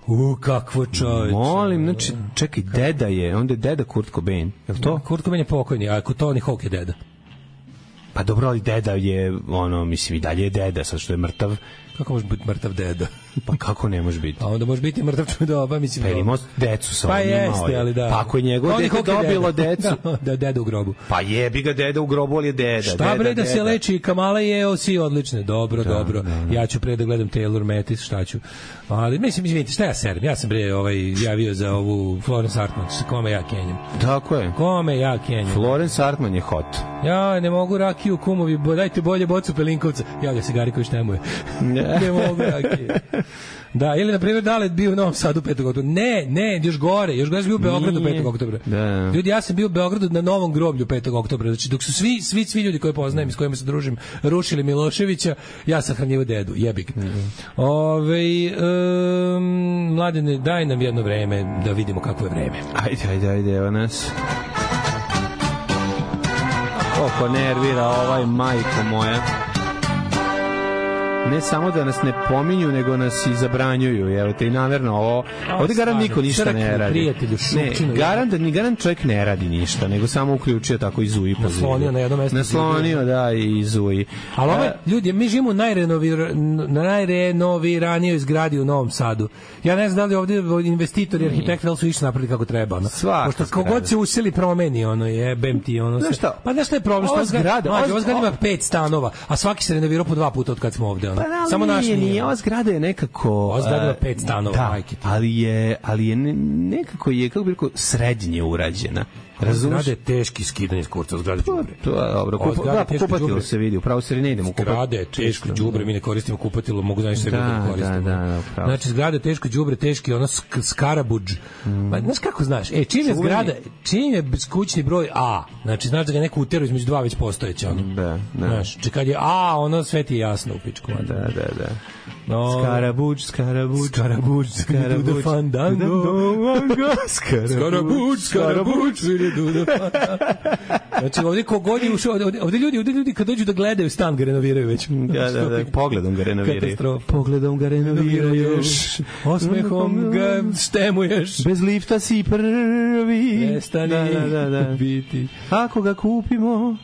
U, kakvo čovječe. Molim, znači, čekaj, deda je, onda je deda Kurt Cobain, je li to? Kurt Cobain je pokojni, a Tony Hawk je deda. Pa dobro, ali deda je, ono, mislim, i dalje je deda, sad što je mrtav. Kako može biti mrtav deda? Pa kako ne može biti? Pa onda može biti mrtav čudoba, mislim. Pa imao decu sa pa onim. Pa jeste, ali da. Pa ako je njegov dete dobilo decu. Da, deda u grobu. Pa jebi ga deda u grobu, ali je deda. Šta deda, bre da deda. Se leči, Kamala je O C odlične. Dobro, da, dobro. Da, da. Ja ću pre da gledam Taylor Matis, šta ću. Ali mislim, izvinite, šta ja serem? Ja sam bre ovaj, javio za ovu Florence Hartman, kome ja kenjam. Tako je. Kome ja kenjam. Florence Hartman je hot. Ja ne mogu rakiju, kumovi, dajte bolje bocu Pelinkovca. Javlja se Gari koji štemuje. Ne mogu rakiju. Da, ili na primjer Dalet bio u Novom Sadu petog oktobra. Ne, ne, još gore, još gore sam bio u Beogradu petog oktobra. Da. Ljudi, ja sam bio u Beogradu na Novom groblju petog oktobra. Znači, dok su svi, svi, svi ljudi koje poznajem i s kojima se družim rušili Miloševića, ja sahranjivo dedu, jebik. Mm -hmm. Ove, um, mladene, daj nam jedno vreme da vidimo kakvo je vreme. Ajde, ajde, ajde, evo nas. Oko nervira ovaj, majko moja. Ne samo da nas ne pominju, nego nas i zabranjuju. Evo te i namerno ovo. Ovde garant niko ništa ne radi. Ne, garant da ni garant čovjek ne radi ništa, nego samo uključio tako i Zuji poziv. Naslonio na jedno mesto. Naslonio, da, i Zuji. Ali ovo, ljudi, mi živimo u najrenovir, najrenoviranijoj zgradi u Novom Sadu. Ja ne znam da li ovde investitori i arhitekti da su išli napravili kako treba. Ono. Pošto kogod se useli promeni, ono, jebem ti, ono. Znaš šta? Pa znaš šta je problem? Ova zgrada, ova zgrada ima pet stanova, a svaki se renovirao po dva puta od kad smo ovde. Pa da, samo naš nije, nije, ova zgrada je nekako... Ova zgrada ima pet stanova, da, ali je, ali je nekako je, kako bi rekao, srednje urađena. Razumeš? Zgrade je teški skidanje s kurca, zgrade đubre. To je dobro, kupatilo se vidi, upravo se ne idemo kupatilo. Zgrade je teško đubre, mi ne koristimo kupatilo, mogu znači sebi da koristimo. Da, da, da, znači, zgrade je teško đubre, teški, ono skarabuđ. Mm. Pa, znaš kako znaš? E, čim je zgrada, čim je kućni broj A, znači, znaš da ga neko utero između dva već postojeće, ono. Da, da. Znaš, če kad je A, ono sve ti je jasno u pičku. Da, da, da. No. Skarabuđ, skarabuđ, Skarabuđ, skarabuđ, do the fandango. Skarabuđ, skarabuđ, do the fandango. Znači, ovdje kogod je ušao, ovdje, ovdje ljudi, ovdje ljudi kad dođu da gledaju stan ga renoviraju već. Da, da, da, pogledom ga renoviraju. Katastrofa. Pogledom ga renoviraju. Osmehom ga stemuješ. Bez lifta si prvi. Prestani da, da, da, da. biti. Ako ga kupimo.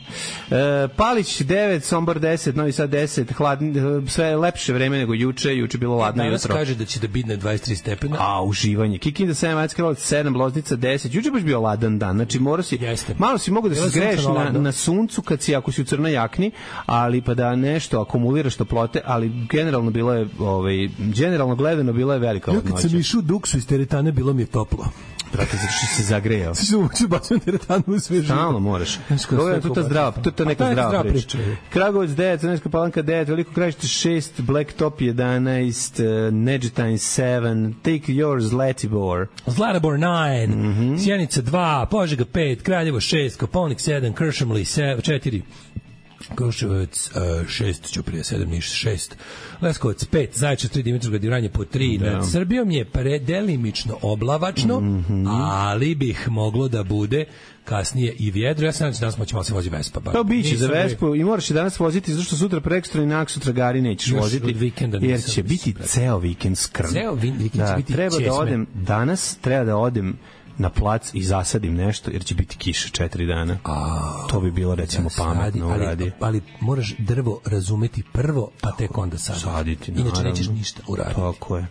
E, Palić devet, Sombor deset, Novi Sad deset, hladni, sve lepše vreme nego juče, juče bilo ladno jutro. Danas kaže da će da bidne dvadeset tri stepena. A, uživanje. Kikinda sedam, Majska Kralovac sedam, Loznica deset. Juče baš bio ladan dan. Znači, mora si, Jeste. malo si mogu da se zgreješ na, na suncu kad si, ako si u crnoj jakni, ali pa da nešto akumuliraš toplote, ali generalno bilo je, ovaj, generalno gledano bilo je velika ladnoća. Ja kad sam išao duksu iz teretane, bilo mi je toplo. Brate, zato što se zagrejao. Ti ću bacim teretanu u sve živo. Stalno moraš. Ovo je tu ta zdrava, tu ta neka zdrava priča. Kragujevac devet, Crnogorska Palanka devet, Veliko Krajište šest, Blacktop jedanaest, uh, Neđetajn sedam, Take Yours, Zlatibor. Zlatibor devet, mm-hmm. Sjenica dva, Požega pet, Kraljevo šest, Koponik sedam, Kršimli četiri. Kruševac šest, Ćuprija sedam, Niš šest, Leskovac pet, Zaječar tri, Dimitrovgrad i Vranje po tri. Da. Nad Srbijom je predelimično oblavačno, mm-hmm. ali bih moglo da bude kasnije i vjedro. Ja sam nadam da danas moći malo se vozi Vespa. Bar. Pa biće za Vespu i moraš i danas voziti, zašto sutra prekstra i naksu tragari nećeš još voziti, jer će biti ceo vikend skrn. Ceo vikend da, će biti treba česme. Da odem, danas treba da odem na plac i zasadim nešto, jer će biti kiša četiri dana. A, to bi bilo, recimo, da, pametno ali, uradi. Ali moraš drvo razumeti prvo, pa tek onda saditi. Saditi, inače naravno. nećeš ništa uraditi. Tako je.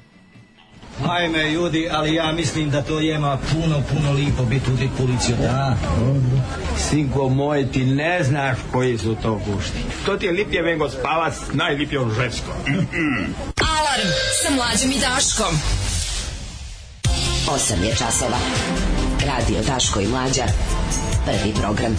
Ajme, ljudi, ali ja mislim da to jema puno, puno lipo biti u policiju, da? Sinko moj, ti ne znaš koji su to gušti. To ti je lipje vengo spavac, najlipje u žensko. Alarm sa Mlađom i Daškom. osam je časova. Radio Daško i Mlađa. Prvi program.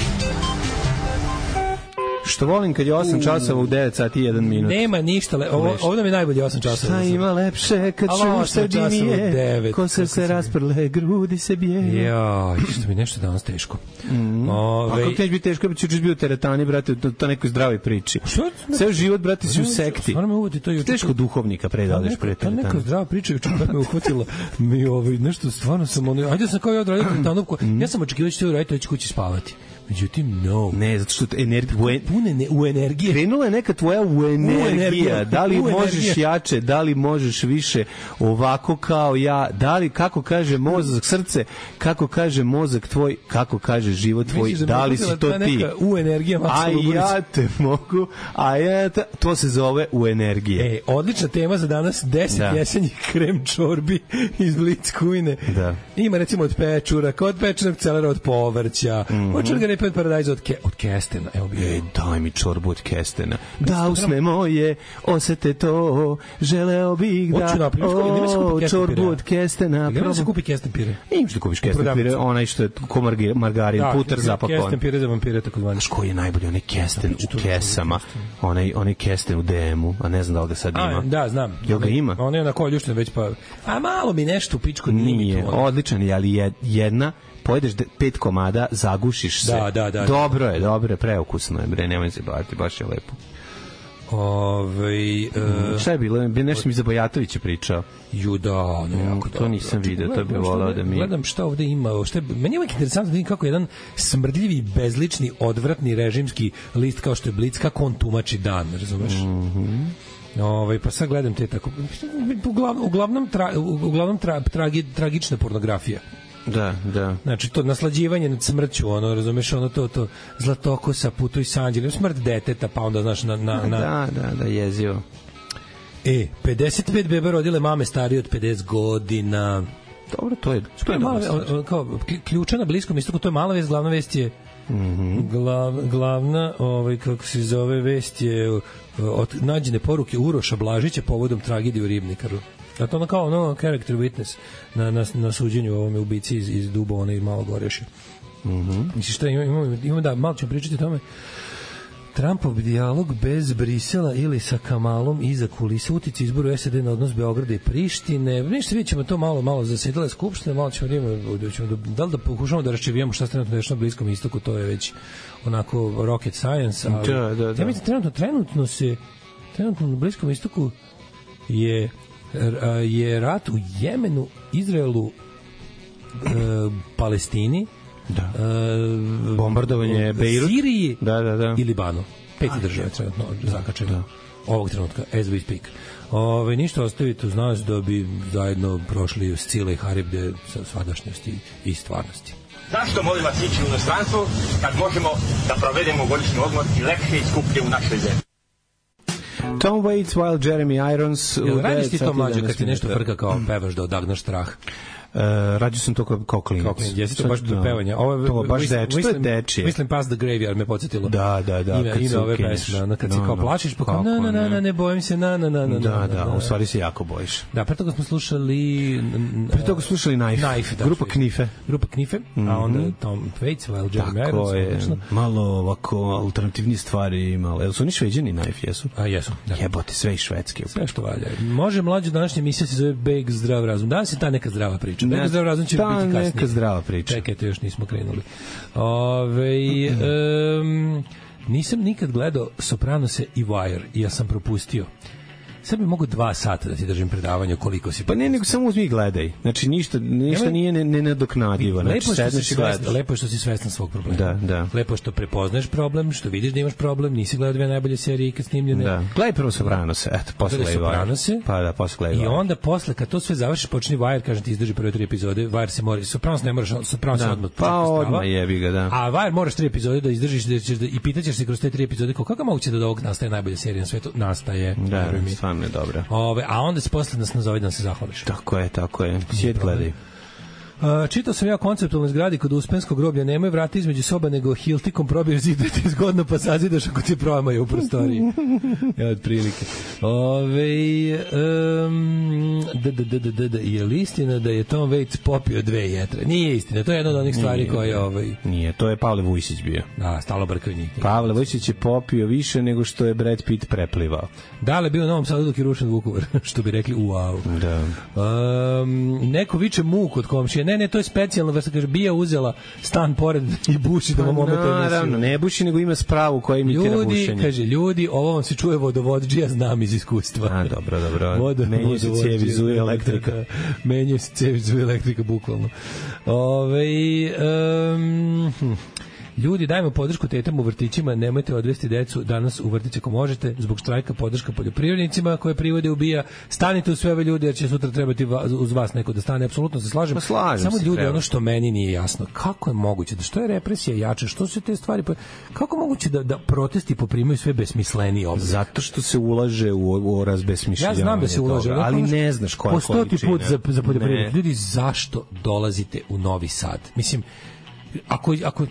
Što volim kad je osam časova u devet sati i jedan minut. Nema ništa, le, ovo, ovo nam je najbolje osam časova. Šta ima lepše kad čuš srdi mi je, ko se se rasprle, grudi se bije. Ja, što mi nešto danas teško. Mm. Ove... A kako ti biti teško, ćeš bio u teretani, brate, to, to nekoj zdravoj priči. Ceo život, brate, si u sekti. Stvarno me uvodi to juče. Teško duhovnika predadeš pre teretani. Ta neka zdrava priča juče kad me uhvatila, mi ovaj, nešto stvarno sam, ono, ajde sam kao ja odradio teretanu, ja sam očekivao da ću uraditi, već kući spavati. Međutim, no. Ne, zato što energija pune ne, u energije. Krenula je neka tvoja u energija. Da li možeš jače, da li možeš više ovako kao ja, da li, kako kaže mozak, srce, kako kaže mozak tvoj, kako kaže život tvoj, Misliš, da li si to ti? U energija, a ja te mogu, a ja te, to se zove u energije. E, odlična tema za danas, deset da. jesenjih krem čorbi iz Blitzkujne. Da. Ima recimo od pečuraka, od pečenog celera, od povrća, mm-hmm. od čorga repet paradajza, od, ke, od kestena. Evo bi. E, daj mi čorbu od kestena. Da usne moje, osete to, želeo bih da, o, čorbu od kestena. Gdje da se kupi kesten pire? Imaš da kupiš kesten pire, onaj što je ko margarin, da, puter zapakovan. Kesten pire za vampire, tako zvani. Znaš koji je najbolji, onaj kesten u kesama, onaj, onaj kesten u D M-u, a ne znam da li ga sad ima. A, da, znam. Jel ga ima? On je na koljuštine već pa, a malo mi nešto u pičku nije. Odličan je, ali jedna pojedeš pet komada, zagušiš se. Da, da, da. Dobro je, dobro je, preukusno je, bre, nemoj se baviti, baš je lepo. Ove, uh, šta je bilo? Nešto mi za Bajatovića pričao. Ju da, ono mm, jako to dobro. nisam vidio, to bi volao da mi... Gledam šta ovde ima, šta je, meni je uvijek interesantno da vidim kako jedan smrdljivi, bezlični, odvratni režimski list kao što je Blic, kako on tumači dan, razumeš? Mhm. Ovaj pa sad gledam te tako uglavnom uglavnom tra, uglavnom tra, tragi, tragična pornografija. Da, da. Znači to naslađivanje nad smrću, ono, razumeš, ono to to Zlatokosa, Putuj s anđelom, smrt deteta, pa onda znaš na na na Da, da, da, jezivo. E, pedeset pet beba rodile mame starije od pedeset godina. Dobro, to je to je malo kao ključa na Bliskom istoku, to je mala vest, glavna vest je mm-hmm. glav, glavna, ovaj kako se zove, vest je od nađene poruke Uroša Blažića povodom tragedije u Ribnikaru. A to ono kao ono character witness na, na, na suđenju ovome ubici iz, iz Dubona i Malog Oreša. Mm-hmm. Misliš šta, imamo, imamo da, malo ćemo pričati o tome. Trumpov dijalog bez Brisela ili sa Kamalom iza kulisa, utice izboru S A D na odnos Beograda i Prištine. Ništa, vidjet ćemo to malo, malo zasedale skupštine, malo ćemo, da, ćemo da, da li da pokušamo da raščivijemo šta se trenutno dešava na Bliskom istoku, to je već onako rocket science, ali da, da, da. Ja mislim, trenutno, trenutno se trenutno na Bliskom istoku je je rat u Jemenu, Izraelu, e, Palestini, da. E, bombardovanje Bejrut, Siriji da, da, da. i Libanu. Peti države trenutno zakačene. Da. Ovog trenutka, as we speak. Ove, ništa ostavite uz nas da bi zajedno prošli s Cile i Haribde sa svadašnjosti i stvarnosti. Zašto molim vas ići u inostranstvo kad možemo da provedemo godišnji odmor i lepše i skuplje u našoj zemlji? Tom Waits while Jeremy Irons... Jel radiš ti to mlađe kad ti nešto frka kao pevaš da odagnaš strah? Uh, rađu sam to kao, kao klinac. Kao klinac, jesi to baš do pevanja. Ovo, to baš deči, to je dečije. Mislim Past the Graveyard me podsjetilo. Da, da, da. Ime, ime ove pesme, ono, kad no, si kao plašiš, pa kao na, na, na, na, ne bojim se, na, na, na, na. Da, da, u stvari se jako bojiš. Da, pre toga smo slušali... Pre toga smo slušali Knife. Knife, da. Grupa Knife. Grupa Knife, mm-hmm. a onda Tom Waits, while Jeremy Irons. Tako je, malo ovako alternativni stvari imali. Jel su oni Šveđani Knife, jesu? A, jesu, da. Jebote, sve i švedske. Sve što valja. Može mlađe današnja emisija se zove Beg zdrav razum. Danas je ta neka zdrava priča. Beg zdrav razum će biti kasnije. Neka zdrava priča. Čekajte, još nismo krenuli. Ove, um, nisam nikad gledao Sopranose i Wire i ja sam propustio. Sad bi mogu dva sata da ti držim predavanje koliko si... Pa ne, nego samo uzmi i gledaj. Znači, ništa, ništa nije nenadoknadivo. Znači, lepo, što si svestan, lepo je što si svestan svog problema. Da, da. Lepo je što prepoznaješ problem, što vidiš da imaš problem, nisi gledao dve najbolje serije ikad snimljene. Da. Gledaj prvo Sopranose, eto, posle gledaj Sopranose. Pa da, posle gledaj I onda posle, kad to sve završiš, počni Wire, kažem ti, izdrži prve tri epizode. Wire se mora... Sopranos ne moraš, Sopranos da. odmah. Pa odmah jebi ga, da. A Wire moraš tri epizode da izdržiš da ćeš da, i pitaćeš se kroz te tri epizode kako kako moguće da od ovog nastaje najbolja serija na svetu. Nastaje. Da, stvarno je dobro. Ove, a onda se posle nas nazove da se zahvališ. Tako je, tako je. Svijet gledaj. Uh, čitao sam ja konceptualnoj zgradi kod Uspenskog groblja, nemaju vrata između soba, nego hiltikom probiješ zid da ti zgodno pa sazidaš ako ti promaju u prostoriji. Ja, od prilike. Ove, um, da, da, da, da, da, je li istina da je Tom Waits popio dve jetre? Nije istina, to je jedna od onih stvari nije, koje... Ovaj... Nije, to je Pavle Vujsić bio. Da, stalo brkaju njih. Pavle Vujsić je popio više nego što je Brad Pitt preplivao. Da li je bio u Novom Sadu dok je rušen Vukovar, što bi rekli wow. Da. Um, neko viče muk od komšije. Ne, ne, to je specijalno, vrsta kaže, bija uzela stan pored i buši da vam ometa emisiju. Naravno, ne buši, nego ima spravu koja imitira ljudi, bušenje. Ljudi, kaže, ljudi, ovo vam se čuje vodovodđija, znam iz iskustva. A, dobro, dobro. Vodo, menjaju se cijevi, zuje elektrika. Da, da, menjaju se cijevi, zuje elektrika, bukvalno. Ove, um, hm. Ljudi, dajmo podršku tetama u vrtićima, nemojte odvesti decu danas u vrtić ako možete, zbog štrajka podrška poljoprivrednicima koje privode ubija. Stanite u sve ove ljudi jer će sutra trebati uz vas neko da stane, apsolutno se slažem. slažem Samo se, ljudi, treba. Ono što meni nije jasno, kako je moguće da što je represija jača, što su te stvari, kako moguće da, da protesti poprimaju sve besmisleniji oblik? Zato što se ulaže u, u razbesmišljavanje. Ja znam da se ulaže, toga, ali ne znaš koja je količina. Po stoti put za, za poljoprivrednike. Ljudi, zašto dolazite u Novi Sad? Mislim, ako... ako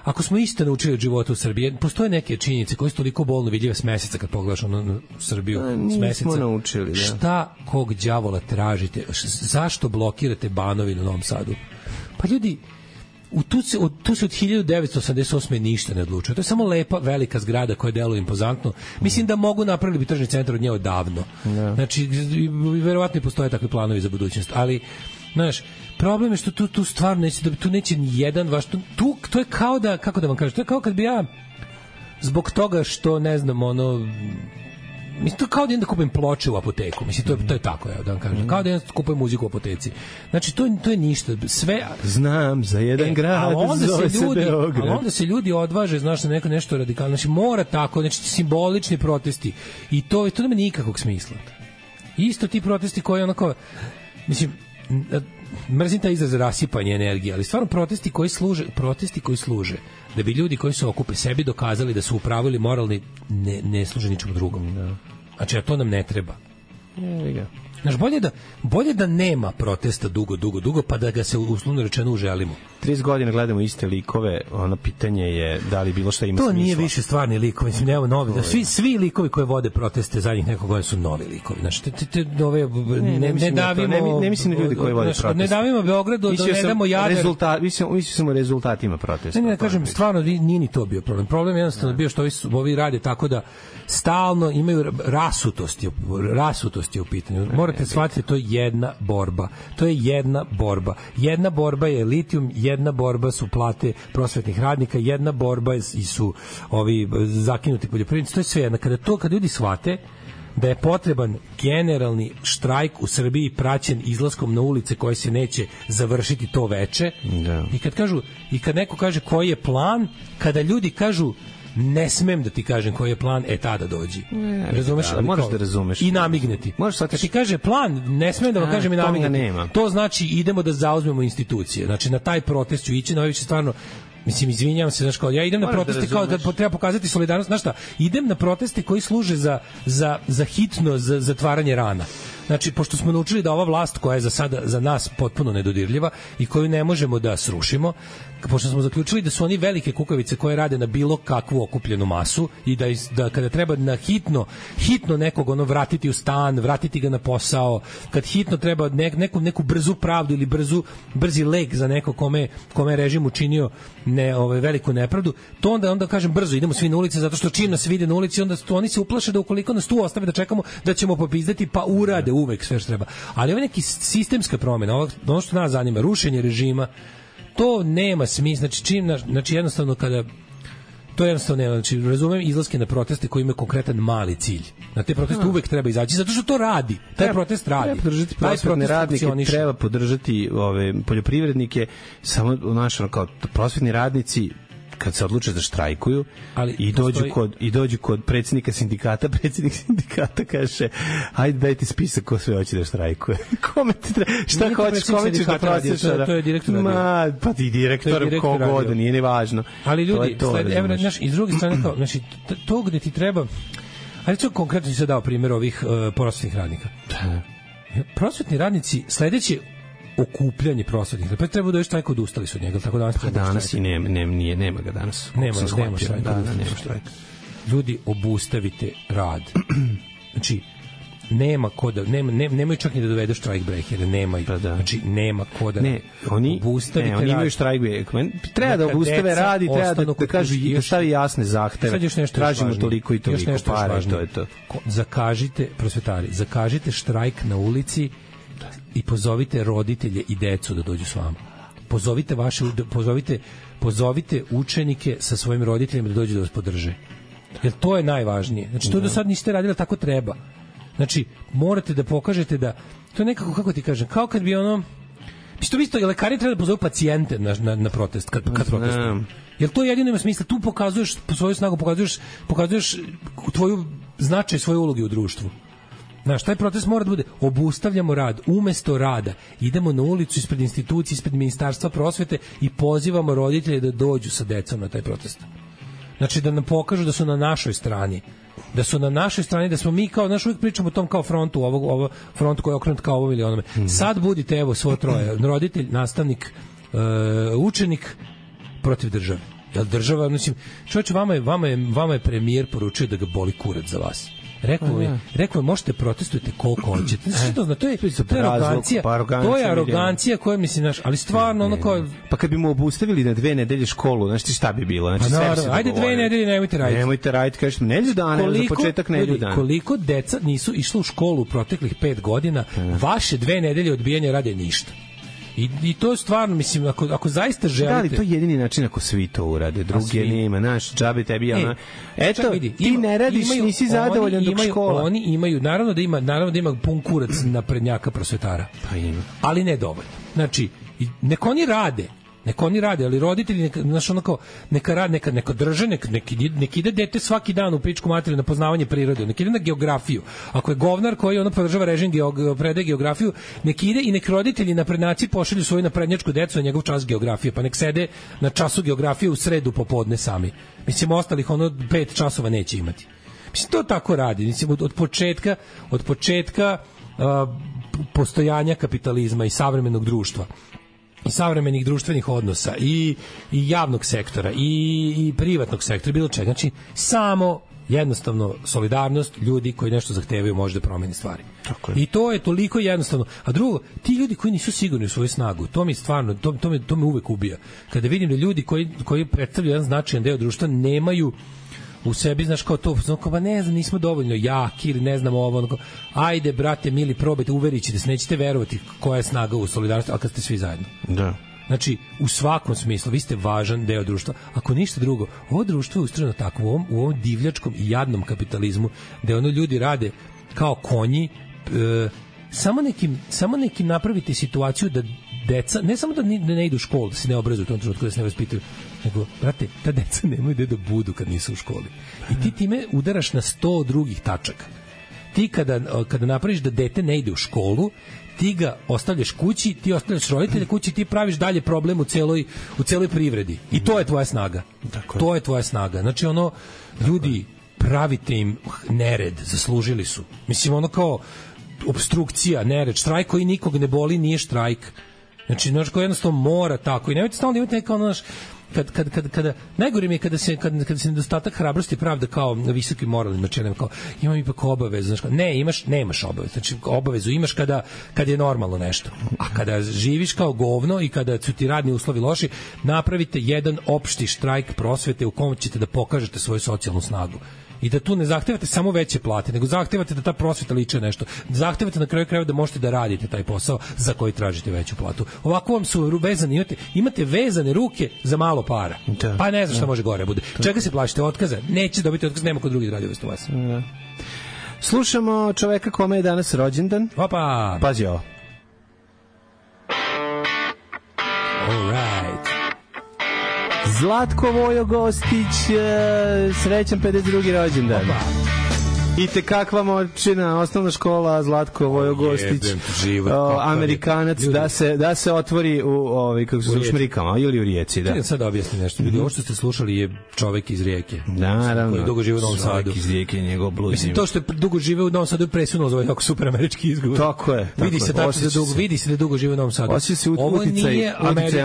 Ako smo isto naučili od života u Srbiji, postoje neke činjenice koje su toliko bolno vidljive s meseca kad pogledaš ono Srbiju a, s meseca. Naučili, da. Šta kog đavola tražite? Zašto blokirate Banovinu u Novom Sadu? Pa ljudi, u tu, se, od, tu se od hiljadu devetsto osamdeset osme ništa ne odlučuje. To je samo lepa, velika zgrada koja deluje impozantno. Mislim da mogu napraviti bi tržni centar od nje odavno. Da. Znači, verovatno i postoje takvi planovi za budućnost, ali znaš, problem je što tu, tu stvarno neće, da tu neće ni jedan vaš, tu, tu, to je kao da, kako da vam kažem, to je kao kad bi ja zbog toga što, ne znam, ono, mislim, to kao da idem da kupim ploče u apoteku, mislim, to je, to je tako, ja da vam kažem, kao da idem da kupim muziku u apoteci. Znači, to, to je ništa, sve... Znam za jedan e, grad, onda zove se ljudi, se Beograd. ali onda se ljudi odvaže, znaš, na neko nešto radikalno, znači, mora tako, znači, simbolični protesti, i to, to nema nikakvog smisla. Isto ti protesti koji, onako, mislim, mrzim taj izraz rasipanje energije, ali stvarno protesti koji služe, protesti koji služe da bi ljudi koji se okupe sebi dokazali da su upravili moralni, ne, ne služe ničemu drugom. Da. Znači, a to nam ne treba. Je, ga. Znaš, bolje da, bolje da nema protesta dugo, dugo, dugo, pa da ga se uslovno rečeno uželimo. trideset godina gledamo iste likove, ono pitanje je da li bilo šta ima to smisla. To nije više stvarni likovi, mislim, nema novi. Da, svi, svi likovi koji vode proteste zadnjih nekog godina su novi likovi. Znači, te, te, te ove, ne, ne, ne davimo... Ne, ne mislim na ljudi koji vode znači, proteste. Ne davimo Beogradu, da ne damo Jadar. Rezultat, mislim, mislim samo rezultatima protesta. Ne, ne, ne kažem, stvarno nije ni to bio problem. Problem je jednostavno bio što ovi, ovi rade tako da stalno imaju rasutosti, rasutosti u pitanju. Morate shvatiti, to je jedna borba. To je jedna borba. Jedna borba je litijum, jedna borba su plate prosvetnih radnika, jedna borba su ovi zakinuti poljoprivrednici. To je sve jedna. Kada to, kada ljudi shvate da je potreban generalni štrajk u Srbiji praćen izlaskom na ulice koje se neće završiti to veče. Da. I kad kažu, i kad neko kaže koji je plan, kada ljudi kažu ne smem da ti kažem koji je plan, e tada dođi. Ne, razumeš? Da, moraš da razumeš. I namigneti. Kad ti kaže plan, ne smem da vam kažem i namigneti. To znači idemo da zauzmemo institucije. Znači na taj protest ću ići, na ovaj stvarno mislim, izvinjavam se, znaš, kao, ja idem na Moraš proteste da kao da treba pokazati solidarnost, znaš šta, idem na proteste koji služe za, za, za hitno za zatvaranje rana. Znači, pošto smo naučili da ova vlast koja je za sada za nas potpuno nedodirljiva i koju ne možemo da srušimo, pošto smo zaključili da su oni velike kukavice koje rade na bilo kakvu okupljenu masu i da, da kada treba na hitno hitno nekog ono vratiti u stan, vratiti ga na posao, kad hitno treba nek, neku, neku brzu pravdu ili brzu, brzi lek za neko kome, kome je režim učinio ne, ove, veliku nepravdu, to onda, onda kažem brzo, idemo svi na ulice, zato što čim nas vide na ulici, onda to, oni se uplaše da ukoliko nas tu ostave da čekamo, da ćemo popizdati, pa urade uvek sve što treba. Ali ovo je neki sistemska promjena, ono što nas zanima, rušenje režima, to nema smisla, znači čim, znači jednostavno kada to jednostavno nema, znači razumem izlaske na proteste koji imaju konkretan mali cilj. Na te proteste uvek treba izaći, zato što to radi. Taj treba, protest radi. Treba podržati prosvetne radnike, treba podržati ove poljoprivrednike, samo u našem kao prosvetni radnici kad se odluče da štrajkuju, ali i dođu postoji... kod i dođu kod predsjednika sindikata, predsjednik sindikata kaže: "Hajde dajte spisak ko sve hoće da štrajkuje." Kome ti treba? Šta nije hoćeš, kome ćeš da prosiš? To, to je direktor. Ma, pa ti direktor kogod, nije ni važno. Ali ljudi, sled, evo, znaš, iz druge strane kao, znači to gde ti treba. Ali to konkretno se dao primjer ovih uh, prosvetnih radnika. Prosvetni radnici sledeći okupljanje prosvetnih. Pa treba da još štrajka odustali su od njega, tako danas. Pa danas i nema, nema, nije, nema ga danas. Nema, nema štrajka. Da, da, nema štrajka. Ljudi, obustavite rad. Znači, nema ko da, nema, nema, nemaju čak ni da dovedu štrajk breakere, nema ih. Pa da. Znači, nema ko da ne, oni, obustavite ne, oni imaju štrajk breakere. Treba da obustave rad i treba da, da kažu, da stavi jasne zahteve. Tražimo toliko i toliko para, to je to. Zakažite, prosvetari, zakažite štrajk na ulici i pozovite roditelje i decu da dođu s vama. Pozovite vaše pozovite pozovite učenike sa svojim roditeljima da dođu da vas podrže. Jer to je najvažnije. Znači to do sad niste radili, tako treba. Znači morate da pokažete da to je nekako, kako ti kažem, kao kad bi ono isto isto lekari treba da pozovu pacijente na na, na protest kad kad protestuju. Jer to jedino ima smisla, tu pokazuješ svoju snagu, pokazuješ pokazuješ tvoju značaj svoje uloge u društvu. Znaš, taj protest mora da bude obustavljamo rad, umesto rada idemo na ulicu ispred institucije, ispred ministarstva prosvete i pozivamo roditelje da dođu sa decom na taj protest. Znači da nam pokažu da su na našoj strani, da su na našoj strani, da smo mi kao, znaš, uvijek pričamo o tom kao frontu, ovog, ovo frontu koji je okrenut kao ovom ili onome. Sad budite, evo, svo troje, roditelj, nastavnik, uh, učenik protiv države. Jel država, mislim, čovječe, vama je, vama, je, vama je premijer poručio da ga boli kurac za vas. Rekao je, rekao je, možete protestujete koliko hoćete. Znači, to, to je, to je arogancija, to je arogancija koja, mislim, znaš, ali stvarno ono kao... Pa kad bi mu obustavili na dve nedelje školu, znači šta bi bilo? Znači, pa naravno, ajde dve nedelje, nemojte raditi. Nemojte raditi, kažete, nedelju dana, koliko, za početak nedelju dana. Koliko deca nisu išlo u školu u proteklih pet godina, vaše dve nedelje odbijanja rade ništa. I, I to stvarno, mislim, ako, ako zaista želite... Da li to je jedini način ako svi to urade, druge nema, naš, džabe tebi, ona... E, eto, vidi, ti ima, ne radiš, imaju, nisi zadovoljan dok imaju, škola. Oni imaju, naravno da ima, naravno da ima pun kurac na prednjaka prosvetara. Pa ima. Ali ne dovoljno. Znači, neko oni rade, neko oni rade, ali roditelji, neka, znaš, ono kao, neka rade, neka, neka drže, neka, neka, neka ide dete svaki dan u pičku materiju na poznavanje prirode, neka ide na geografiju. Ako je govnar koji ono podržava režim geog, predaje geografiju, neka ide i nek roditelji na prednaci pošalju svoju naprednjačku decu na njegov čas geografije, pa nek sede na času geografije u sredu popodne sami. Mislim, ostalih ono pet časova neće imati. Mislim, to tako radi. Mislim, od, od početka, od početka uh, postojanja kapitalizma i savremenog društva i savremenih društvenih odnosa i, i javnog sektora i, i privatnog sektora, bilo čega. Znači, samo jednostavno solidarnost ljudi koji nešto zahtevaju može da promeni stvari. Tako I to je toliko jednostavno. A drugo, ti ljudi koji nisu sigurni u svoju snagu, to mi stvarno, to, to, me, to me uvek ubija. Kada vidim da ljudi koji, koji predstavljaju jedan značajan deo društva nemaju u sebi, znaš, kao to, kao, ba ne znam, nismo dovoljno jaki ili ne znam ovo, onako, ajde, brate, mili, probajte, uverit ćete se, nećete verovati koja je snaga u solidarnosti, ali kad ste svi zajedno. Da. Znači, u svakom smislu, vi ste važan deo društva. Ako ništa drugo, ovo društvo je ustrojeno tako, u ovom, u ovom divljačkom i jadnom kapitalizmu, gde ono ljudi rade kao konji, e, samo nekim, samo nekim napravite situaciju da deca, ne samo da ne, da ne idu u školu, da se ne obrazuju u tom trenutku, da se ne vaspitaju, nego, brate, ta deca nemaju gde da budu kad nisu u školi. I ti time udaraš na sto drugih tačaka. Ti kada, kada napraviš da dete ne ide u školu, ti ga ostavljaš kući, ti ostavljaš roditelje kući, ti praviš dalje problem u celoj, u celoj privredi. I to je tvoja snaga. Dakle. To je tvoja snaga. Znači, ono, ljudi, pravite im nered, zaslužili su. Mislim, ono kao obstrukcija, nered, štrajk koji nikog ne boli, nije štrajk. Znači, znači, ko jednostavno mora tako. I nemojte stalno imati neka ono, naš, kad, kad, kad, kada, najgore mi je kada se, kad, kada se nedostatak hrabrosti pravda kao visoki moralni načelem, kao imam ipak obavezu, znači, ne, imaš, nemaš obavezu, znači obavezu imaš kada, kada je normalno nešto, a kada živiš kao govno i kada su ti radni uslovi loši, napravite jedan opšti štrajk prosvete u kom ćete da pokažete svoju socijalnu snagu. I da tu ne zahtevate samo veće plate, nego zahtevate da ta prosveta liče nešto. Zahtevate na kraju krajeva da možete da radite taj posao za koji tražite veću platu. Ovako vam su vezani, imate, imate vezane ruke za malo para. Da, pa ne znam šta da. Može gore bude. Čega se plaćate otkaza? Neće dobiti otkaz, nema ko drugi da radi umesto vas. Da. Slušamo čoveka kome je danas rođendan. Opa! Pazi ovo. All right. Zlatko Vojo Gostić, srećan pedeset drugi rođendan. Opa. I te kakva moćina osnovna škola Zlatko Vojo Gostić, Amerikanac, da se, da se otvori u, ovaj, kako se zove, Šmrikama ili u Rijeci. Da. Sad objasni nešto. Ljudi, ovo što ste slušali je čovek iz Rijeke. Naravno. Koji dugo žive u Novom Sadu. Čovek iz Rijeke, njegov bluz. Mislim, to što je dugo žive u Novom Sadu je presunulo za ovaj jako super američki izgovor. Tako je. Tako vidi se tako da dugo, vidi se da dugo žive u Novom Sadu. Ovo nije američki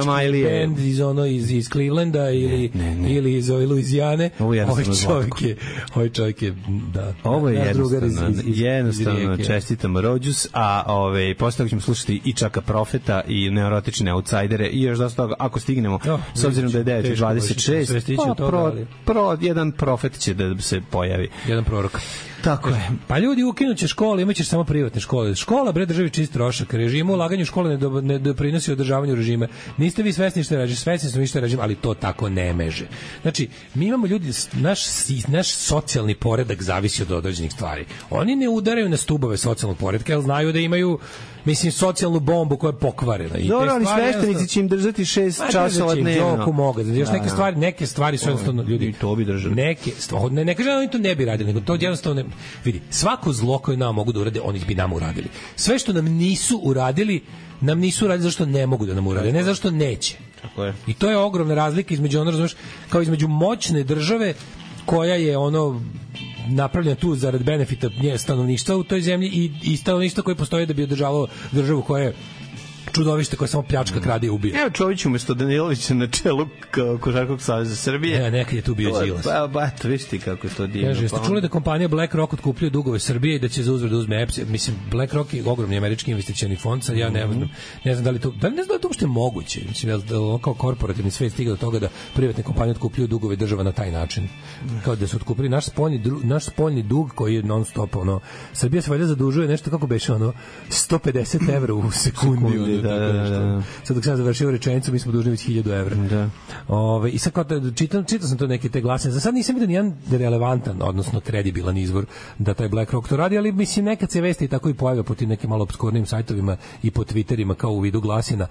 band iz ono iz iz Clevelanda ili ne, ne. ili iz Luizijane. Ovaj čovjek je, ovaj čovjek je da. Ovo je jednostavno, jednostavno čestitam rođus, a ove, posle toga ćemo slušati i Čaka Profeta i Neurotične outsidere i još dosta toga, ako stignemo, no, s obzirom da je devet dvadeset šest, pa pro, pro, jedan profet će da se pojavi. Jedan prorok. Tako je. Pa ljudi ukinuće škole, imaćeš samo privatne škole. Škola, bre, državi čist trošak. Režimu ulaganju škole ne, do, ne doprinosi održavanju režima. Niste vi svesni što je režim, svesni smo vi što je režim, ali to tako ne meže. Znači, mi imamo ljudi, naš, naš socijalni poredak zavisi od određenih stvari. Oni ne udaraju na stubove socijalnog poredka, jer znaju da imaju, mislim, socijalnu bombu koja je pokvarena. I dobro, ali sveštenici će im držati šest časova dnevno. Joku mogu. Još neke stvari, neke stvari su jednostavno, ljudi, i to bi držali. Neke, ne, ne kažem da oni to ne bi radili, nego to jednostavno ne, vidi, svako zlo koje nam mogu da urade, oni bi nam uradili. Sve što nam nisu uradili, nam nisu uradili zašto ne mogu da nam urade, ne zašto neće. Tako je. I to je ogromna razlika između, ono, razumeš, kao između moćne države koja je ono napravljena tu zarad benefita nje stanovništva u toj zemlji i, i stanovništva koje postoje da bi održavalo državu koja je čudovište koje samo pljačka, krade i ubija. Evo Čović umesto Danilovića na čelu Košarkaškog saveza Srbije. Ne, nekad je tu bio Đilas. Pa, ba, to viš ti kako je to divno. Kaže, jeste čuli da kompanija BlackRock otkupljuje dugove Srbije i da će za uzvrat da uzme E P S? Mislim, BlackRock je ogromni američki investicioni fond, sad ja ne, mm-hmm. ne znam da li to, da li ne znam da li to uopšte moguće. Mislim, da li kao korporativni svet stiga do toga da privatne kompanije otkupljuju dugove država na taj način. Kao da su otkupili naš spoljni, naš spoljni dug koji je non stop, ono, Srbija se valjda zadužuje nešto kako beše, ono, sto pedeset evra u sekundi. Sekundi da, da, da, da. Sad dok sam završio rečenicu, mi smo dužni već hiljadu evra. Da. Ove, I sad kao da čitam, čitao sam to neke te glasine. Za sad nisam vidio nijedan relevantan, odnosno kredibilan izvor da taj BlackRock to radi, ali mislim nekad se vesti i tako i pojavio po tim nekim malo obskurnim sajtovima i po Twitterima kao u vidu glasina,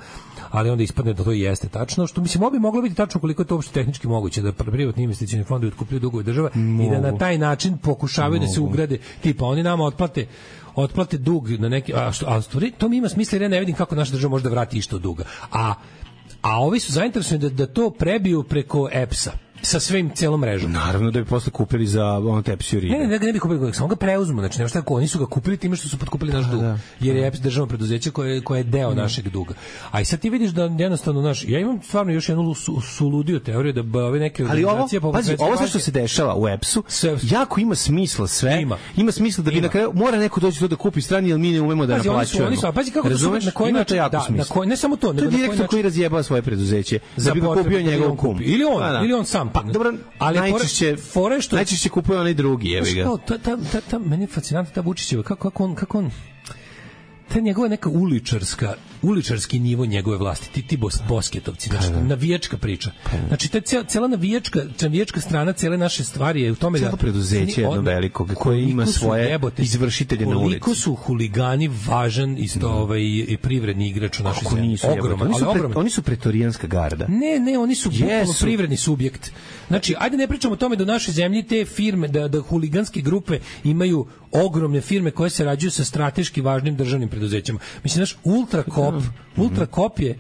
ali onda ispadne da to jeste tačno, što mislim obi moglo biti tačno koliko je to uopšte tehnički moguće da privatni investicioni fondovi otkupljuju dugove država i da na taj način pokušavaju Mogu. da se ugrade, tipa oni nama otplate otplate dug na neki, a što, a to mi ima smisla jer ja ne vidim kako naša država može da vrati išto duga. A, a ovi su zainteresovani da, da to prebiju preko E P S-a sa svim celom mrežom. Naravno da bi posle kupili za on Tepsi Urine. Ne, ne, ne bi kupili, samo ga preuzmu, znači nema šta kako, oni su ga kupili time što su potkupili naš dug. Da, jer je E P S državno preduzeće koje, koje je deo da. našeg duga. A i sad ti vidiš da jednostavno naš, ja imam stvarno još jednu su, suludio teoriju da ove neke organizacije poput pazi, ovo sve što se dešava u E P S-u, sve, jako ima smisla sve. Ima, ima smisla da bi ima. na kraju mora neko doći to da kupi strani, jer mi ne umemo da naplaćujemo. Oni su, pazi kako to su, na koji način, da, na koji, ne samo to, nego to je direktor koji razjebava svoje preduzeće da bi ga kupio njegov kum. Ili on, ili on sam. Pa dobro, ali najčešće fore što najčešće kupuje onaj drugi, jebi ga. Ta ta ta ta meni je fascinantna ta Vučićeva kako kako on kako on ta njegova neka uličarska uličarski nivo njegove vlasti, ti, ti bos, bosketovci, znači, pa, da. navijačka priča. Pa, da. Znači, ta cela, cela navijačka, navijačka strana cele naše stvari je u tome da... Celo preduzeće jedno veliko koje ima svoje jebote, izvršitelje na ulici. Koliko su huligani važan isto mm. ovaj, i privredni igrač u našoj zemlji. Ogroman, oni, su ali pre, oni su pretorijanska garda. Ne, ne, oni su bukvalno privredni subjekt. Znači, ajde ne pričamo o tome da u našoj zemlji te firme, da, da huliganske grupe imaju ogromne firme koje se rađuju sa strateški važnim državnim preduzećima. Mislim, znaš, Ultrakop, Ultrakop je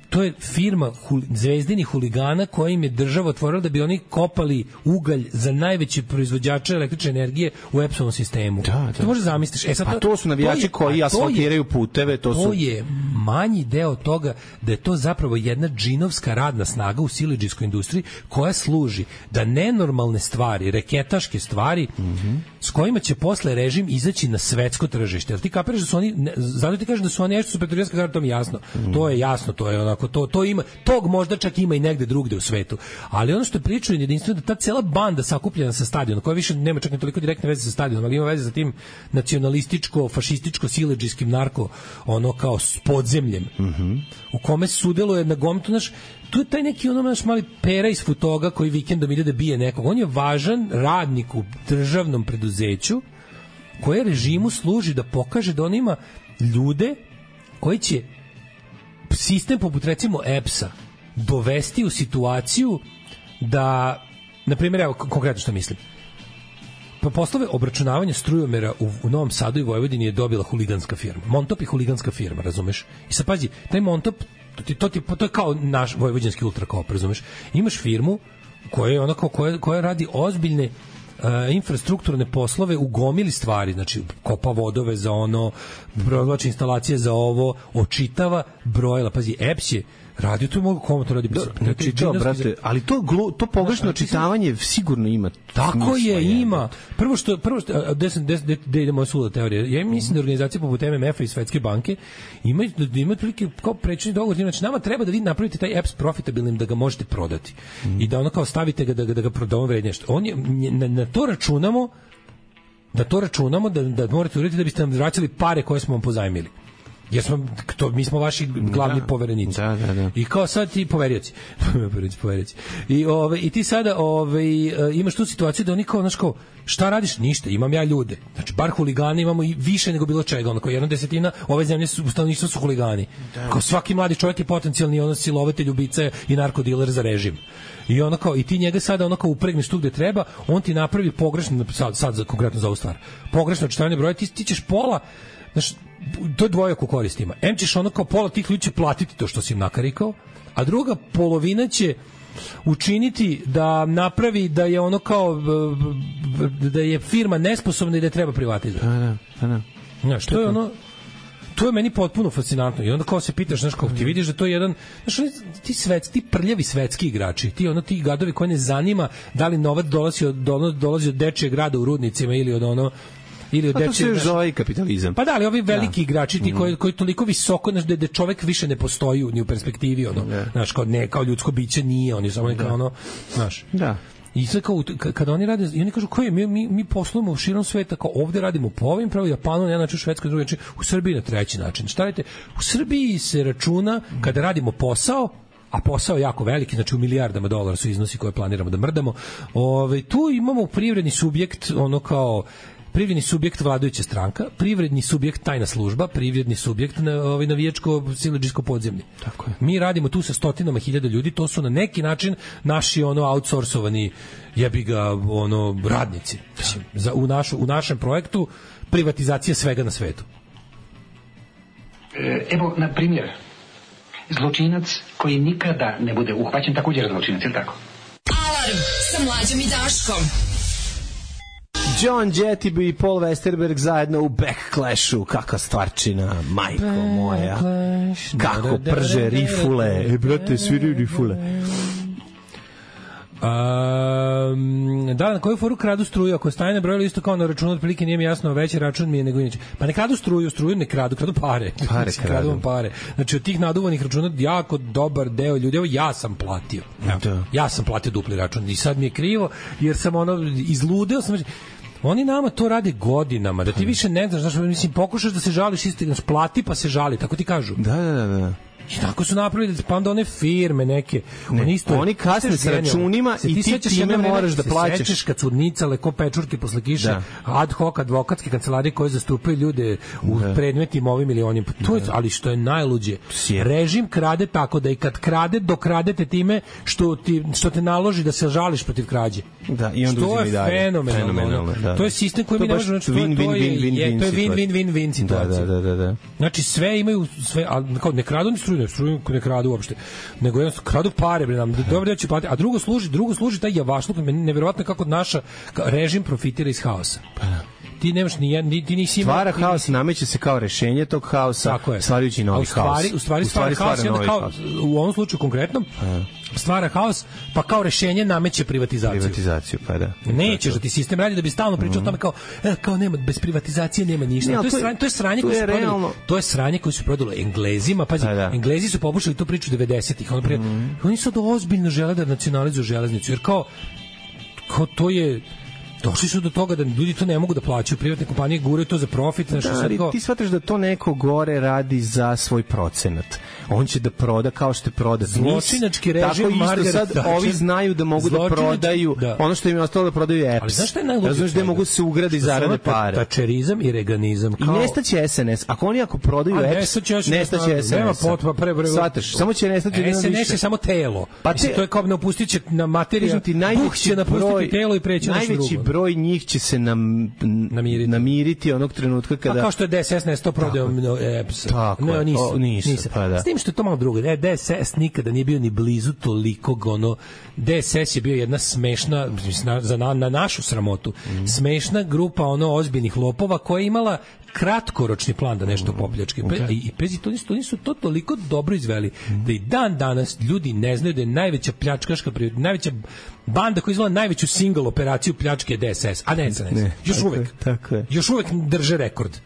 to je firma hul, zvezdinih huligana koja im je država otvorila da bi oni kopali ugalj za najveće proizvođače električne energije u EPS-ovom sistemu. Da, da. To može zamisliš. E, sad, pa to su navijači to je, koji asfaltiraju puteve. To, to su... je manji deo toga da je to zapravo jedna džinovska radna snaga u siledžijskoj industriji koja služi da nenormalne stvari, reketaške stvari, mm-hmm. s kojima će posle režim izaći na svetsko tržište. Jer ti kapiraš da su oni, ne, zato ti kažem da su oni nešto su pretorijanska garda, to mi je jasno. Mm. To je jasno, to je onako, to, to ima, tog možda čak ima i negde drugde u svetu. Ali ono što je pričaju jedinstveno da ta cela banda sakupljena sa stadiona, koja više nema čak ni toliko direktne veze sa stadionom, ali ima veze sa tim nacionalističko, fašističko, siledžijskim narko, ono kao s podzemljem, mm-hmm. u kome sudeluje na gomtu, naš, tu je taj neki ono naš mali pera iz Futoga koji vikendom ide da bije nekog. On je važan radnik u državnom preduzeću koje režimu služi da pokaže da on ima ljude koji će sistem poput recimo E P S-a dovesti u situaciju da, na primjer, evo konkretno što mislim, po poslove obračunavanja strujomera u, u Novom Sadu i Vojvodini je dobila huliganska firma. Montop je huliganska firma, razumeš? I sad pazi, taj Montop, to, ti, to, ti, to je kao naš vojvođanski Ultrakop, razumeš? Imaš firmu koja je onako, koja, koja radi ozbiljne Uh, infrastrukturne poslove u gomili stvari, znači kopa vodove za ono, provlači instalacije za ovo, očitava brojila, pazi, E P S je radio, to mogu komu to radi. Do, znači, do, brate, ali to, glu, to pogrešno očitavanje sigurno ima. Tako je, ima. Prvo što, prvo što, gde sam, gde, gde ide moja suda teorija, ja mislim da organizacije poput M M F-a i Svetske banke imaju, da imaju prilike kao prečni dogovor, znači nama treba da vi napravite taj E P S profitabilnim, da ga možete prodati. Mm. I da ono kao stavite ga, da, da ga prodamo vrednije. On je, na, na to računamo, da to računamo, da, da morate uraditi da biste nam vraćali pare koje smo vam pozajmili. Jer smo, to, mi smo vaši glavni da, poverenici. Da, da, da. I kao sad ti poverioci. poverioci, poverioci. I, ove, I ti sada ove, imaš tu situaciju da oni kao, znaš kao, šta radiš? Ništa, imam ja ljude. Znači, bar huligani imamo i više nego bilo čega. Ono, kao jedna desetina ove zemlje su, stanovništva su huligani. Da. Kao svaki mladi čovjek je potencijalni ono silovatelj, ubica i narkodiler za režim. I ono kao, i ti njega sada ono kao upregneš tu gde treba, on ti napravi pogrešno, sad, sad za, konkretno za ovu stvar, pogrešno očitavanje broja, ti, ti ćeš pola, znaš, to je dvojako korist ima. Em ćeš ono kao pola tih ljudi će platiti to što si im nakarikao, a druga polovina će učiniti da napravi da je ono kao da je firma nesposobna i da je treba privatizovati. Pa da, pa da. Znaš, to je ono, to je meni potpuno fascinantno. I onda kao se pitaš, znaš, kao ti vidiš da to je jedan, znaš, ti svet, ti prljavi svetski igrači, ti ono ti gadovi koji ne zanima da li novac dolazi od dolazi od dečijeg grada u rudnicima ili od ono ili od pa to se još zove kapitalizam. Pa da, ali ovi veliki da. igrači ti koji, koji toliko visoko, znaš, da, da čovek više ne postoji ni u perspektivi, ono, da. znaš, kao, ne, kao ljudsko biće nije, oni samo neka, ono, znaš. Da. I sad kao, kada oni rade, i oni kažu, koji, mi, mi, mi poslujemo u širom sveta, kao ovde radimo po ovim pravu, Japanu, na jedan način, u Švedskoj, drugi način, u Srbiji na treći način. Šta radite? U Srbiji se računa, kada radimo posao, a posao je jako veliki, znači u milijardama dolara su iznosi koje planiramo da mrdamo, ove, tu imamo privredni subjekt, ono kao, privredni subjekt vladajuća stranka, privredni subjekt tajna služba, privredni subjekt na ovaj navijačko siledžijsko podzemlje. Tako je. Mi radimo tu sa stotinama hiljada ljudi, to su na neki način naši ono outsourcovani jebi ga ono radnici. Mislim, za u našu u našem projektu privatizacija svega na svetu. Evo na primjer zločinac koji nikada ne bude uhvaćen također zločinac, je li tako? Alarm sa Mlađom i Daškom. John Jettiby i Paul Westerberg zajedno u Backclashu. Kakva stvarčina, majko moja. Kako prže rifule. E, brate, sviri rifule. Um, da, na koju foru kradu struju? Ako staje na broju isto kao na računu, otprilike nije mi jasno, veći račun mi je nego inače. Pa ne kradu struju, struju ne kradu, kradu pare. Pare kradu. Kradu pare. Znači, od tih naduvanih računa jako dobar deo ljudi, evo ja sam platio. Evo, ja sam platio dupli račun i sad mi je krivo, jer sam ono, izludeo sam, Oni nama to rade godinama, da ti više ne znaš, znaš, mislim, pokušaš da se žališ, isti, plati pa se žali, tako ti kažu. Da, da, da. I tako su napravili, pa onda one firme neke. Ne, oni, isto, oni kasne s računima i ti time moraš da plaćaš. Se sećaš kad su nicale ko pečurke posle kiše, da. ad hoc advokatske kancelarije koje zastupaju ljude u da. predmetima ovim ili onim. To je, ali što je najluđe, režim krade tako da i kad krade, dokradete time što, ti, što te naloži da se žališ protiv krađe. Da, i onda što je fenomenalno. fenomenalno da. To je sistem koji to mi ne možemo, znači, win, to, win, win, win, to je win-win-win situacija. Da, da, da, da. Znači sve imaju, sve, ali kao ne kradu ni struju, ne struju ne kradu uopšte, nego jednostavno kradu pare, bre, nam dobro da će platiti, a drugo služi, drugo služi taj javašluk, neverovatno kako naša režim profitira iz haosa. Pa da. Ti nemaš ni jedan, ti nisi imao... Stvara haos, nameće se kao rešenje tog haosa, stvarajući novi haos. U stvari stvara haos, kao, u ovom slučaju konkretnom, stvara haos, pa kao rešenje nameće privatizaciju. Privatizaciju, pa da. Nećeš da ti sistem radi da bi stalno pričao mm. o tome kao, e, kao nema, bez privatizacije nema ništa. Ne, to, je sranje, to je sranje koje su prodali. To je sranje koje su prodali Englezima, pazi, pa da. Englezi su pokušali tu priču devedesetih, ono prije, mm. oni sad ozbiljno žele da nacionalizuju železnicu, jer kao, kao to je... Došli su do toga da ljudi to ne mogu da plaćaju, privatne kompanije guraju to za profit. Da, ali ti shvataš da to neko gore radi za svoj procenat. On će da proda kao što je proda. Zločinački režim Margaret Thatcher. Tako isto sad ovi znaju da mogu da prodaju da. ono što im je ostalo da prodaju apps. Ali znaš šta je najluđe? Znaš da mogu se ugradi zarade pare. Tačerizam i reganizam. Kao... I nestaće es en es. Ako oni ako prodaju apps, nestaće es en es. Nema potpa, pre, pre, Shvataš, samo će nestati es en es je samo telo. Pa te... to je kao ne opustit će na materiju. Buh će napustiti telo i preći nešto drugo. Najveći broj njih će se nam namiriti. namiriti onog trenutka kada... Pa kao što je de es es nesto prodao apps. Tako ne, je. Nisu, o, nisu, nisu. Pa da. S tim što je to malo drugo. de es es nikada nije bio ni blizu tolikog, ono... de es es je bio jedna smešna, na, za na, na našu sramotu, mm. smešna grupa ono ozbiljnih lopova koja je imala kratkoročni plan da nešto popljačke. Okay. I, i pezi, to nisu, to nisu to toliko dobro izveli mm. da i dan danas ljudi ne znaju da je najveća pljačkaška, najveća banda koja izvela najveću single operaciju pljačke je de es es, a ne es en es. Ne, još tako uvek. Je, tako je. Još uvek drže rekord.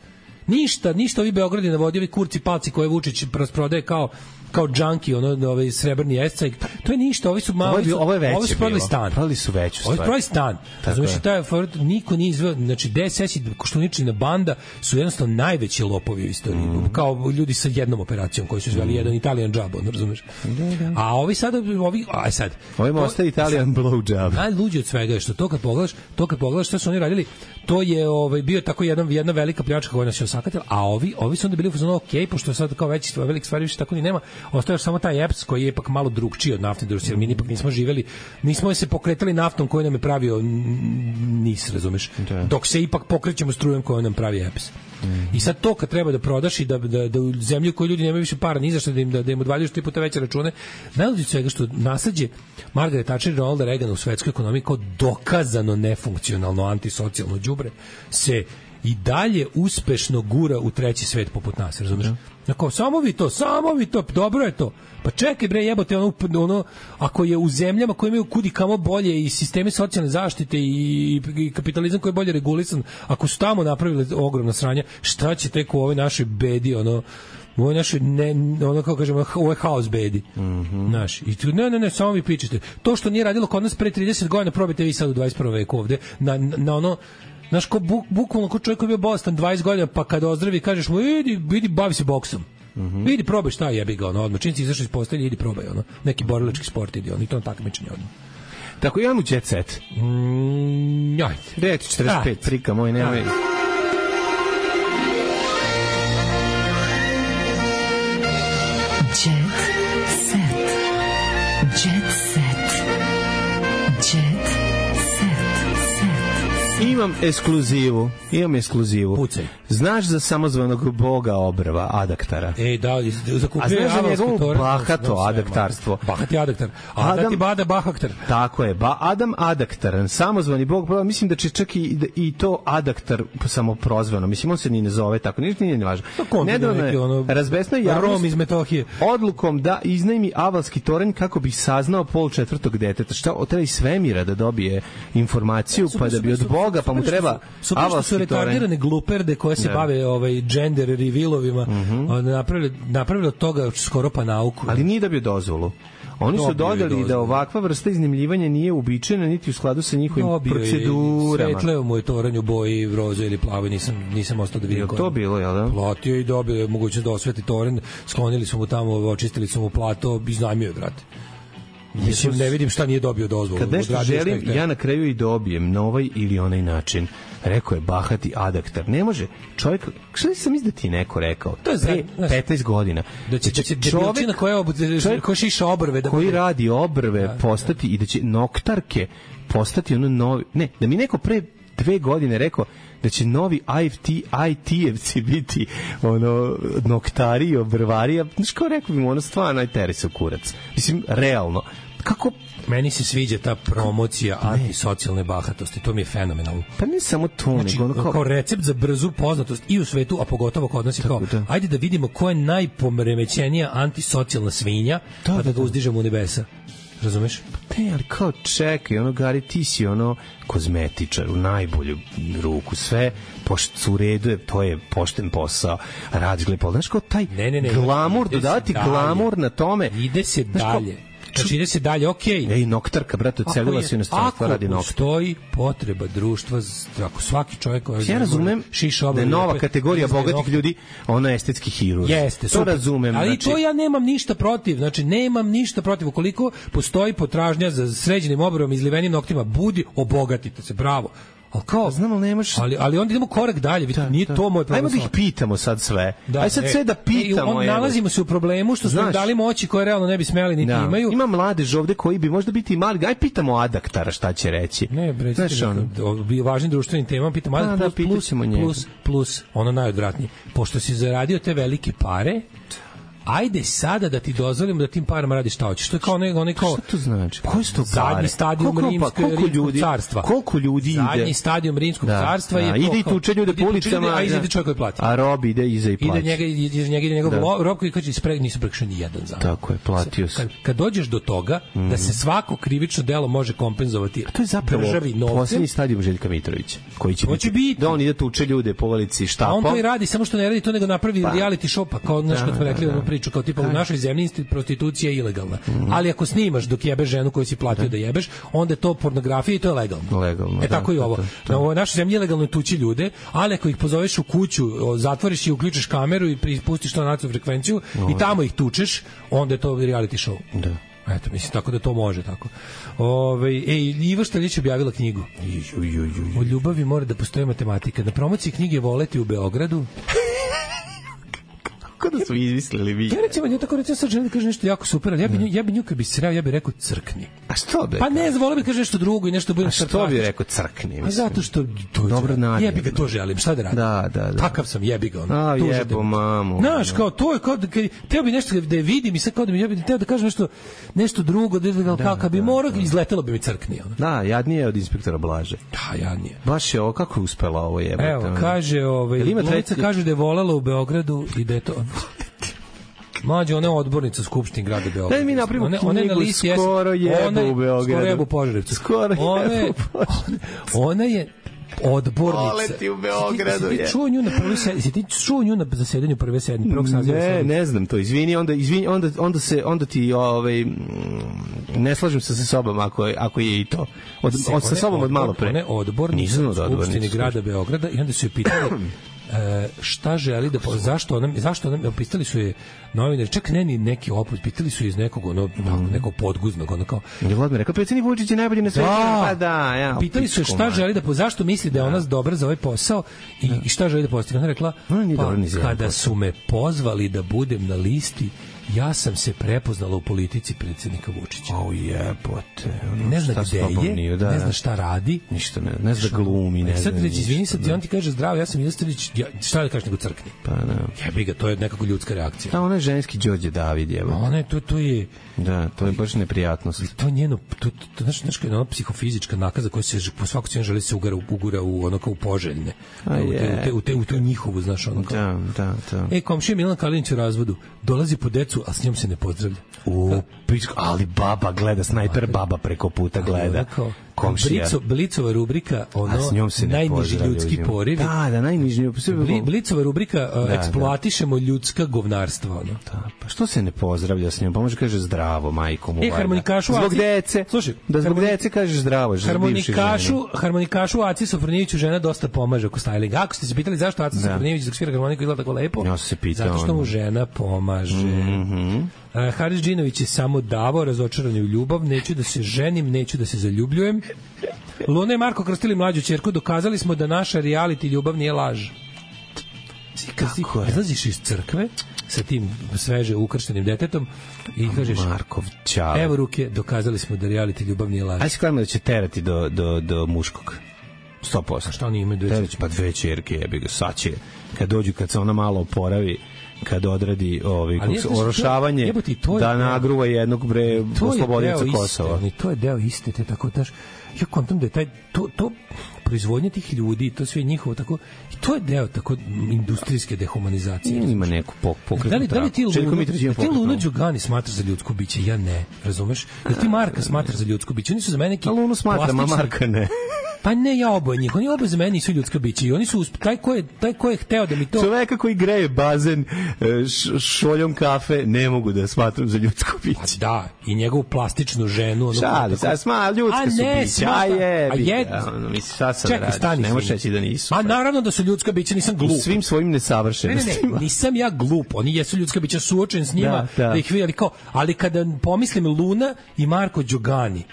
Ništa, ništa ovi Beogradi navodi, ovi kurci palci koje Vučić rasprodaje kao kao džanki, ono, ovaj srebrni escajk. To je ništa, ovi su malo... Ovo je veće ovi su prodali stan. Prodali su veću stvar. Ovi su prodali stan. Znači, taj niko nije izveo, znači, de es es i Koštuničina banda su jednostavno najveći lopovi u istoriji. Mm. Kao ljudi sa jednom operacijom koji su izveli mm. jedan Italian job, ono, razumeš? Da, da. A ovi sad, ovi, aj sad... Ovi ostaje Italian blow job. Najluđe od svega je što to kad pogledaš, to kad pogledaš što su oni radili, to je ovaj, bio tako jedan, jedna velika pljačka koja nas je osakatila, a ovi, ovi su onda bili u fazonu, ok, pošto sad kao veći, veliki stvari više tako ni nema, ostaje samo taj apps koji je ipak malo drugčiji od naftne industrije, jer mi ipak nismo živeli, nismo se pokretali naftom koju nam je pravio nis, razumeš, da. Dok se ipak pokrećemo strujom koju nam pravi apps. Mm. I sad to kad treba da prodaš i da, da, da u zemlji u kojoj ljudi nemaju više para ni za što da im, da, da im odvaljuješ tri puta veće račune, najluđe svega što nasleđe Margaret Thatcher i Ronalda Reagana u svetskoj ekonomiji kao dokazano nefunkcionalno antisocijalno đubre se i dalje uspešno gura u treći svet poput nas, razumiješ? Dakle, samo vi to, samo vi to, dobro je to. Pa čekaj bre, jebote, ono, ono, ako je u zemljama koje imaju kudi kamo bolje i sisteme socijalne zaštite i, i kapitalizam koji je bolje regulisan, ako su tamo napravili ogromna sranja, šta će tek u ovoj našoj bedi, ono, u ovoj našoj, ne, ono, kako kažemo, u ovoj haos bedi. Mm-hmm. Znaš, i tu, ne, ne, ne, samo vi pričate. To što nije radilo kod nas pre trideset godina, probajte vi sad u dvadeset prvom veku ovde, na, na, na ono, znaš, ko buk, bukvalno ko čovjek koji je bio bolestan dvadeset godina, pa kad ozdravi kažeš mu, idi, idi, bavi se boksom. Mm-hmm. Idi, probaj šta jebi ga, ono, odmah. Čim si izašao iz postelje, idi, probaj, ono. Neki borilački sport, idi, ono, i to na takmičenje, odmah. Tako, imam u jet set. Mm, ajde. Reći četrdeset pet, trika moj, nemoj. Jet set. Jet set. Jet Imam ekskluzivu. Imam ekskluzivu. Pucaj. Znaš za samozvanog boga Obrva, Adaktara? Ej, da, zakupio. A znaš za njegovo bahato adaktarstvo? Bahati Adaktar. Adati Bada Bahaktar. Tako je. Ba Adam Adaktar, samozvani bog Obrva, mislim da će čak i, i to Adaktar samo prozvano. Mislim, on se ni ne zove tako. Ništa nije nevažno. Nedavno je ono, razbesno je javnost Rom iz Metohije odlukom da iznajmi avalski toranj kako bi saznao pol četvrtog deteta. Šta, treba iz svemira da dobije informaciju, pa da bi od Boga, pa mu treba avalski su retardirane gluperde koje se da. bave ovaj gender revealovima, mm-hmm. napravili napravili od toga skoro pa nauku. Ali nije dobio dozvolu. Oni su Dobio je dodali dozvolu. da ovakva vrsta iznajmljivanja nije uobičajena niti u skladu sa njihovim Dobio je, procedurama. Svetleo mu je toranj u boji roze ili plavoj, nisam, nisam ostao da vidim. Je koje. to bilo, jel da? Platio i dobio je mogućnost da osveti toranj, sklonili su mu tamo, očistili su mu plato, iznajmio je, brate. Mislim, ne vidim šta nije dobio dozvolu. Kad nešto Odradio želim, šta je ja na kraju i dobijem na ovaj ili onaj način. Rekao je bahati adaktar. Ne može čovjek, što sam mislim da ti je neko rekao? To je za- pre znaš, petnaest godina. Da će, da će debilčina koja, obu, čovjek koja šiša obrve. Da koji bude- radi obrve postati i da će noktarke postati ono novi... Ne, da mi neko pre dve godine rekao da će novi I F T, I T-evci biti ono, noktari i obrvari. Ja, znaš kao rekao bi mu, ono stvarno ajteri se u kurac. Mislim, realno. Kako... Meni se sviđa ta promocija antisocijalne bahatosti, to mi je fenomenalno. Pa ne samo to, Znači, nego ono kao... kao... recept za brzu poznatost i u svetu, a pogotovo kod nas je kao, da. ajde da vidimo ko je najporemećenija antisocijalna svinja, Da, pa da da, ga da. uzdižemo u nebesa. Razumeš? Ne, ali kao čekaj, ono Gari, ti si ono kozmetičar u najbolju ruku, sve pošto u redu je, to je pošten posao, radiš glepo, znaš kao taj Ne, ne, ne, glamur, ide se dodati dalje. glamur na tome. Ide se Znaš kao, dalje. Znači, ide se dalje, okej. Ej, noktarka, brate, ocelila se u inostranstvo, radi Ako noktar. postoji potreba društva, z- ako svaki čovjek koji Ja razumem šiša da je obrve, nova opet kategorija izdaje bogatih nokte. ljudi, ona je estetski hirurg. Jeste, to super. razumem. Ali znači, to ja nemam ništa protiv. Znači, nemam ništa protiv. Ukoliko postoji potražnja za sređenim obrvom i izlivenim noktima, budi, obogatite se, bravo. Ali kao, znam, ali nemaš... Ali, ali onda idemo korak dalje, vidite, nije to moj problem. Ajmo da ih pitamo sad sve. Da, Aj sad e, sve da pitamo. e, on, evo. nalazimo se u problemu što smo im Znaš, dali moći koje realno ne bi smeli niti da. imaju. Ima mladež ovde koji bi možda biti i mali. Aj pitamo adaktara šta će reći. Ne, bre, znaš ono. bi važnim društvenim temama pitam, ali Da, da, plus, plus, pitaćemo njega. plus, plus, ono najodvratnije. Pošto si zaradio te velike pare, ajde sada da ti dozvolimo da tim parama radiš šta hoćeš. To je kao onaj, onaj kao... Šta to znači? Koji su to Zadnji pare? stadijum Koliko pa- rimskog, koliko rimskog ljudi- carstva. koliko ljudi ide? Zadnji stadijum rimskog Da, carstva da, je... to ide i kao- tuče ljude ide po i tuče ulicama, ljude, A iza da. ide čovjek koji plati. A rob ide iza i plaća. Ide njega, iz njega ide njegov Da. lo- rob koji kaže ispre, nisu prekršio ni jedan zakon. Tako je, platio se. Kad, kad dođeš do toga da se svako krivično delo može kompenzovati To je zapravo državi novcem, posljednji stadijum Željka Mitrovića, koji će, To će biti. da on ide tuče ljude po ulici a štapom. on to i radi, samo što ne radi to, nego napravi Pa. reality show, pa kao, znaš, Da, kad smo da, rekli da. onu priču, kao tipa u našoj zemlji isti- prostitucija je ilegalna. Ali ako snimaš dok jebeš ženu koju si platio da, jebeš, onda je to pornografija i to je legalno. Legalno, E da, tako i da, ovo. da, Na ovoj našoj zemlji je legalno tući ljude, ali ako ih pozoveš u kuću, o, zatvoriš i uključiš kameru i pustiš to na nacionalnu frekvenciju i tamo ih tučeš, onda je to reality show. Da. Eto, mislim, tako da to može, tako. Ove, ej, Iva Štaljić objavila knjigu. Ju, ju, ju, ju. O ljubavi mora da postoji matematika. Na promociji knjige Voleti u Beogradu. Kako da su izmislili vi? Ja recimo, ja tako recimo sad želim da kaže nešto jako super, ali ja bi, nju, ja bi nju kad bi sreo, ja bi rekao crkni. A što bi? Pa ne, volio bi kaže nešto drugo i nešto budem A što bi sarkastičan. rekao crkni? A mislim? zato što to Dobro namjerno. jebi ga, to želim, šta da radim? Da, da, da. Takav sam, jebi ga. Ono, A, tužan jebo da- mamu. Znaš, kao to je kao da kad teo bi nešto da je vidim i sad kao da mi ja bih teo da kažem nešto nešto drugo, da, da, kao kad bi morao izletelo bi mi crkni. Ono. Da, jadnije je od inspektora Blaže. Da, ja nije. Baš je ovo, kako je uspela ovo jebate? Evo, ono? kaže, ovaj, Jel ima glumica treći- kaže da je volela u Beogradu i da je to... Mlađe, ona je odbornica Skupštine grada Beograda. Daj mi napravimo Ona- ona je na knjigu listi Skoro jes- jebu ona je- u Beogradu. Skoro jebu u Požarevcu. Skoro Ona je- jebu u Požarevcu. Ona je odbornica. Voleti u Beogradu, Si ti- si je. ti čuo nju na prvoj sednici? Si ti čuo nju na zasedanju prve sednice, prvog saziva? Ne, sednice? ne znam to. Izvini, onda izvini, onda onda se onda ti ovaj mm, ne slažem se sa sobom ako je ako je i to. Od, Se- od sa ona je sobom od odbor- malo pre. Ona je odbornica Nisam u od Skupštini odbornice. grada Beograda i onda su je pitali e, šta želi da po- zašto ona zašto ona pitali su je novinari, čak ne ni neki opus, pitali su je iz nekog ono Mhm. nekog podguznog, ono kao Je Vladimir rekao predsjednik Vučić je najbolji na svetu. Pa da, ja. pitali su je pičku šta mater. želi da po zašto misli da je ona dobra za ovaj posao i, i šta želi da postigne. Ona je rekla Ona nije pa dobra ni za jedan kada posao. su me pozvali da budem na listi, ja sam se prepoznala u politici predsjednika Vučića. O jebote. ono, Ne zna šta s gde tobom je, nije, da, ne da. zna šta radi. Ništa ne, ne zna da glumi, ne E, zna. sad reći, izvini ništa, sad, i on ti kaže zdravo, ja sam Ilstrvić, ja, šta da kažeš nego crkni. Pa da. Jebi ga, to je nekako ljudska reakcija. Da, ona je ženski Đorđe David, jebote. Ona je, to, to je, Da, to je baš neprijatnost. to je njeno, to, to, to znaš, znaš, ona psihofizička nakaza koja se po svaku cijenu želi se ugara, ugura u ono kao u poželjne. A u, te, je. u, te, u, te, u tu njihovu, znaš, ono kao. Da, da, da. E, komšija Milan Kalinić u razvodu, dolazi po decu, a s njom se ne pozdravlja. U, pička, ali baba gleda, snajper baba preko puta gleda. ona kao- komšija. Blico, Blicova rubrika, ono, A s njom se ne najniži pozdravlja, ljudski uzim. porivi. Da, da, najniži. Bli, Blicova rubrika, uh, Da, eksploatišemo ljudska govnarstva. Ono. Da, pa što se ne pozdravlja s njom? Pa može kaže zdravo, majko mu. E, harmonikašu Zbog Aci- dece. Slušaj, da zbog harmoni- dece kažeš zdravo, že Harmonikašu, harmonikašu Aci Sofronijeviću žena dosta pomaže oko stylinga. Ako ste se pitali zašto Aci Da. Sofronijević dok svira harmoniku izgleda tako lepo, Ja sam se pitao, zato što mu ono. žena pomaže. Mhm. Uh, Haris Džinović je samo davao, razočaran je u ljubav, neću da se ženim, neću da se zaljubljujem. Luna i Marko krstili mlađu ćerku, dokazali smo da naša reality ljubav nije laž. Kad ti izlaziš iz crkve sa tim sveže ukrštenim detetom i kažeš Markov ćale. Evo ruke, dokazali smo da reality ljubav nije laž. Ajde se kladimo da će terati do, do, do muškog. sto posto. A šta oni imaju dve Terać, pa dve ćerke, jebi ga, sad će. Kad dođu, kad se ona malo oporavi, kad odradi ovaj, Ali kako se, jeste, to- orošavanje, jebote, to je da deo- nagruva jednog bre To je oslobodioca deo Kosova. iste, to je deo iste, te tako daš. Ja kontam da je taj to to proizvodnja tih ljudi, to sve njihovo tako i to je deo tako industrijske dehumanizacije. Ima neku pok, pokretnu Da li, da li ti traku. Željko Lunu, Mitrović ima da ti Lunu pokretnu. Đugani smatraš za ljudsko biće? Ja ne, razumeš? Da ti Marka smatraš za ljudsko biće? Oni su za mene neki A Lunu smatram, a plastični- Marka ne. Pa ne, ja oboje njih. Oni oboje za mene nisu ljudska bića i oni su usp- taj ko je taj ko je hteo da mi to Čoveka koji greje bazen e, š, šoljom kafe ne mogu da smatram za ljudsko biće. da, i njegovu plastičnu ženu, ono Šali, tako- sad sma, ljudska A su ne, bića, smata- a je, a je- ono, misli, šta sad Čekaj, radiš, stani. ne možeš izvini. reći da nisu. A naravno da su ljudska bića, nisam U glup. svim svojim Ne, ne, nesavršenostima. ne, nisam ja glup, oni jesu ljudska bića, suočen s njima, Da, da, da. ih vidi, ali kao, ali kada pomislim Luna i Marko Đugani,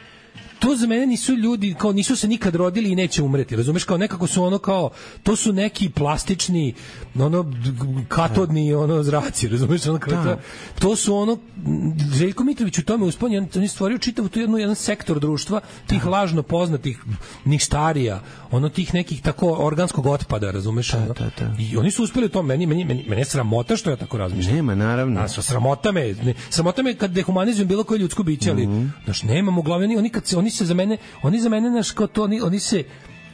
to za mene nisu ljudi, kao nisu se nikad rodili i neće umreti, razumeš, kao nekako su ono kao, to su neki plastični, ono, d- g- katodni, ono, zraci, razumeš, ono, kao, to, to su ono, m, Željko Mitrović u tome uspon, on on je stvorio čitav tu jednu, jedan sektor društva, tih lažno poznatih ništarija, ono, tih nekih tako organskog otpada, razumeš, ono, da, da. i oni su uspeli u tom, meni, meni, meni, mene je sramota što ja tako razmišljam. Nema, naravno. A sramota me, ne, sramota me kad dehumanizujem bilo koje ljudsko biće, ali Mhm. znaš, nemamo glavne, oni, oni kad se oni se za mene, oni za mene naš kao to, oni, oni se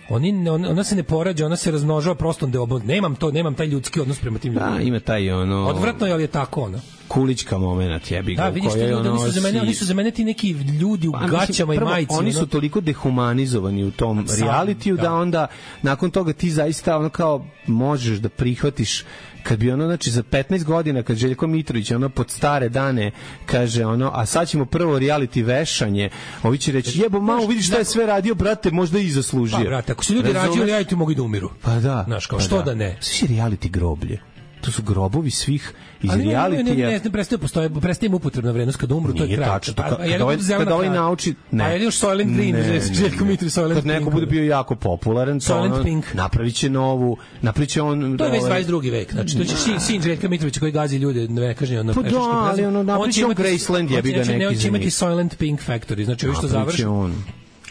oni ne- on- ona se ne porađa, ona se razmnožava prostom deobom. Nemam to, nemam taj ljudski odnos prema tim ljudima. Da, ima taj ono Odvratno je, ali je tako ono. kulička momenat, jebi ga. Da, u vidiš ti kojoj ljudi, oni ono su za mene, si- oni su za mene ti neki ljudi u Pa, mislim, gaćama i prvo, majici. Oni ono. su toliko dehumanizovani u tom Sam, realitiju da. da. onda nakon toga ti zaista ono kao možeš da prihvatiš kad bi ono, znači za petnaest godina kad Željko Mitrović ono pod stare dane kaže ono, a sad ćemo prvo reality vešanje, ovi će reći jebo malo vidiš šta je sve radio, brate, možda i zaslužio. Pa, brate, ako su ljudi Razumeš? rađali, ja ti mogu i da umiru. Pa da. Znaš, kao, pa što da ne? Svi reality groblje. To su grobovi svih iz Ali ne, ne, ne, realitija. ne, ne, prestaje postoje, prestaje im upotrebna vrednost kad umru, to je Nije kraj. tačno, to Pa, kad- a je li kad ovaj- bude zelena kad ovaj kraj? nauči- ne. A je li još Soylent Green, Ne, Željko ne, Mitrović, Soylent kad neko Pink, bude ono. bio jako popularan, to Soylent ono, Pink. napravit će novu, napravit će on... To je već ovaj, dvadeset drugi vek. Znači, to će sin, sin Željka Mitrovića koji gazi ljude, ne kažnje ono Pa da, pešačkim ali prelazom. ono, napraviće će on imati- Graceland, jebi ga, on će- ne, neki on će za imati njih. Soylent Pink Factory, znači ovi što napravit završe, će on.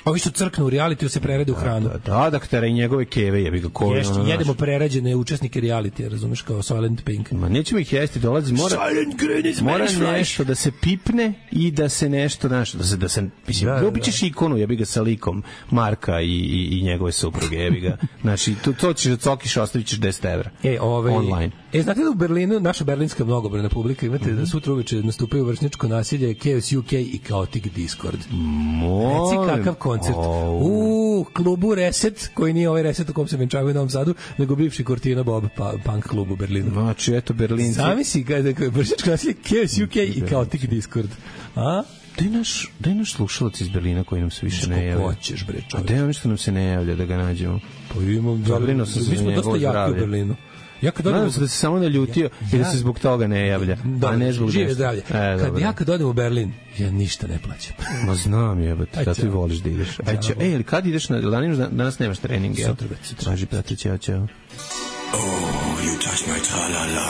ovi što crknu u realitiju se prerede u hranu. Da, da, ktera i njegove keve, jebi ga, koji Ješće, ono, jedemo znaš. prerađene učesnike realitija, razumeš, kao Soylent Pink. Ma nećemo ih jesti, dolazi, mora, Silent Green is mora Spanish fry. nešto da se pipne i da se nešto, znaš, da se, da se, mislim, Da, da, da, dobit ćeš ikonu, jebi ga, sa likom Marka i, i, i njegove supruge, jebi ga. Znači, to, to ćeš da cokiš, ostavit ćeš deset evra. E, ovaj, Online. E, znate da u Berlinu, naša berlinska mnogobrojna publika, imate Mhm. da sutra uveče nastupaju vršničko nasilje, Chaos U K i Chaotic Discord. Molim. Reci kakav koncert. Au. U klubu Reset, koji nije ovaj Reset u kom se venčavaju u Novom Sadu, nego bivši Cortina Bob pa, punk klub u Berlinu. Znači, eto, Berlinci. Zamisli kada je vršničko nasilje, Chaos U K i Chaotic Discord. A? Da je naš, da je naš slušalac iz Berlina koji nam se više ne javlja. Ko ćeš, bre, A čovječ? da je on što nam se ne javlja da ga nađemo? Pa imam, Zabrinuo sam se mi za smo njegovo dosta jaki zdravlje. u Berlinu. Ja kad odem Nadam u- se da se samo naljutio i da se zbog toga ne javlja, a ne zbog žive nešto. zdravlje. E, kad dobro. ja kad odem u Berlin, ja ništa ne plaćam. Ma znam jebate, Aj, da ti ćao. voliš da ideš. Aj, ćao. Ej, ali kad ideš na danas, danas nemaš trening, jel? Sutra, već sutra. Važi, brate, ćao, ćao.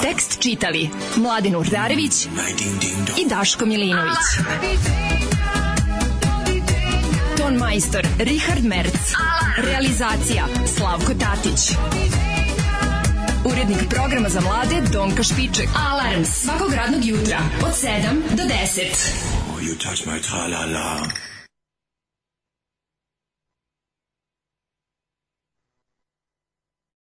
Tekst čitali Mladin Urdarević i Daško Milinović. Ton majstor Richard Merc. Realizacija Slavko Tatić. Urednik programa za mlade Donka Špiček. Alarms svakog radnog jutra od sedam do deset. You touch my tra-la-la.